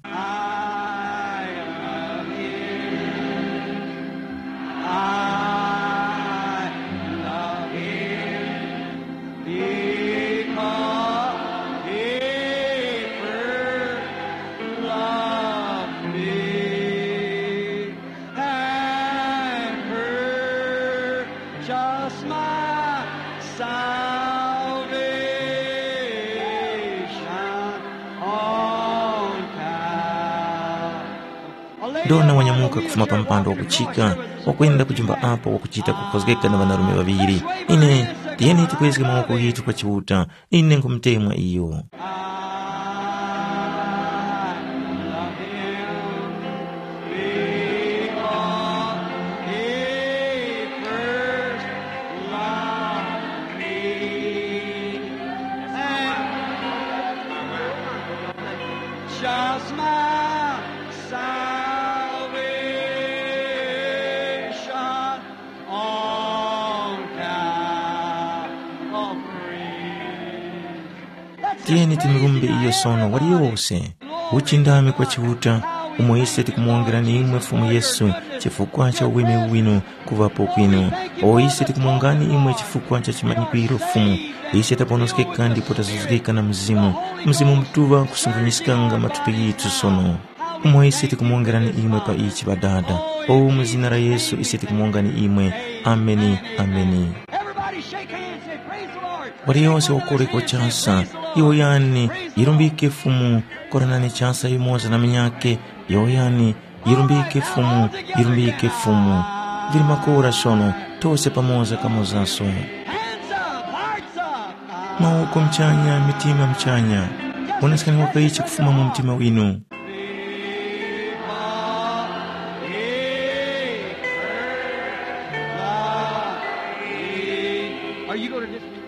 And purchase my salvation on Calvary. Ndona wanyamuka kufuma pa mpando wakuchika, wakwenda ku chumba apo wakuchita kukhozgeka na ŵanarume ŵaŵiri. Ine, tiyeni tikwezge mawoko ghithu kwa Chiuta, ine nkhumutemwa iyo. Just my salvation on Calvary. Tiyeni timurumbe iyo sono waliyose. Uchindami kwa Chiuta, umo ise tikumuwongerani imwe Fumu Yesu chifukwa cha uweme winu kuŵapo kwinu. O ise tikumuwongani imwe chifukwa cha chimanyikwiro Fumu. Ise taponoskeka ndipo tazuzgika na Mzimu. Mzimu Mutuŵa kusungunyiskanga mathupi yithu sono. Umo ise tikumuwongerani imwe pa ichi Ŵadada. O mu zina la Yesu ise tikumuwongani imwe. Ameni, ameni. Everybody shake hands and say, "Praise the Lord." Waliyonse wakoreko chasa, yowoyani, yirumbike Fumu, koranani chasa yumoza na munyakhe, yowoyani, yirumbike Fumu, yirumbike Fumu. Vili makora sono, tose pamoza kamozaso. Hands up, hearts up. Mawoko mchanya, mitima mchanya. Wonesekani wakayichi kufuma mu mtima winu. Are you going to dismiss?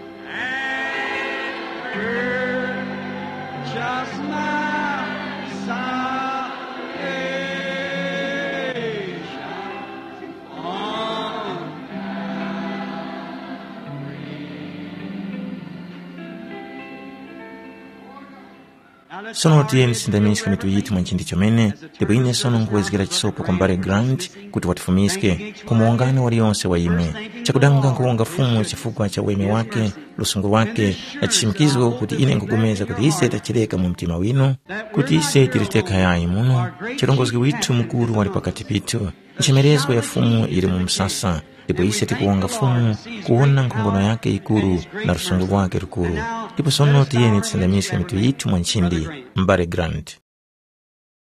Just my salvation on Calvary. Now let's Sono tiyeni tisindamiske mitu yithu mwa nchindi chomene, ndipo ine sono nkuwezgera chisopo kwa mbale Grant kuti watifumiske ku muwongani waliyonse wa imwe. Chakudanga nkuwonga Fumu chifukwa cha uweme wake, lusungu lwake, na chishimikizo kuti ine nkupulikana kuti ise tachireka mu mtima winu, kuti ise tili tekha yayi muno, chirongozgi withu mukuru wali pakati pithu. Nchemerezgo ya Fumu yili mu msasa, ndipo ise tikuwonga Fumu kuwona nkhongono yake yikuru na lusungu lwake lukuru. Ndipo sono tiyeni tisindamiske mitu yithu mwa nchindi, mbale Grant.